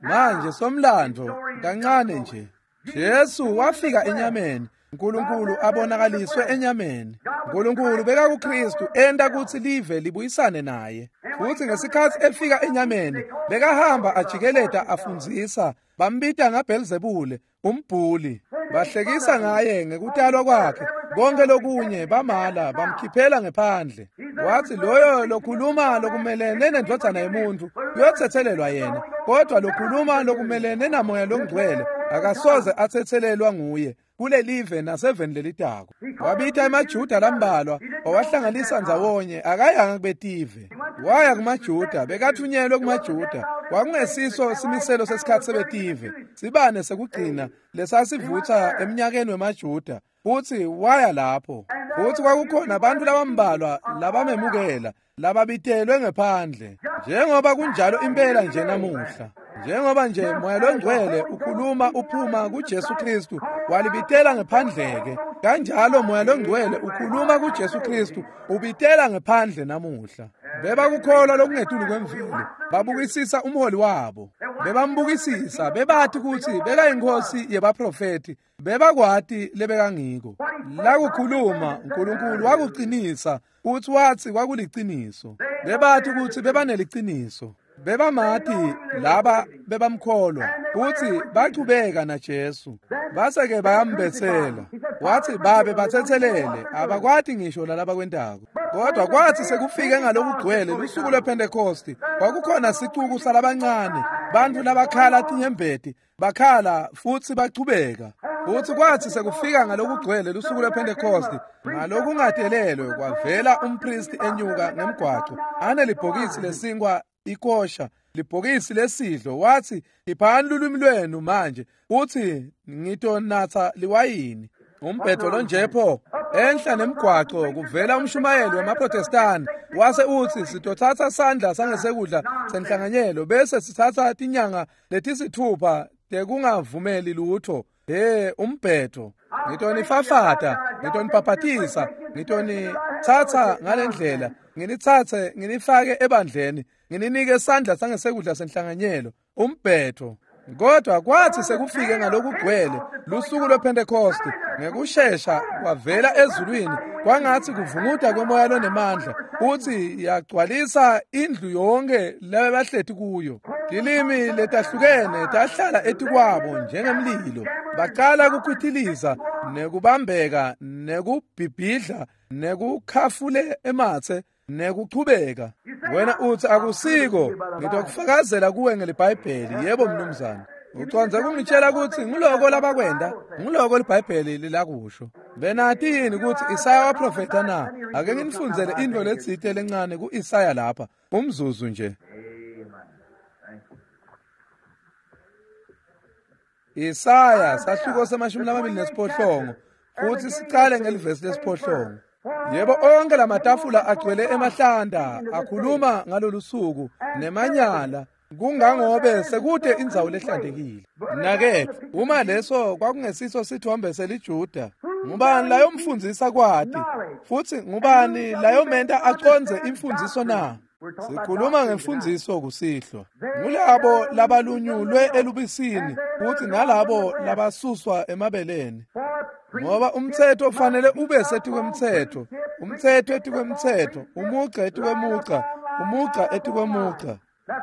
Manje somlando kancane nje. Jesu wafika enyameni, uNkulunkulu abonakaliswe enyameni. uNkulunkulu beka kuKristu enta kutsi live libuyisane naye. Futhi ngesikhatsi efika enyameni, bekahamba ajikeleta afundzisa, bambita ngaBhelzebule, umbhuli. Bahlekisa ngaye ngekutalwa kwakhe, konke lokunye bamala bamkhiphela ngephandle. Wathi loyo lokhuluma lokumelene nendvodzana yemuntu uyothethelelwa yena, kodwa lokhuluma lokumelene namoya longcwele akasoze athethelelwa nguye kulelive naseveni lelitako. Wabita emaJuda lambalwa wawahlanganisa ndzawonye, akayanga kubetive. Waya kumaJuda, bekathunyelwe kumaJuda. Kwakungesiso simiselo sesikhatsi sebetive, sibane sekugcina lesasivutsa eminyakeni wemaJuda. Futhi waya lapho, futhi kwakukhona abantu labambalwa labamemukela, lababitelwe ngephandle, njengoba kunjalo impela nje namuhla. Njengoba nje moya longcwele ukhuluma uphuma kuJesu Kristu walibitela ngephandleke, kanjalo moya longcwele ukhuluma kuJesu Kristu ubitela ngephandle namuhla. Bebakukholwa lokungetulu kwemvelo, babukisisa umholi wabo, bebambukisisa, bebathi kutsi bekayinkosi yebaprofeti, bebakwati lebekangiko. Lakukhuluma uNkulunkulu wakuqinisa, uthi wathi kwakuliciniso. Bebathi kutsi bebaneliciniso. Bebamati laba bebamkholwa, uthi bachubeka naJesu. Base-ke bayambetsela. Wathi babe bathethelele, abakwati ngisho lalabakwentako. Kodwa kwathi sekufike ngalokugcwele lusuku lwePhentekosti, kwakukhona sicuku salabancane, bantfu labakhala tinyembeti, bakhala futhi bachubeka. Futhi kwathi sekufika ngalokugcwele lusuku lwePhentekosti, ngalokungatelelwe kwavela umpristi enyuka ngemgwaco, anelibhokisi lesinkwa ikosha, libhokisi lesidlo. Wathi khiphani lulwimi lwenu manje, uthi ngitonatsa liwayini. Umbhedo lonjepho enhla nemgwaco kuvela umshumayeli wemaProtestani, wase uthi sitothatha sandla sangesekudla senhlanganyelo bese sithatha tinyanga letisithupha tekungavumeli lutho. He, umbhedo. Ngitonifafata, ngitonibhabhatisa, ngitonithatha ngalendlela, nginitsatse nginifake ebandleni, ngininike sandla sangesekudla senhlanganyelo. Umbhedo. Kodwa kwathi sekufike ngalokugcwele lusuku lwePhentekosti, ngekushesha kwavela ezulwini kwangathi kuvunguta kwemoya lonemandla, uthi yagcwalisa indlu yonke labahleti kuyo. Tilimi letahlukene tahlala etikwabo njengemlilo. Baqala kukhwitiliza nekubambeka nekubhibhidla nekukhafule emathe nekuchubeka. Wena uthi akusiko, ngitokufakazela kuwe ngeliBhayibheli. Yebo mnumzane. Ucondze kungitshela ukuthi ngiloko labakwenda, ngiloko liBhayibheli lilakusho. Benati yini ukuthi Isaya waprofetha na? Ake nginifundzele intfo letsite lencane ku-Isaya lapha, umzuzu nje. Isaya sahluko se-28 futhi sicale ngelivesi lesi-8. Yebo, onke lamatafula agcwele emahlanda akhuluma ngalolu suku nemanyala, kungangobe sekude indzawo lehlantekile. Nakethu, uma leso kwakungesiso sithombe seliJuda, ngubani layomfundzisa kwati, futhi ngubani layomenta acondze imfundziso na? Sikhuluma ngemfundziso kusihlwa. Ngulabo labalunyulwe elubisini futhi nalabo labasuswa emabeleni. Ngoba umthetho ufanele ube setikwemthetho, umthetho etikwemthetho, umugca etikwemugca, umugca etikwemugca.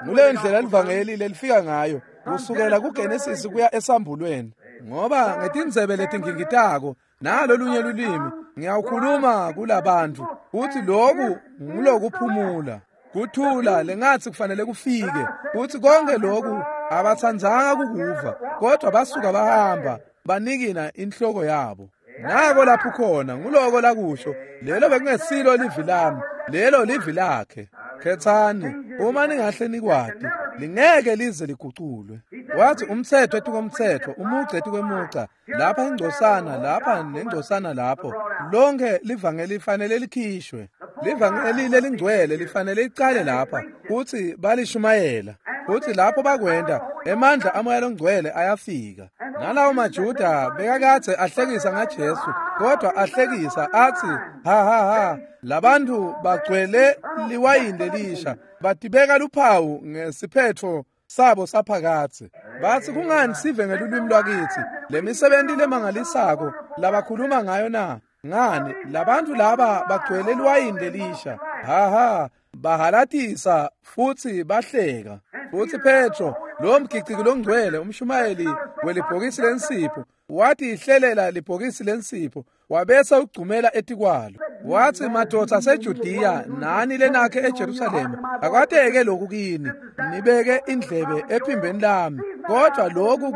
Ngule ndlela livangeli lelifika ngayo kusukela kuGenesis kuya esambulweni. Ngoba ngetindzebe letingingitako nalo lunye lulimi ngiyawukhuluma kulabantu, uthi loku ngulokuphumula. Kuthula lengathi kufanele kufike. Kuthi konke lokhu abatsandzanga kukuva, kodwa basuka bahamba banikina inhloko yabo. Nako lapho khona nguloko lakusho, lelo bekungesilo livi lami, lelo livi lakhe. Khethani uma ningahle nikwati, lingeke lize liguculwe. Wathi umthetho etikomthetho, umugca etikwemugca, lapha ingcosana, lapha nengcosana lapho. Lonke livangeli lifanele likhishwe. Livangeli lelingcwele lifanele licale lapha, futhi balishumayela. Futhi lapho bakwenda, emandla amoya longcwele ayafika. Nalawo maJuda bekakade ahlekisa ngaJesu, kodwa ahlekisa athi ha ha ha, labantu bagcwele liwayini lelisha, batibeka luphawu ngesiphetho sabo saphakathe. Bathi kungani sive ngelulwimi lwakithi lemisebenzi lemangalisako labakhuluma ngayo na? Ngani labantu laba bagcwele liwayini lelisha, ha ha, bahalatisa futhi bahleka. Futhi Petro, lo mgiciki longcwele, umshumayeli welibhokisi lensipho, wathi ihlelela libhokisi lensipho, wabese ugcumela etikwalo. Wathi madoda aseJudiya nani lenakhe eJerusalema, akwateke lokhu kini, nibeke indlebe ephimbeni lami. Kodwa lokhu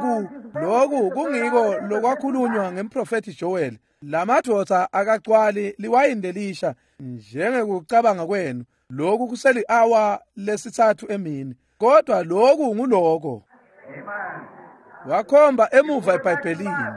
kungiko lokwakhulunywa ngemprofethi Joel. Lamadoda akagcwali liwayini lelisha njengekucabanga kwenu. Lokhu kuseli awa lesithathu emini, kodwa lokhu nguloko. Wakhomba emuva eBhayibhelini.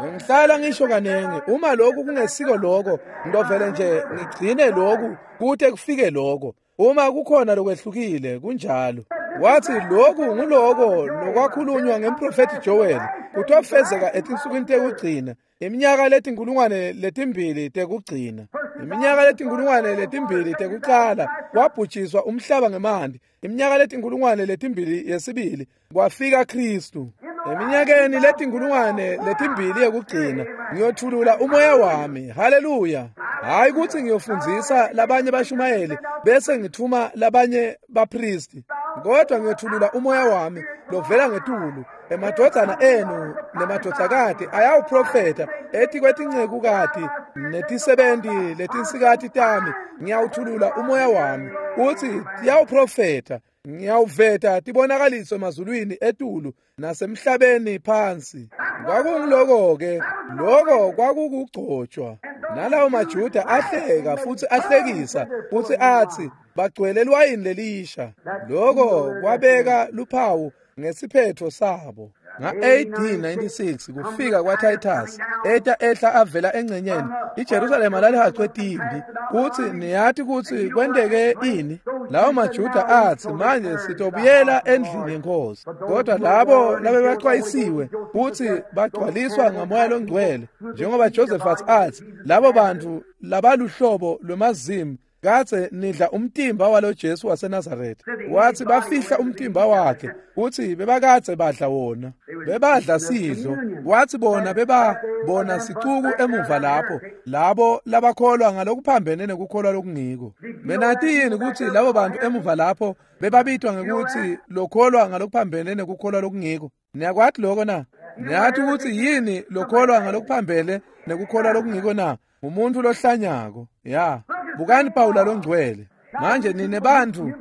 Bengihlala ngisho kanengi, uma lokhu kungesiko lokho, ngidovele nje ngigcine lokhu kude kufike lokho. Uma kukhona lokwehlukile kunjalo. Wathi lokhu nguloko lokwakhulunywa ngemprofethi Joel, kutofezeka etinsukwini tekugcina, iminyaka letinkulungwane letimbili tekugcina, iminyaka letinkulungwane letimbili tekuqala kwabhujiswa umhlaba ngemanti, iminyaka letinkulungwane letimbili yesibili kwafika Kristu. Eminyakeni letinkulungwane letimbili yekugcina ngiyothulula umoya wami. Haleluya! Hayi ukuthi ngiyofundzisa labanye bashumayeli bese ngithuma labanye bapristi, kodwa ngiyothulula umoya wami lovela ngetulu. Emadvodzana enu nemadvodzakati ayawuprofetha, ethi kwetincekukati netisebenti letinsikati tami ngiyawuthulula umoya wami, uthi tiyawuprofetha. Ngiyawuveta tibonakaliso emazulwini etulu nasemhlabeni phansi. Kwakungiloko-ke, loko kwakukugcotshwa. Nalawo maJuda ahleka futhi ahlekisa futhi athi bagcwele liwayini lelisha. Loko kwabeka luphawu ngesiphetho sabo. Nga-AD 96 kufika kwaTitus eta ehla avela engcenyeni, iJerusalema lalihaqwe timbi. Kuthi niyathi kuthi kwenteke ini? Lawo maJuda athi manje sitobuyela endlini yenkosi. Kodwa labo labebexwayisiwe kuthi bagcwaliswa ngamoya longcwele, njengoba Josephat athi labo bantu labaluhlobo lwemazimu kathe nidla umtimba walo Jesu waseNazaretha. Wathi bafihla umtimba wakhe, uthi bebakathe badla wona, bebadla sidlo. Wathi bona bebabona sicuku emuva lapho, labo labakholwa ngalokuphambene nekukholwa lokungiko. Benathi yini ukuthi labo bantu emuva lapho bebabitwa ngekuthi lokholwa ngalokuphambene nekukholwa lokungiko? Niyakwathi lokho na? Niyathi ukuthi yini lokholwa ngalokuphambene nekukholwa lokungiko na? Umuntu lohlanyako. Ya, bukani Pawula longcwele. Manje nine bantu,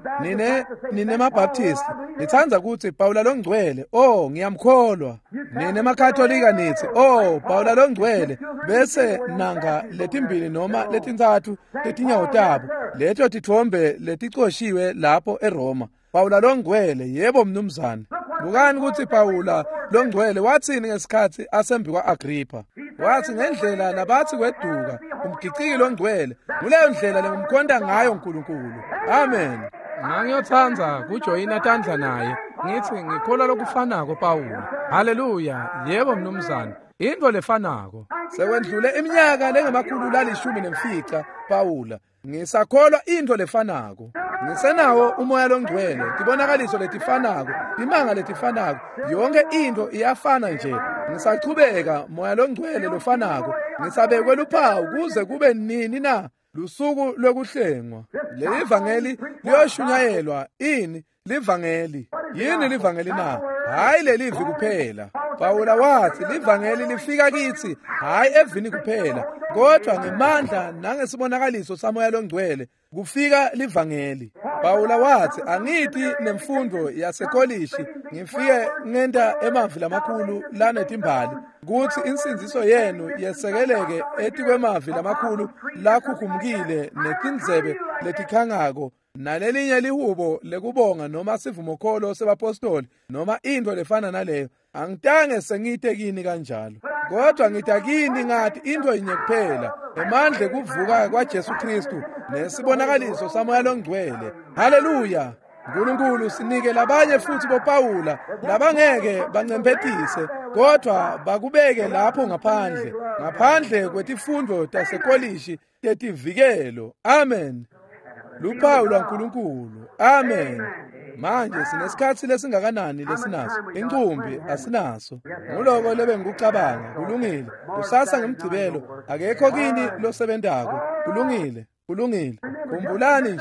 nine maBaptist, nithanda ukuthi Pawula longcwele, oh ngiyamkholwa. Nine maKatolika nithi, oh Pawula longcwele, bese nanga letimbili noma letintsatfu letinyawo tabo, leto tithombe leticoshiwe lapho eRoma. Pawula longcwele, yebo mnumzane. Bukani ukuthi Pawula longcwele wathini ngesikhathi asembi kwa-Agripha. Wathi ngendlela labathi kweduka umgiciki longcwele, nguleyo ndlela lengumkhonta ngayo uNkulunkulu. Amen. Ngangiyotsandza kujoyina tandla naye, ngithi ngikholwa lokufanako Pawula. Haleluya, yebo mnumzane, into lefanako. Sekwendlule iminyaka lengemakhulu lalishumi nemfica Pawula, ngisakholwa into lefanako. Ngisenawo umoya longcwele, tibonakaliso letifanako, timanga letifanako, yonke into iyafana nje. Ngisachubeka moya longcwele lofanako, ngisabekwe luphawu kuze kube nini na? Lusuku lwekuhlengwa. Leli vangeli liyoshunyayelwa. Ini livangeli? Yini livangeli na? Hayi lelivi kuphela. Pawula wathi livangeli lifika kithi hayi evini kuphela, kodwa ngemandla nangesibonakaliso saMoya loNgcwele kufika livangeli. Pawula wathi angithi nemfundo yasekolishi ngifike ngenta emavi lamakhulu lanetimbali kuthi insindziso yenu yesekeleke etikwemavi lamakhulu lakhukhumukile netindzebe letikhangako nalelinye lihubo lekubonga noma sivumokholo sebapostoli noma into lefana naleyo. Angitange sengite kini kanjalo, kodwa ngita kini ngathi into yinye kuphela, emandla kuvuka kwaJesu Kristu nesibonakaliso saMoya loNgcwele. Haleluya! uNkulunkulu sinike labanye futhi boPawula labangeke bancemphetise, kodwa bakubeke lapho ngaphandle, ngaphandle kwetifundo tasekolishi tetivikelo. Amen. Luphawu lwaNkulunkulu. Amen. Manje sinesikhatsi lesingakanani lesinaso? Incumbi asinaso. Nguloko lebengikucabanga. Kulungile. Kusasa ngemgcibelo akekho kini losebentako. Kulungile. Kulungile. Khumbulani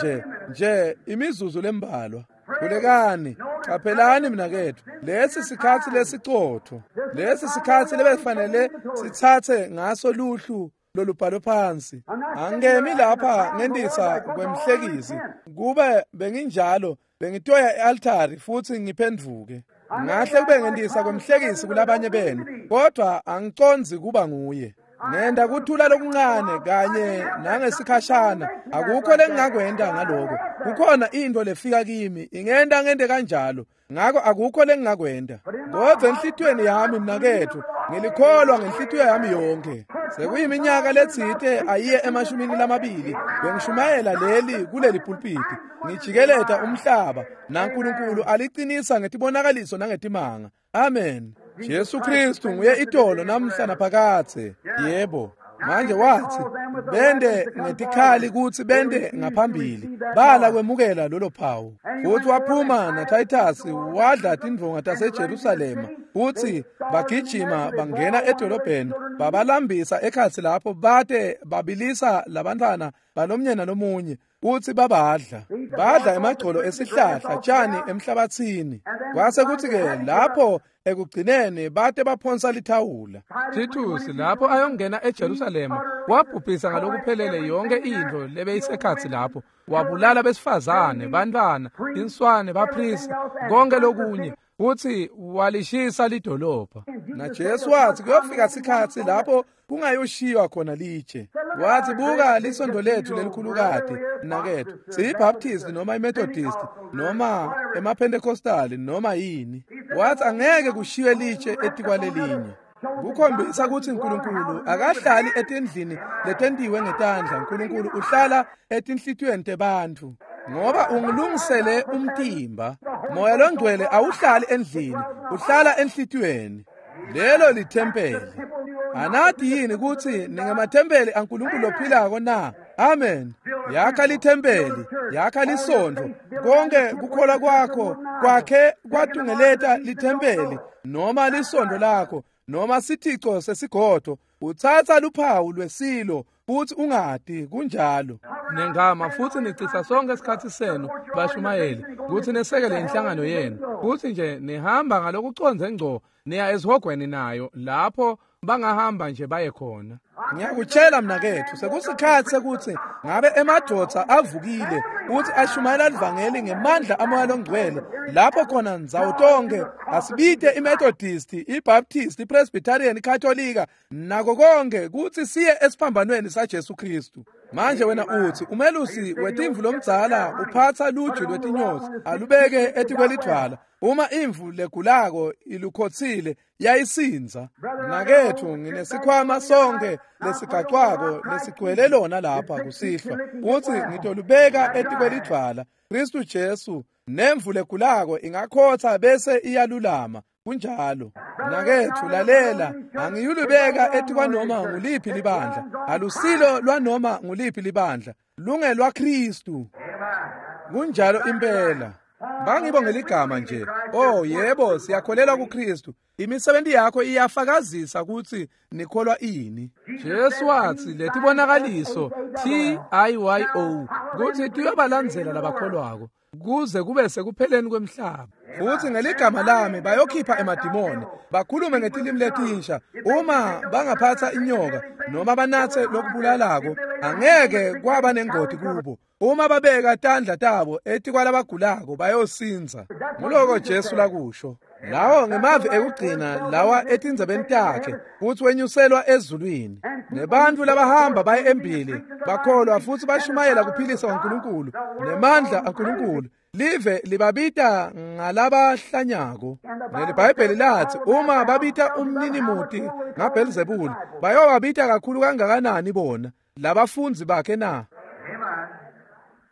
nje imizuzu lembalwa. Khulekani, qaphelani mnaketfu, lesi sikhatsi lesicotho, lesi sikhatsi lebefanele sitsatse ngaso luhlu lolubhalwe phansi. Angemi lapha ngendisa kwemhlekisi, kube benginjalo bengitoya e-altari futhi ngiphendvuke. Ngahle kube ngendisa kwemhlekisi kulabanye benu, kodwa angicondzi kuba nguye. Ngenda kuthula lokuncane kanye nangesikhashana, akukho lengingakwenta ngaloko. Kukhona into lefika kimi ingenta ngente kanjalo, ngakho akukho lengingakwenta. Kodwa enhlitiyweni yami mnaketfu, ngilikholwa ngenhlitiyo yami yonke. Sekuyiminyaka letsite ayiye 20 bengishumayela leli kuleli pulpiti, ngijikeleta umhlaba, naNkulunkulu aliqinisa ngetibonakaliso nangetimanga. Amen. Jesu Kristu nguye itolo namhla naphakadze. Yebo. Manje wathi bende ngetikhali kutsi bende ngaphambili, bala kwemukela lolo phawu. Futhi waphuma naTitus wadla tindvonga taseJerusalema, futhi bagijima bangena edolobheni, babalambisa ekhatsi lapho bate babilisa labantwana balomnye nalomunye, kuthi babadla. Badla emagcolo esihlahla tshani emhlabathini. Kwase kuthi-ke lapho ekugcineni bate baphonsa lithawula. Titus lapho ayongena eJerusalema wabhubhisa ngalokuphelele yonke intfo lebeyisekhatsi lapho, wabulala besifazane, bantwana, inswane, bapristi, konke lokunye, futhi walishisa lidolobha. NaJesu wathi kuyofika sikhatsi lapho kungayoshiywa khona litshe. Wathi buka lisondo lethu lelikhulukati mnaketfu, siyiBaptist noma iMethodist noma emaPentecostal noma yini. Wathi angeke kushiywe litshe etikwalelinye. Kukhombisa ukuthi uNkulunkulu akahlali etindlini letentiwe ngetandla. uNkulunkulu uhlala etinhlitiyweni tebantfu, ngoba ungilungisele umtimba. Moya loNgcwele awuhlali endlini, uhlala enhlitiyweni. Lelo lithempeli. Anati yini kutsi ningemathempeli aNkulunkulu ophilako na? Amen. Yakha lithempeli, yakha lisontfo, konke kukholwa kwakho kwakhe kwatungeleta lithempeli noma lisontfo lakho noma sithico sesigodvo. Utsatsa luphawu lwesilo futhi ungati kunjalo. Nengama futhi nicitsa sonke isikhatsi senu bashumayeli kutsi nesekele inhlangano yenu, kutsi nje nihamba ngalokucondze ngco niya esihogweni nayo lapho bangahamba nje baye khona. Ngiyakutshela mnaketfu, sekusikhatsi sekuthi ngabe emadvodza avukile uthi ashumayela livangeli ngemandla aMoya loNgcwele, lapho khona ndzawo tonke asibite iMethodist, iBaptist, iPresbyterian, iKatolika nako konke kutsi siye esiphambanweni saJesu Kristu. Manje wena uthi umelusi wetimvu lomdzala uphatsa luju lwetinyosi alubeke etikwelidvwala, uma imvu legulako ilukhotsile yayisinza. Mnaketfu, nginesikhwama sonke lesigacwako lesigcwele lona lapha kusihlwa, kutsi ngitolubeka etikwelidvwala Kristu Jesu, nemvu legulako ingakhotha bese iyalulama. Kunjalo. Mnaketfu, lalela, angiyulubeka etikwanoma nguliphi libandla. Alusilo lwanoma nguliphi libandla, lungelwa Kristu. Kunjalo impela. Bangibo ngeligama nje. Oh yebo, siyakholelwa kuKristu. Imisebenzi yakho iyafakazisa ukuthi nikholwa ini. Jesu wathi letibonakaliso TIYO kutsi tiyobalandzela labakholwako. kuze kube sekupheleni kwemhlaba. Futhi ngeligama lami bayokhipha emadimoni, bakhulume ngetilimi letinsha. Uma bangaphatha inyoka noma banatse lokubulalako, angeke kwaba nengoti kubo. Uma babeka tandla tabo etikwalabagulako bayosinza. Nguloko Jesu lakusho. Lawo ngemavi ekugcina lawa etindzebeni takhe, futhi wenyuselwa ezulwini. Nebantfu labahamba baye embili bakholwa futhi bashumayela kuphilisa kwaNkulunkulu nemandla aNkulunkulu. Live libabita ngalabahlanyako. NeliBhayibheli lathi uma babita umninimuti ngaBhelzebule, bayowabita kakhulu kangakanani bona labafundzi bakhe na?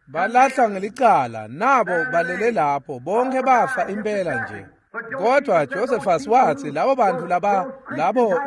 Balahla ngelicala, nabo balele lapho, bonke bafa impela nje. Kodwa Josephus wathi labo bantu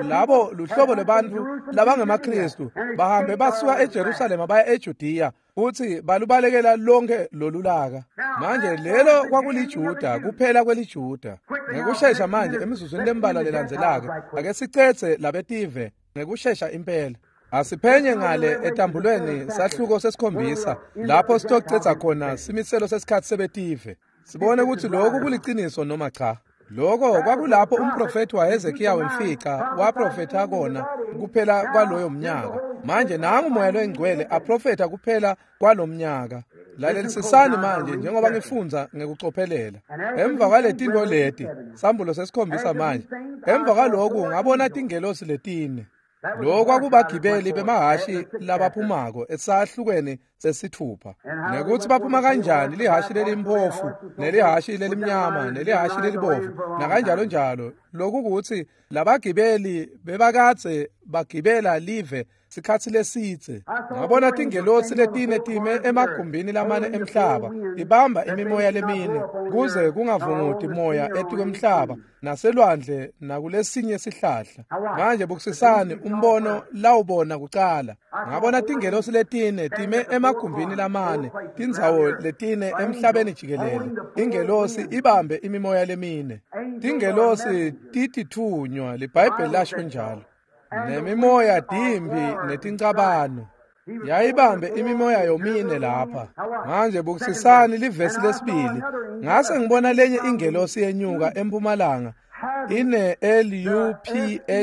labo luhlobo lwabantu labangemaKristu bahambe basuka eJerusalema baya eJudiya, futhi balubalekela lonke lolulaka. Manje lelo kwakuliJuda, kuphela kweliJuda. Ngekushesha manje emizuzwini lembalwa lelandzelako, ake sicetse labetive ngekushesha impela. Asiphenye ngale etambulweni sahluko sesikhombisa, lapho sitocetsa khona simiselo sesikhathi sebetive. Sibone ukuthi lokhu kuliciniso noma cha. Lokho kwakulapho umprofethi waHezekiya wemfica waprofetha kona kuphela kwaloyo mnyaka. Manje nangu umoya loyingcwele aprofetha kuphela kwalomnyaka. Lalelisisani manje njengoba ngifundza ngekucophelela. Emva kwaletinto leti, sambulo sesikhombisa manje. Emva kwaloku ngabona tingelosi letine. Lokho kwakubagibeli bemahashi labaphumako esahlukweni sesithupha. Nekuthi baphuma kanjani lihashi lelimpofu, nelihashi lelimnyama, nelihashi lelibovu, nakanjalo njalo. Lokhu kuthi labagibeli bebakadze bagibela live sikhatsi lesidze. Ngabona tingelosi letine time emagumbini lamane emhlaba, ibamba imimoya lemine kuze kungavunguti moya etikwemhlaba naselwandle nakulesinye sihlahla. Manje bukusisani umbono lawubona kucala. Ngabona tingelosi letine time emagumbini lamane, tindzawo letine emhlabeni jikelele. Ingelosi ibambe imimoya lemine. Tingelosi titithunywa, liBhayibheli lasho njalo. Nemimoya dimbi netincabano. Yayibambe imimoya yomine lapha. Manje bukusisani livesi lesibili. Ngase ngibona lenye ingelosi yenyuka empumalanga, ine L-U-P-H-A-W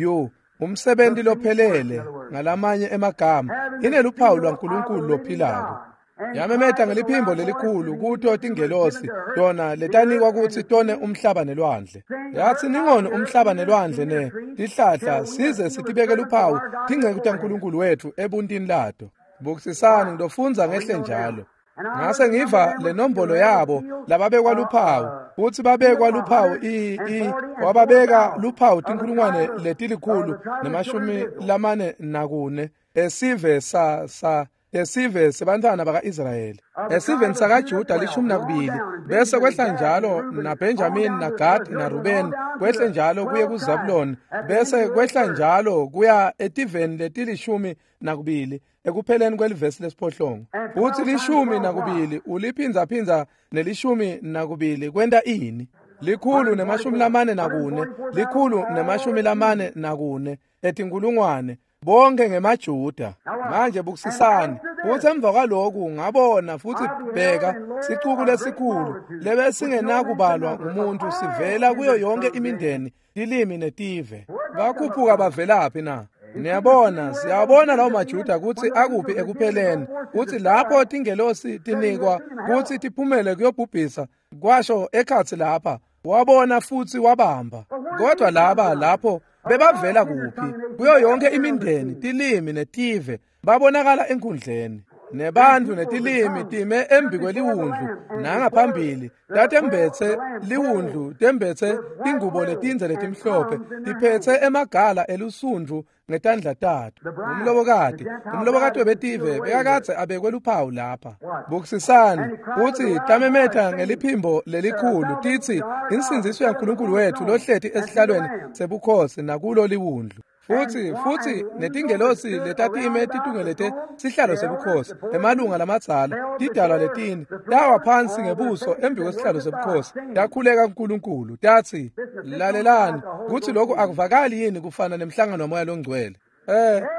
U, umsebenzi lophelele ngalamanye emagama, ineluphawu lwaNkulunkulu lophilako. Yamemeta ngeliphimbo lelikhulu kuto tingelosi tona letanikwa kutsi tone umhlaba nelwandle. Yathi ningoni umhlaba nelwandle ne tihlahla size sitibeke luphawu tinceku taNkulunkulu wethu ebuntini lato. Bukusisani ngidofundza ngehle njalo. Ngase ngiva lenombolo yabo lababekwa luphawu, futhi babekwa luphawu wababeka luphawu tinkulungwane letilikhulu nemashumi lamane nakune esive sa esive sebantwana baka-Israyeli, esiveni sakaJuda 12, bese kwehla njalo naBenjamin naGad naRuben, kwehle njalo kuye kuZabulon, bese kwehla njalo kuya etiveni letili-12 ekupheleni kwelivesi lesiphohlongo. Futhi 12 uliphindzaphindza ne-12 kwenta ini? 144, 144 etinkulungwane, bonke ngemaJuda. Manje bukusisani. Futhi emva kwaloku ngabona futhi bheka sicuku lesikhulu lebesingenakubalwa ngumuntu sivela kuyo yonke imindeni, tilimi netive. Bakhuphuka bavelaphi na? Niyabona, siyabona lawo maJuda kutsi akuphi ekupheleni, kutsi lapho tingelosi tinikwa kutsi tiphumele kuyobhubhisa, kwasho ekhatsi lapha, wabona futhi wabamba. Kodwa laba lapho bebavela kuphi? Kuyo yonke imindeni, tilimi netive babonakala enkundleni. Nebantfu netilimi time embi kweliwundlu nangaphambili, tatembetse liwundlu, tembetse tingubo letindze letimhlophe, tiphetse emagala elusundvu ngetandla tato. Umlobokati webetive bekakadze abekwe luphawu lapha. Bukusisani kutsi tamemeta ngeliphimbo lelikhulu titsi, insindziso yaNkulunkulu wethu lohleti esihlalweni sebukhosi nakulo liwundlu. Futhi netingelosi letatime titungelete sihlalo sebukhosi, emalunga lamadzala, tidalwa letine, tawa phansi ngebuso embi kwesihlalo sebukhosi, takhuleka kuNkulunkulu, tatsi, lalelani, kutsi lokhu akuvakali yini kufana nemhlangano waMoya loNgcwele.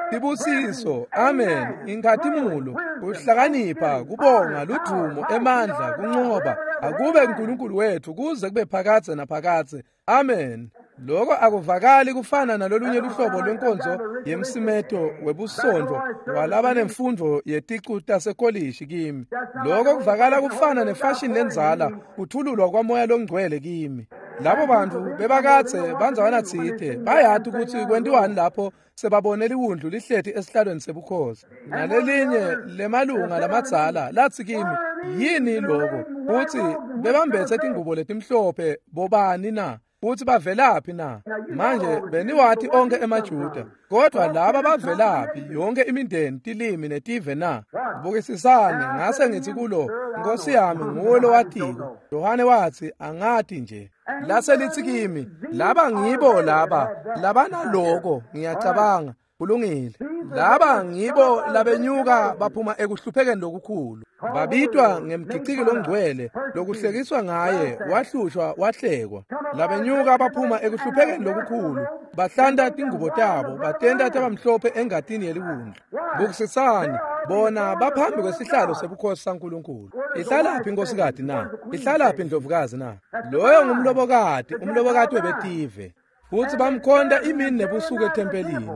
Tibusiso, amen, inkhatimulo, kuhlakanipha, kubonga, ludvumo, emandla, kuncoba, akube uNkulunkulu wethu kuze kube phakadze naphakadze. Amen. Lokho akuvakali kufana nalolunye luhlobo lwenkonzo yemsimeto webusontfo walabanemfundvo yeticu tasekolishi kimi. Lokho kuvakala kufana nefashini lendzala, kuthululwa kwamoya longcwele kimi. Labo bantu bebakadze bandzawana tsite bayati ukuthi kwentiwani lapho sebabone liwundlu lihleti esihlalweni sebukhosi. Nalelinye lemalunga lamadzala latsi kimi, yini lokho? Kutsi bebambethe tingubo letimhlophe bobani na? Futhi bavelaphi na? Manje beniwathi onke emaJuda, kodwa laba bavelaphi yonke imindeni, tilimi netive na? Bukisisani, ngase ngithi kulo, Nkosi yami nguwe lowatiko. Yohane wathi, angati nje. Lase lithi kimi, laba ngibo laba, labanaloko, ngiyacabanga. Kulungile. Laba ngibo labenyuka baphuma ekuhluphekeni lokukhulu. Babitwa ngemgiciki longcwele, lokuhlekiswa ngaye, wahlushwa, wahlekwa. Labenyuka baphuma ekuhluphekeni lokukhulu, bahlanta tingubo tabo, batenta tabamhlophe engatini yeliwundlu. Bukisisani, bona baphambi kwesihlalo sebukhosi saNkulunkulu. Ihlalaphi inkosikazi na? Ihlalaphi indlovukazi na? Loyo ngumlobokati, umlobokati webetive. Futhi bamkhonta imini nebusuku ethempelini.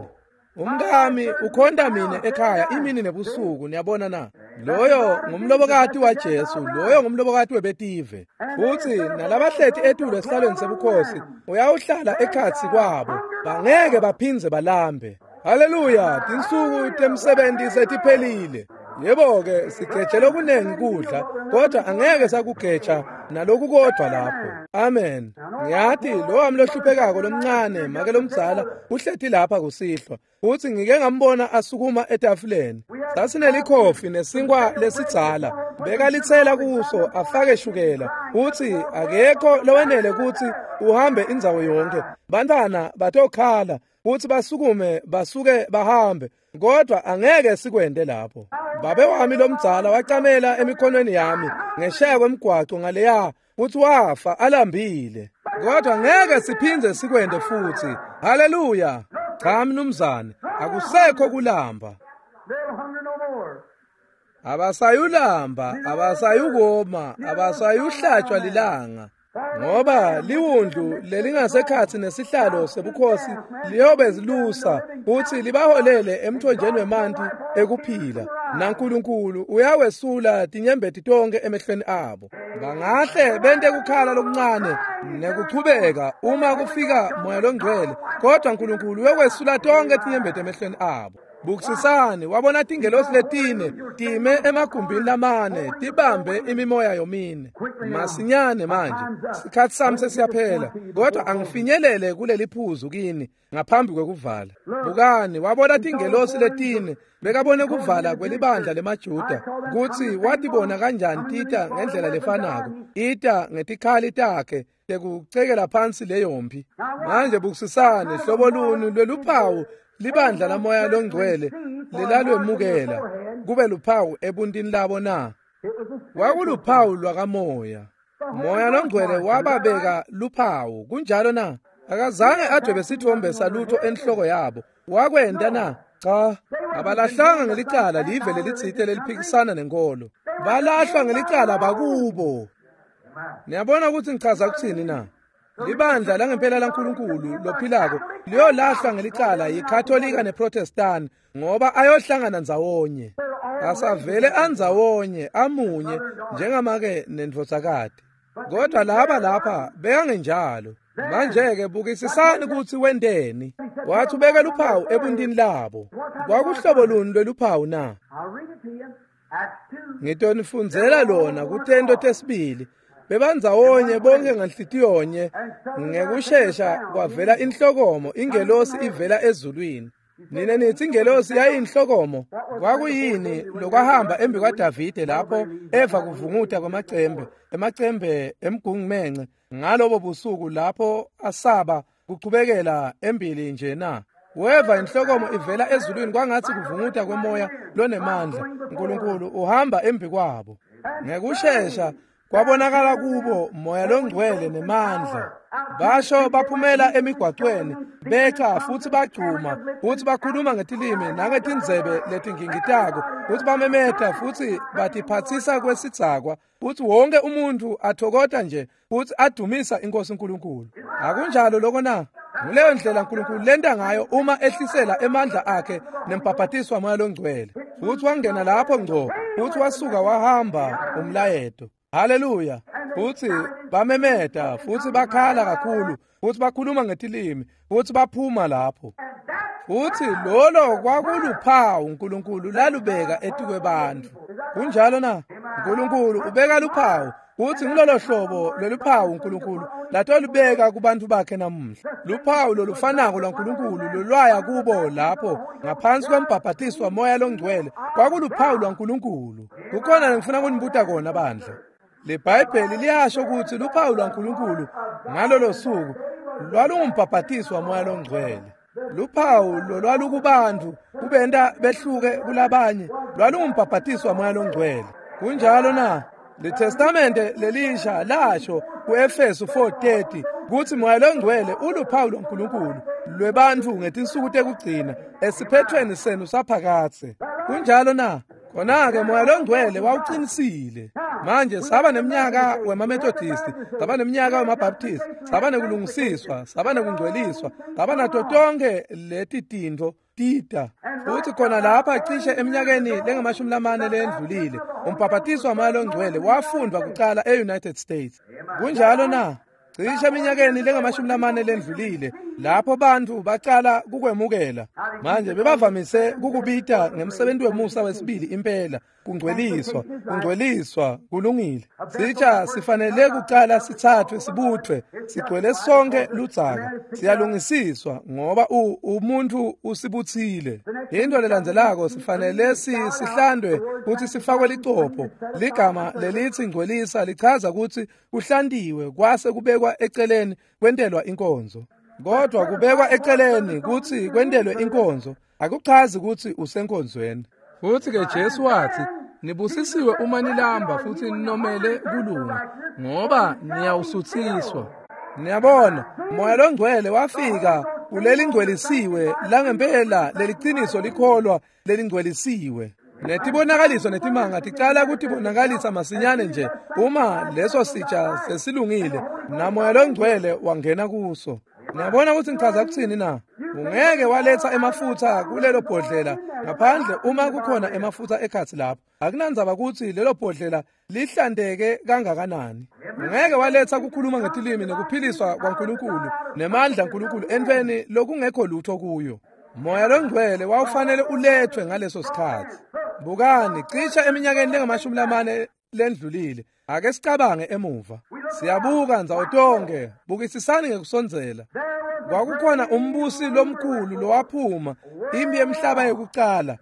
Umkami ukhonta mina ekhaya imini nebusuku, niyabona na? Loyo ngumlobokati waJesu, loyo ngumlobokati webetive. Futhi nalabahleti etulu esihlalweni sebukhosi uyawuhlala ekhatsi kwabo, bangeke baphindze balambe. Haleluya, tinsuku temsebenti setiphelile. Yebo-ke, sigeje lokunengi kudla, kodwa angeke sakugeja naloku kodwa lapho. Amen. Ngiyati lo wami lohluphekako lomncane, make lomdzala, uhleti lapha kusihlwa. Futhi ngike ngambona asukuma etafuleni. Sasinelikhofi nesinkwa lesidzala, bekalitsela kuso afake shukela. Futhi akekho lowenele ukuthi uhambe indzawo yonke. Bantwana batokhala, futhi basukume basuke bahambe, kodwa angeke sikwente lapho. Babe wami lomdzala wacamela emikhonweni yami ngesheya kwemgwaco ngaleya, futhi wafa alambile. Kodwa ngeke siphindze sikwente futhi. Haleluya. Cha mnumzane, akusekho kulamba. Abasayulamba, abasayukoma, abasayuhlatshwa lilanga. Ngoba liwundlu lelingasekhatsi nesihlalo sebukhosi liyobe zilusa futhi libaholele emthonjeni wemanti ekuphila, naNkulunkulu uyawesula tinyembeti tonke emehlweni abo. Bangahle bente kukhala lokuncane nekuchubeka uma kufika moya longcwele, kodwa uNkulunkulu uyokwesula tonke tinyembeti emehlweni abo. Bukisisani, wabona tingelosi letine time emagumbini lamane tibambe imimoya yomine. Masinyane manje, sikhathi sami sesiyaphela, kodwa angifinyelele kuleli phuzu kini ngaphambi kwekuvala. Bukani, wabona tingelosi letine, bekabone kuvala kwelibandla lemaJuda, kutsi watibona kanjani tita ngendlela lefanako, ita ngetikhali takhe tekucekela phansi leyo mpi. Manje bukisisani, hlobo luni lweluphawu libandla lamoya longcwele lelalwemukela kube luphawu ebuntini labo na? Kwakuluphawu lwakamoya. Moya longcwele wababeka luphawu, kunjalo na? Akazange adwebe sithombe salutho enhloko yabo. Wakwenta na? Cha, abalahlanga ngelicala live lelitsite leliphikisana nenkolo. Balahlwa ngelicala bakubo. Niyabona ukuthi ngichaza ukuthini na? Libandla langempela laNkulunkulu lophilako liyolahlwa ngelicala yiKatolika neProtestant, ngoba ayohlangana ndzawonye. Asavele andzawonye amunye njengamake nendvodzakati. Kodwa laba lapha bekangenjalo. Manje-ke bukisisani ukuthi wenteni. Wathi ubeke luphawu ebuntini labo. Kwakuhlobo luni lweluphawu na? Ngitonifundzela lona kutento tesibili. Bebandzawonye bonke nganhlitiyonye, ngekushesha kwavela inhlokomo, ingelosi ivela ezulwini. Nina nithi ingelosi yayinhlokomo. Kwakuyini lokwahamba embi kwaDavide lapho eva kuvunguta kwamacembe, emacembe emgungumence ngalobo busuku lapho asaba kuchubekela embili nje na? Weva inhlokomo ivela ezulwini kwangathi kuvunguta kwemoya lonemandla. uNkulunkulu uhamba embi kwabo. Ngekushesha Kwabonakala kubo Moya loNgcwele nemandla. Basho baphumela emigwacweni beca futhi bagcuma futhi bakhuluma ngetilimi nangetindzebe letingingitako futhi bamemeta futhi batiphatsisa kwesidzakwa futhi wonke umuntu athokota nje futhi adumisa inkosi uNkulunkulu. Akunjalo lokho na? Nguleyo ndlela uNkulunkulu lenta ngayo uma ehlisela emandla akhe nembhabhatiswa Moya loNgcwele. Futhi wangena lapho ngco futhi wasuka wahamba umlayeto. Haleluya. Futhi bamemeta futhi bakhala kakhulu futhi bakhuluma ngetilimi futhi baphuma lapho. Futhi lolo kwakuluphawu uNkulunkulu lalubeka etikwebantu. Kunjalo na? uNkulunkulu ubeka luphawu futhi ngilolo hlobo loluphawu uNkulunkulu latolubeka kubantu bakhe namuhla. Luphawu lolufanako lwaNkulunkulu lolwaya kubo lapho ngaphansi kwembhabhatiswa Moya loNgcwele kwakuluphawu lwaNkulunkulu. Kukhona lengifuna kunibuta kona bandla. LeBhayibheli liyasho ukuthi luphawu lwaNkulunkulu ngalolo suku lwalungumbhabhatiswa Moya loNgcwele. Luphawu lolwalukubantu kubenta behluke kulabanye lwalungumbhabhatiswa Moya loNgcwele. Kunjalo na? LeTestamente lelisha lasho kuEfesu 4:30 kuthi Moya loNgcwele uluphawu lwaNkulunkulu lwebantfu ngetinsuku tekugcina esiphethweni senu saphakadze. Kunjalo na? Khona-ke Moya loNgcwele wawuqinisile. Manje saba neminyaka wemaMethodist, saba neminyaka wemaBaptist, saba nekulungisiswa, saba nekungcweliswa, saba nato tonke leti tintfo tita. Futhi khona lapha cishe eminyakeni lengamashumi lamane lendlulile, umbhabhatiso waMoya loNgcwele wafundwa kucala e-United States. Kunjalo na? Cishe eminyakeni lengamashumi lamane lendlulile lapho bantu bacala kukwemukela. Manje bebavamise kukubita ngemsebenzi wemusa wesibili impela, kungcweliswa, kungcweliswa, kulungile. Sitsha sifanele kucala sithathwe sibuthwe, sigcwele sonke ludzaka, siyalungisiswa ngoba umuntu usibuthile. Into lelandzelako sifanele sihlandwe futhi sifakwe licopho. Ligama lelithi ngcwelisa lichaza ukuthi kuhlandiwe kwase kubekwa eceleni kwentelwa inkonzo. Kodwa kubekwa eceleni kuthi kwentelwe inkonzo akuchazi ukuthi usenkonzweni. Futhi ke Jesu wathi, nibusisiwe uma nilamba futhi ninomele kulunga, ngoba niyawusuthiswa. Niyabona, Moya loNgcwele wafika kuleli ngcwelisiwe langempela leliciniso likholwa lelingcwelisiwe. Netibonakaliso netimanga ticala kutibonakalisa masinyane nje uma leso sitsha sesilungile naMoya loNgcwele wangena kuso. Niyabona ukuthi ngichaza kuthini na? Ungeke waletha emafutha kulelo bhodlela ngaphandle uma kukhona emafutha ekhathi lapho. Akunandzaba ukuthi lelo bhodlela lihlandeke kangakanani. Ungeke waletha kukhuluma ngetilimi nekuphiliswa kwaNkulunkulu nemandla kaNkulunkulu entweni lokungekho lutho kuyo. Moya loNgcwele wawufanele ulethwe ngaleso sikhathi. Bukani, cisha eminyakeni lengamashumi lamane lendlulile. Ake sicabange emuva. Siyabuka ndzawo tonke, bukisisani ngekusondzela. Kwakukhona umbusi lomkhulu lowaphuma impi yemhlaba yokucala.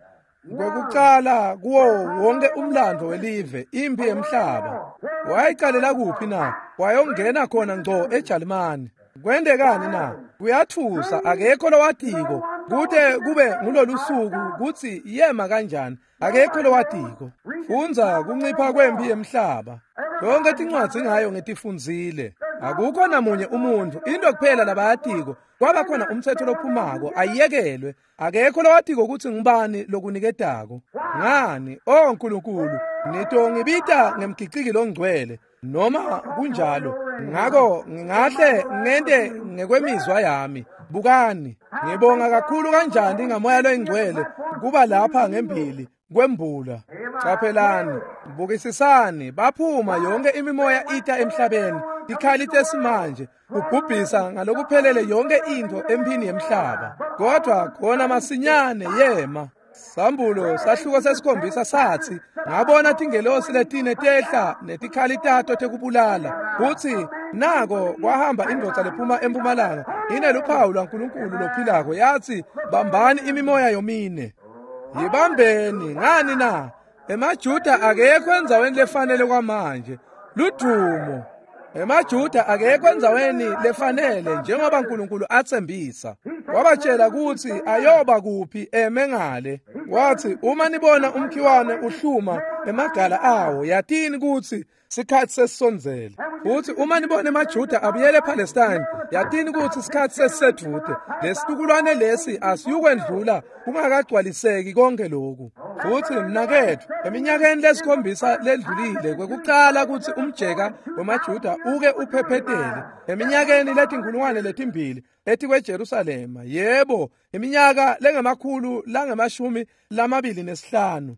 Kwekucala kuwo wonke umlando welive, impi yemhlaba. Wayicalela kuphi na? Wayongena khona ngco eJalimani. Kwendekani na? Kuyathusa, akekho lowatiko kute kube ngulolu suku kutsi yema kanjani. Akekho lowatiko. Fundza kuncipha kwempi yemhlaba. Lonke tincwadzi ngayo ngetifundzile. Akukho namunye umuntu, into kuphela labayatiko kwaba khona umthetho lophumako ayekelwe. Akekho lowatiko kutsi ngubani lokuniketako. Ngani? Oh Nkulunkulu, nitongibita ngemgiciki longcwele noma kunjalo. Ngako ngingahle ngente ngekwemizwa yami. Bukani, ngibonga kakhulu kanjani ngaMoya loNgcwele kuba lapha ngembili kwembula. Caphelani, bukisisani, baphuma yonke imimoya ita emhlabeni, tikhali tesimanje kubhubhisa ngalokuphelele yonke into emphini yemhlaba. Kodwa khona masinyane yema. Sambulo sahluko sesikhombisa sathi, ngabona tingelosi letine tehla netikhali tato tekubulala. Kuthi nako kwahamba indvodza lephuma empumalanga ineluphawu lwaNkulunkulu lophilako, yathi, bambani imimoya yomine. Yibambeni ngani na? EmaJuda akekho endzaweni lefanele kwamanje. Ludumo. EmaJuda akekho endzaweni lefanele njengoba uNkulunkulu athembisa. Wabatshela kutsi ayoba kuphi eme ngale. Wathi uma nibona umkhiwane uhluma emagala awo, yatini kutsi sikhatsi sesisondzele. Futhi uma nibona emaJuda abuyele ePalestine, yatini kutsi sikhatsi sesisedvute. Lesitukulwane lesi asiyukwendlula kungakagcwaliseki konke lokhu. Futhi mnaketfu, eminyakeni lesikhombisa ledlulile kwekucala kutsi umjeka wemaJuda uke uphephetele eminyakeni letinkulungwane letimbili etikweJerusalema, yebo, iminyaka lengemakhulu langamashumi 25.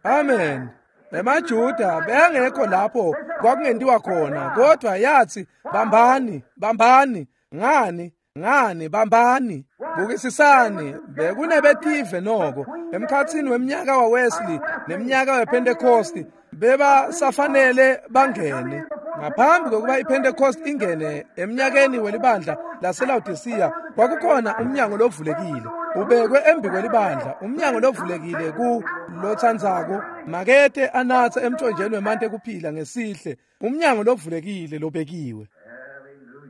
Amen. EmaJuda bengekho lapho kwakungentiwa khona, kodwa yathi bambani, bambani, ngani, ngani, bambani. Bukisisani, bekunebetive noko emkhatsini weminyaka waWesley neminyaka wePentecost, bebasafanele bangene. Ngaphambi kokuba iPentecost ingene eminyakeni welibandla laseLaodicea, kwakukhona umnyango lovulekile ubekwe embi kwelibandla, umnyango lovulekile ku lotsandzako makete anatse emthonjeni wemanti ekuphila ngesihle, umnyango lovulekile lobekiwe.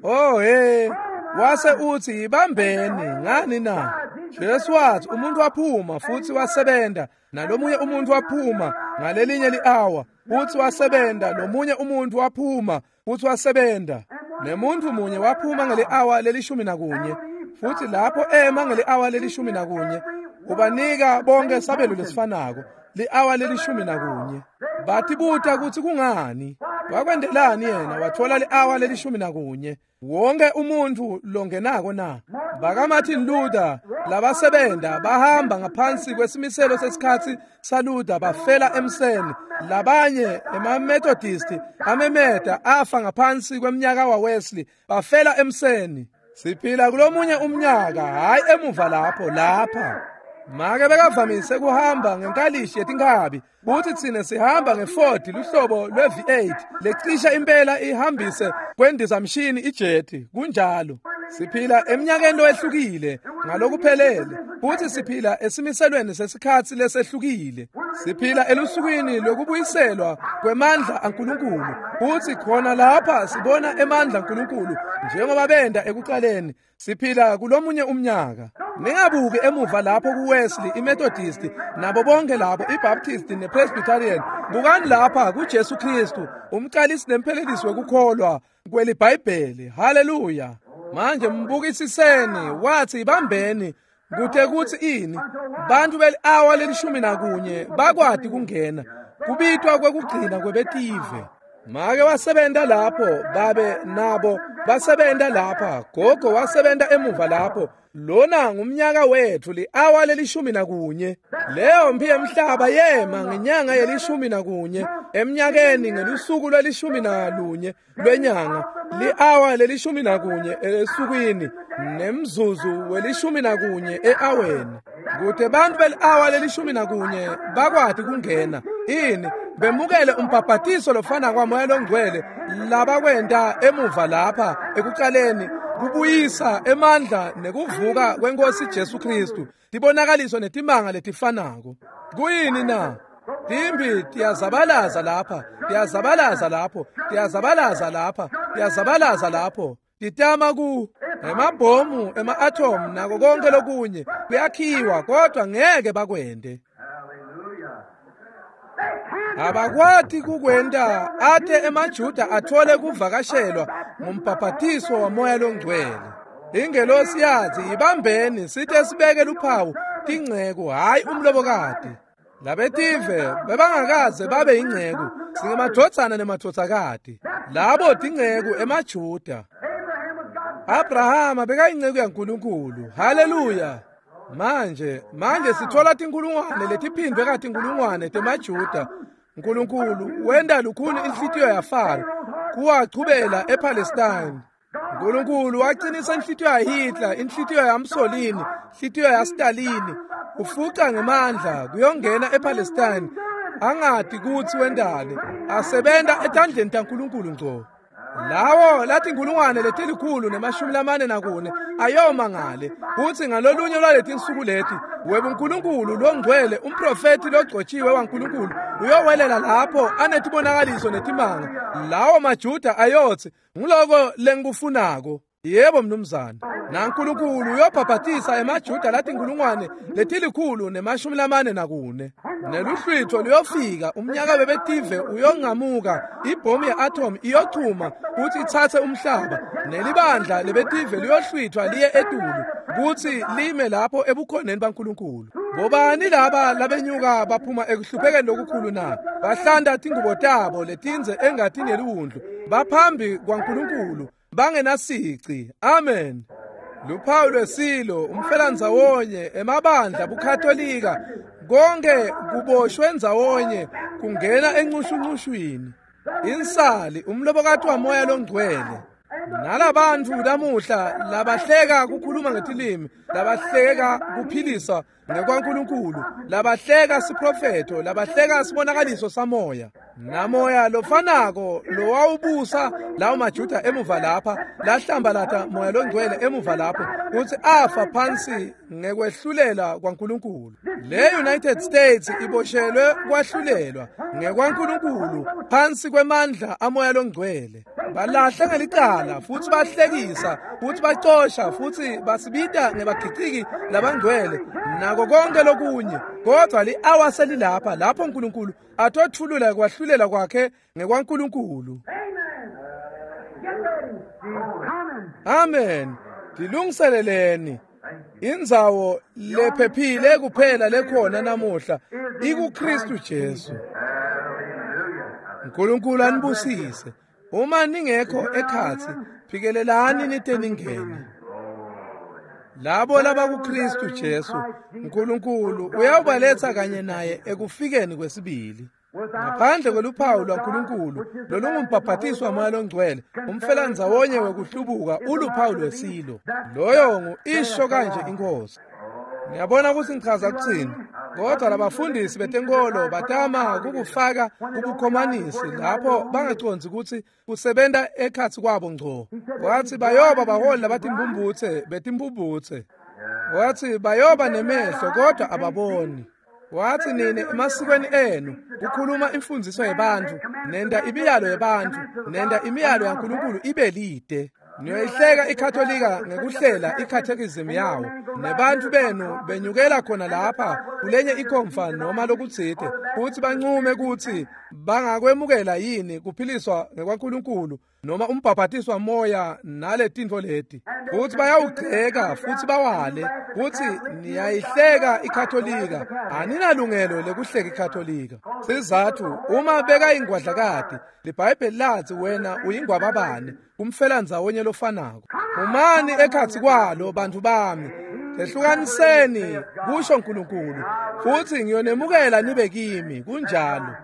Oh hey, wase uthi ibambeni ngani na? Jesu wathi umuntu waphuma futhi wasebenta, nalomunye umuntu waphuma ngalelinye li-hour futhi wasebenta, lomunye umuntu waphuma futhi wasebenta, nemuntu munye waphuma ngeli-hour leli-11, futhi lapho ema ngeli-hour leli-11 ubanika bonke sabelo lesifanako, li-hour leli-11. Batibuta kutsi kungani, wakwentelani yena wathola li-hour leli-11 wonke umuntu longenako na? BakaMartin Luther labasebenta bahamba ngaphansi kwesimiselo sesikhatsi saLuther bafela emseni. Labanye emaMethodist amemeta afa ngaphansi kweminyaka waWesley bafela emseni. Siphila kulomunye umnyaka, hayi emuva lapho, lapha. Make bekavamise kuhamba ngenkalishi yetinkhabi, kuthi thina sihamba ngeFord luhlobo lwe-V8 lecisha impela ihambise kwendizamshini ijeti. Kunjalo, siphila eminyakeni lowehlukile ngalokuphelele, futhi siphila esimiselweni sesikhatsi lesehlukile. Siphila elusukwini lokubuyiselwa kwemandla aNkulunkulu, futhi khona lapha sibona emandla aNkulunkulu njengoba benda ekuqaleni. Siphila kulomunye umnyaka. Ningabuki emuva lapho kuWesley, iMethodist, nabo bonke labo, iBaptist nePresbyterian. Bukani lapha kuJesu Kristu, umqalisi nemphelelisi wekukholwa kweliBhayibheli. Haleluya! Manje mbukisiseni, wathi ibambeni kute kuthi ini bantu beli-hour leli-11 bakwati kungena kubitwa kwekugcina kwebetive. Make wasebenta lapho, babe nabo basebenta lapha, gogo wasebenta emuva lapho. Lona ngumnyaka wethu, li-hour leli-11. Leyo mpi yemhlaba yema ngenyanga yeli-11 emnyakeni, ngelusuku lweli-11 lwenyanga, li-hour leli-11 esukwini, nemzuzu weli-11 e-aweni. Kute bantu beli-hour leli-11 bakwati kungena ini bemukele umbhabhatiso lofana kwaMoya loNgcwele labakwenta emuva lapha ekuqaleni, kubuyisa emandla nekuvuka kwenkosi Jesu Kristu, tibonakaliso netimanga letifanako. Kuyini na? Timbi tiyazabalaza lapha, tiyazabalaza lapho, tiyazabalaza lapha, tiyazabalaza lapho, titama ku emabhomu ema-atom nako konke lokunye kuyakhiwa, kodwa ngeke bakwente. Abakwati kukwenta ate emaJuda athole kuvakashelwa ngumbhabhatiso waMoya loNgcwele. Ingelosi yathi ibambeni sithe sibeke luphawu tingceku, hayi umlobokati. Labetive bebangakaze babe ingceku, singemadvodzana nemadvodzakati. Labo tingceku emaJuda. Abrahama bekayingceku yaNkulunkulu. Haleluya! Manje sithola tinkulungwane letiphindwe katinkulungwane temaJuda. Nkulunkulu wenda lukhuni inhlitiyo yaFaro kuwachubela ePalestine. Nkulunkulu waqinisa inhlitiyo yaHitler, inhlitiyo yaMussolini, inhlitiyo yaStalin, ufuca ngemandla kuyongena ePalestine, angati kutsi wendani, asebenta etandleni taNkulunkulu ngco. Lawo latinkulungwane 144 ayoma ngale kutsi ngalolunye lwaletinsuku leti webuNkulunkulu longcwele umprofeti logcotshiwe waNkulunkulu uyowelela lapho anetibonakaliso netimanga. Lawo maJuda ayotsi nguloko lengikufunako. Yebo mnumzane. NaNkulunkulu uyobhabhatisa emaJuda latinkulungwane 144. Neluhlwitho luyofika, umnyaka webetive uyongamuka, ibhomu ye-atom iyochuma kutsi itsatse umhlaba, nelibandla lebetive liyohlwithwa liye etulu kutsi lime lapho ebukhoneni baNkulunkulu. Bobani laba labenyuka baphuma ekuhluphekeni lokukhulu na? Bahlanta tingubo tabo letindze engatini yeliwundlu, baphambi kwaNkulunkulu bangenasici. Amen. Luphawu lwesilo, umfelandzawonye, emabandla, buKatolika, konke kuboshwe ndzawonye kungena encushuncushwini. Insali, umlobokati wamoya longcwele. Nalabantfu lamuhla labahleka kukhuluma ngetilimi, labahleka kuphilisa ngekwaNkulunkulu, labahleka siprofetho, labahleka sibonakaliso samoya. Namoya lofanako lowawubusa lawo maJuda emuva lapha, lahlambalata moya longcwele emuva lapho, kutsi afa phansi ngekwehlulela kwaNkulunkulu. Le United States iboshelwe kwahlulelwa ngekwaNkulunkulu phansi kwemandla amoya longcwele. Balahle ngelicala futsi bahlekisa futsi bacosha futsi basibita ngebagiciki labangcwele nako konke lokunye, kodwa li-awa selilapha lapho uNkulunkulu atotfulula kwahlulela kwakhe ngekwaNkulunkulu. Amen. Tilungiseleleni. Indzawo lephephile kuphela lekhona namuhla ikuKristu Jesu. uNkulunkulu anibusise. Uma ningekho ekhatsi, phikelelani nite ningene. Labo labakuKristu Jesu, uNkulunkulu uyawubaletsa kanye naye ekufikeni kwesibili. Ngaphandle kweluphawu lwaNkulunkulu lolungumbhabhatiso wamoya longcwele, umfelandzawonye wekuhlubuka uluphawu lwesilo. Loyo ngu isho kanje inkosi. Niyabona kutsi ngichaza kutsini? Kodwa labafundisi betenkolo batama kukufaka kubukhomanisi lapho bangacondzi kutsi kusebenta ekhatsi kwabo ngco. Wathi bayoba baholi labatimbumbutse betimbumbutse. Wathi bayoba nemehlo kodwa ababoni. Wathi nine emasikweni enu kukhuluma imfundiso yebantfu, nenda imiyalo yebantfu, nenda imiyalo yaNkulunkulu ibe lide. Niyoyihleka iKatolika ngekuhlela ikhathekizim yawo, nebantfu benu benyukela khona lapha kulenye ikhomfa noma lokutsite kutsi bancume kutsi bangakwemukela yini kuphiliswa ngekwaNkulunkulu noma umbhabhatiso moya naletintfo leti. Futsi bayawugceka futsi bawale kutsi niyayihleka iKatolika. Aninalungelo lekuhleka iKatolika. Sizathu, uma bekayingwadlakati, liBhayibheli latsi wena uyingwababane, kumfelandzawonye lofanako. Phumani ekhatsi kwalo bantfu bami, tehlukaniseni, kusho Nkulunkulu, futsi ngiyonemukela nibe kimi. Kunjalo.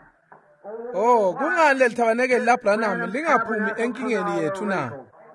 Oh, kungani leli thabanekeli laBranham lingaphumi enkingeni yethu na?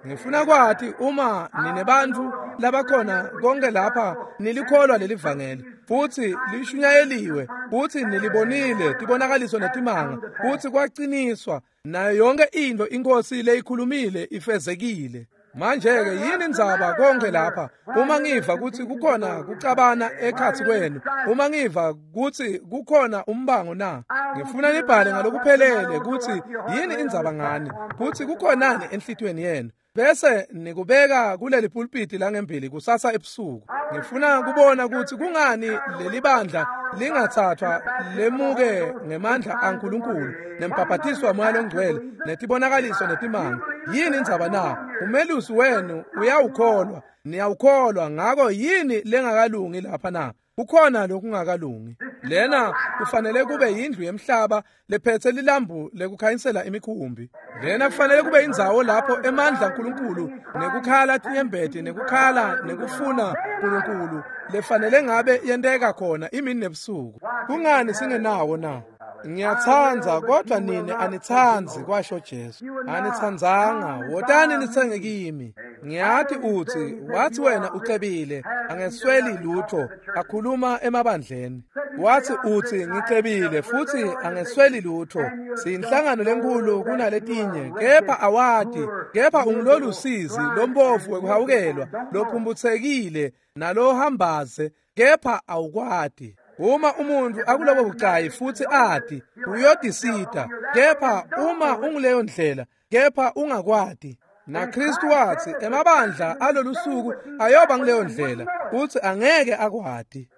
Ngifuna kwati uma ninebantfu labakhona konke lapha nilikholwa leli vangeli futsi lishunyayeliwe futsi nilibonile tibonakaliso netimanga futsi kwaciniswa nayo yonke into inkosi leyikhulumile ifezekile. Manje-ke yini indzaba konke lapha? Uma ngiva kutsi kukhona kucabana ekhatsi kwenu, uma ngiva kutsi kukhona umbango na, ngifuna nibhale ngalokuphelele kutsi yini indzaba ngani, kutsi kukhonani enhlitiyweni yenu, bese nikubeka kuleli pulpiti langembili kusasa ebusuku. Ngifuna kubona kutsi kungani leli bandla lingathathwa lemuke ngemandla aNkulunkulu nembhabhatiso wamoya longcwele netibonakaliso netimanga. Yini indzaba na? Umelusi wenu uyawukholwa, niyawukholwa, ngako yini lengakalungi lapha na? Kukhona lokungakalungi. Lena kufanele kube yindlu yemhlaba lephethe lilambu lekukhanyisela imikhumbi. Lena kufanele kube indzawo lapho emandla aNkulunkulu nekukhala tinyembeti nekukhala nekufuna uNkulunkulu lefanele ngabe yenteka khona imini nebusuku. Kungani singenawo na? Ngiyatsandza kodwa nine anitsandzi, kwasho Jesu. Anitsandzanga, wotani nitsenge kimi. Ngiyathi utsi, wathi wena ucebile, angesweli lutho, akhuluma emabandleni. Wathi uthi ngicebile futhi angesweli lutho, siyinhlangano lenkulu kunaletinye, kepha awati, kepha ungilolusizi lombovu wekuhawukelwa, lophumbuthekile nalohambaze, kepha awukwati. Uma umuntu akulobo bucayi futhi ati, uyodisida, kepha uma unguleyo ndlela, kepha ungakwati. NaKristu wathi emabandla alolusuku ayoba nguleyo ndlela, futhi angeke akwati.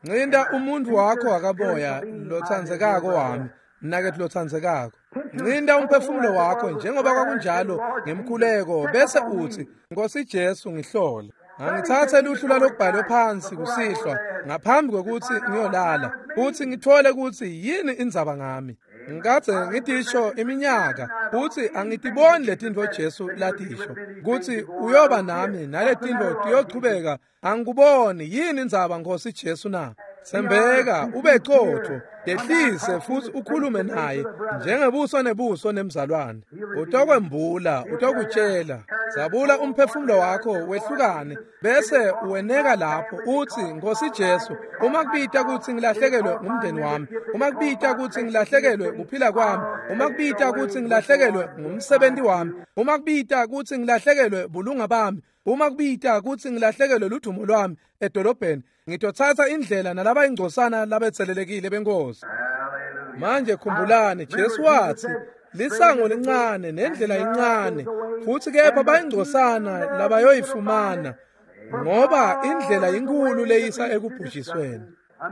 Ncinda umuntu wakho wakamoya lotsandzekako wami, mnaketfu lotsandzekako. Ncinda umphefumulo wakho njengoba kwakunjalo ngemkhuleko, bese uthi, Nkosi Jesu ngihlole. Angithathe luhlu lwalokubhalwe phansi kusihlwa ngaphambi kwekutsi ngiyolala, futhi ngithole kutsi yini indzaba ngami. Ngikadze ngitisho iminyaka kutsi angitiboni letintfo Jesu latisho kutsi uyoba nami naletintfo tiyochubeka. Angikuboni yini indzaba Nkosi Jesu na? Sembeka ube qotho, yehlise futhi ukhulume naye njengebuso nebuso nemzalwane. Utokwembula, utokutshela. Zabula umphefumulo wakho wehlukane, bese uweneka lapho uthi, Nkosi Jesu, uma kubita kutsi ngilahlekelwe ngumndeni wami, uma kubita kutsi ngilahlekelwe kuphila kwami, uma kubita kutsi ngilahlekelwe ngumsebenzi wami, uma kubita kutsi ngilahlekelwe bulunga bami, uma kubita kutsi ngilahlekelwe ludumo lwami edolobheni, ngitothatha indlela nalaba ingcosana labetselelekile benkosi. Manje khumbulani, Jesu wathi lisango lincane nendlela incane, futhi kepha bayingcosana labayoyifumana, ngoba indlela inkulu leyisa ekubhujisweni.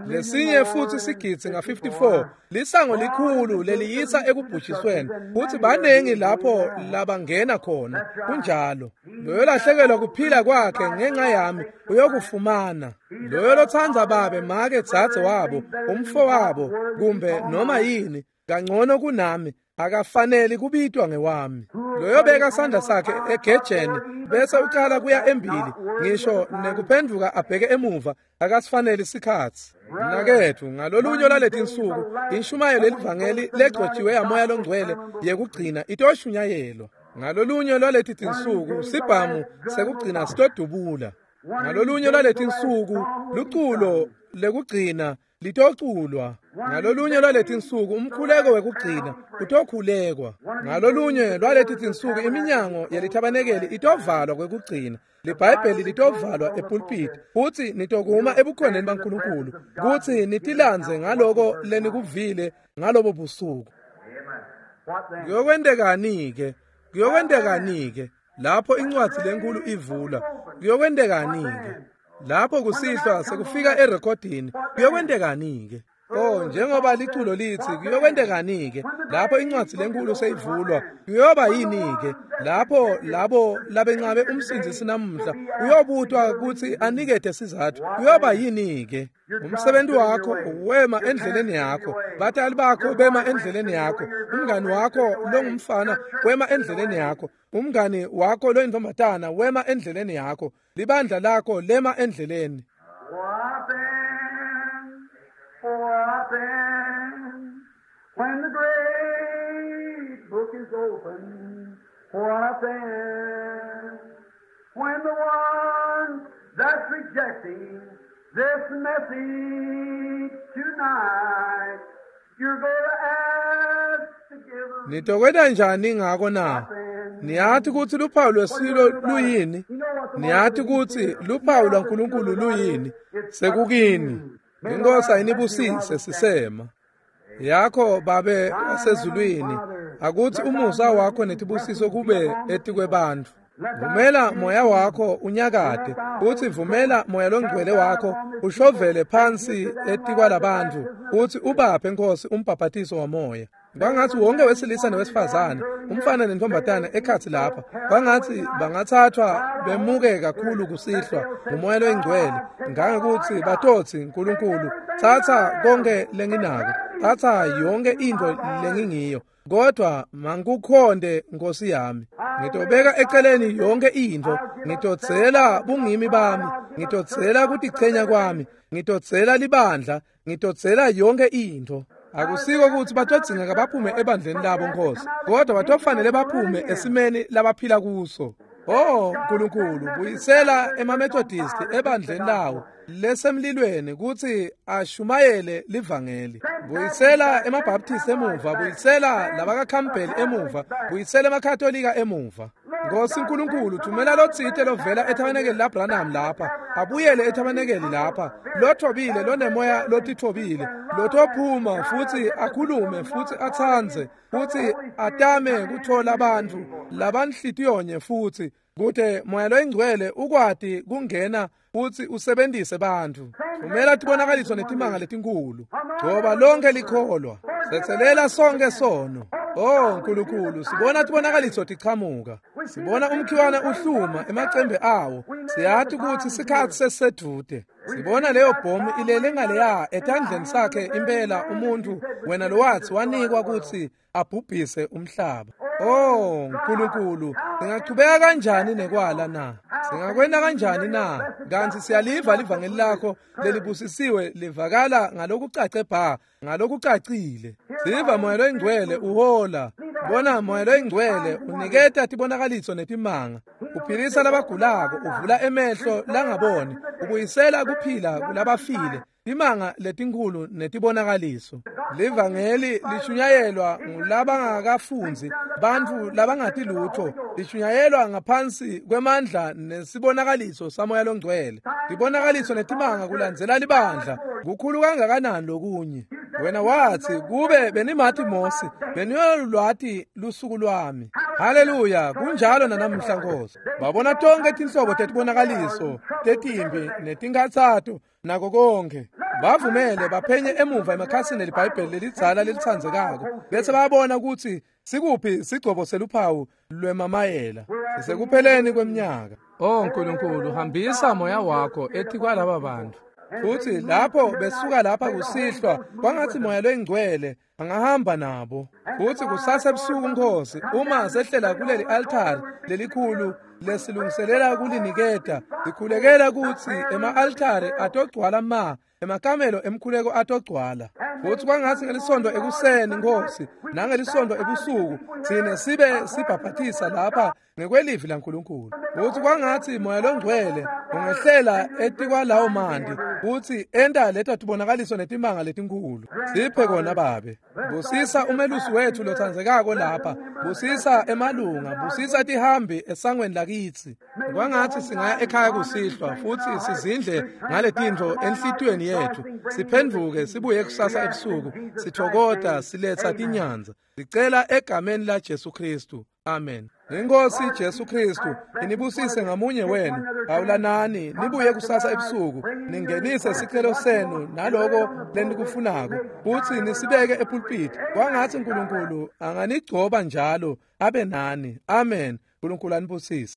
Lesinye futhi sigidzi nga-54 lisango likhulu leliyisa ekubhujisweni, futhi banengi lapho labangena khona. Kunjalo. Loyo lahlekelwa kuphila kwakhe ngenxa yami uyokufumana. Loyo lotsandza babe, make, dzadze wabo, umfo wabo, kumbe noma yini kangcono kunami, akafaneli kubitwa ngewami. Loyo beka sandla sakhe egejeni bese uqala kuya embili, ngisho nekuphenduka abheke emuva, akasifaneli sikhatsi. Mnaketfu, ngalolunye lwaletinsuku inshumayelo lelivangeli legcotjiwe yamoya longcwele yekugcina itoshunyayelwa. Ngalolunye lwaleti tinsuku sibhamu sekugcina sitodubula. Ngalolunye lwaletinsuku luculo lekugcina litoculwa. Ngalolunye lwaletinsuku umkhuleko wekugcina utokhulekwa. Ngalolunye lwaleti tinsuku iminyango yelithabanekeli itovalwa kwekugcina. LiBhayibheli litovalwa epulpit, futhi nitokuma ebukhoneni baNkulunkulu kutsi nitilandze ngaloko lenikuvile ngalobo busuku. Kuyokwentekani-ke? Kuyokwentekani-ke lapho incwadzi lenkulu ivula? Kuyokwentekani-ke lapho kusihlwa sekufika erekhodini? Kuyokwentekani-ke? Oh, njengoba liculo litsi, kuyokwentekani-ke lapho incwadzi lenkulu seyivulwa? Kuyoba yini-ke lapho labo labencabe umsindzisi namuhla uyobutwa kutsi anikete sizatfu? Kuyoba yini-ke? Umsebenzi wakho wema endleleni yakho, batali bakho bema endleleni yakho, umngani wakho longumfana wema endleleni yakho, umngani wakho loyintombatana wema endleleni yakho, libandla lakho lema endleleni. What then? What then? When the great book is open, what then? When the one that's rejecting this message tonight, you're going to ask to give them. Nitokwenta njani ngako na? Niyathi kutsi luphawu lwesilo luyini? Niyathi kutsi luphawu lwaNkulunkulu luyini? Sekukini. Inkosi ayinibusise sisema. Yakho Babe wasezulwini, akutsi umusa wakho netibusiso kube etikwebantfu. Vumela moya wakho unyakade, utsi vumela moya longcwele wakho ushovele phansi etikwalabantfu, utsi ubaphe Nkosi umbhaphatiso wamoya. Kwangatsi wonke wesilisa newesifazane, umfana nentombatana ekhatsi lapha, kwangatsi bangathathwa bemuke kakhulu kusihlwa ngumoya loyingcwele, ngangekutsi batotsi, Nkulunkulu, tsatsa konke lenginako, tsatsa yonke intfo lengingiyo, kodwa mangikukhonde Nkosi yami. Ngitobeka eceleni yonke intfo, ngitodzela bungimi bami, ngitodzela kutichenya kwami, ngitodzela libandla, ngitodzela yonke intfo. Akusiko kutsi batodzingeka baphume ebandleni labo Nkosi, kodwa batofanele baphume esimeni labaphila kuso. Oh Nkulunkulu, buyisela emaMethodist ebandleni lawo lesemlilweni kutsi ashumayele livangeli. Buyisela emaBaptist emuva, buyisela labakaCampbell emuva, buyisela emaKatolika emuva. Nkosi Nkulunkulu, thumela lotsite lovela ethabanekeli laBranham lapha, abuyele ethabanekeli lapha, lothobile, lonemoya lotithobile, lotophuma futsi akhulume futsi atsandze futsi atame kuthola bantfu labanhlitiyonye futsi kute Moya loyiNgcwele ukwati kungena futsi usebentise bantfu. Thumela tibonakaliso netimanga letinkulu. Gcoba lonke likholwa. Tsetselela sonke sono. Oh Nkulunkulu, sibona tibonakaliso tichamuka. Sibona umkhiwane uhluma emacembe awo. Siyati kutsi sikhatsi sesisedvute. Sibona leyo bhomu ilele ngaleya etandleni sakhe impela umuntu wena lowatsi wanikwa kutsi abhubhise umhlaba. Oh Nkulunkulu, singachubeka kanjani nekwala na? Singakwenta kanjani na? Kantsi siyaliva livangeli lakho lelibusisiwe livakala ngalokucace bha, ngalokucacile. Siva Moya loyiNgcwele uhola. Bona Moya loyiNgcwele uniketa tibonakaliso netimanga. Uphilisa labagulako, uvula emehlo langaboni, ubuyisela kuphila kulabafile. Timanga letinkhulu netibonakaliso. Livangeli lishunyayelwa ngulabangakafundzi, bantfu labangati lutfo. Lishunyayelwa ngaphansi kwemandla nesibonakaliso saMoya loNgcwele. Tibonakaliso netimanga kulandzela libandla. Kukhulu kangakanani lokunye? Wena watsi kube benimati Mosi, beniyolwati lusuku lwami. Haleluya, kunjalo nanamhla Nkosi. Babona tonke tinhlobo tetibonakaliso, tetimbi netinkhatsato nako konke. Bavumele baphenye emuva emakhasini eliBhayibheli lelidzala lelitsandzekako bese bayabona kutsi sikuphi sigcobo seluphawu lwemamayela. Sisekupheleni kweminyaka. Oh Nkulunkulu, hambisa moya wakho etikwalaba bantfu. Futsi lapho besuka lapha kusihlwa, kwangatsi Moya loyiNgcwele angahamba nabo. Futsi kusasa ebusuku Nkosi, uma sehlela kuleli altari lelikhulu lesilungiselela kuliniketa, sikhulekela kutsi ema-altari atogcwala ma, emakamelo emkhuleko atogcwala. Futsi kwangatsi ngelisondo ekuseni Nkosi, nangelisondo ebusuku, tsine sibe sibhabhatisa lapha ngekwelivi laNkulunkulu. Futsi kwangatsi Moya loNgcwele ungehlela etikwalawo manti futsi enta leto tibonakaliso netimanga letinkhulu. Siphe kona Babe. Busisa umelusi wetfu lotsandzekako lapha. Busisa emalunga, busisa tihambi esangweni lakitsi. Kwangatsi singaya ekhaya kusihlwa futsi sizindle ngaletintfo enhlitiyweni yetfu. Siphendvuke sibuye kusasa ebusuku, sithokota siletsa tinyanza. Sicela egameni la Jesu Kristu. Amen. Inkosi Jesu Kristu inibusise ngamunye wenu. Awulanani nibuye kusasa ebusuku, ningenise sicelo senu naloko lenikufunako, futsi nisibeke epulpiti. Kwangatsi Nkulunkulu anganigcoba njalo abe nani. Amen. Nkulunkulu anibusise.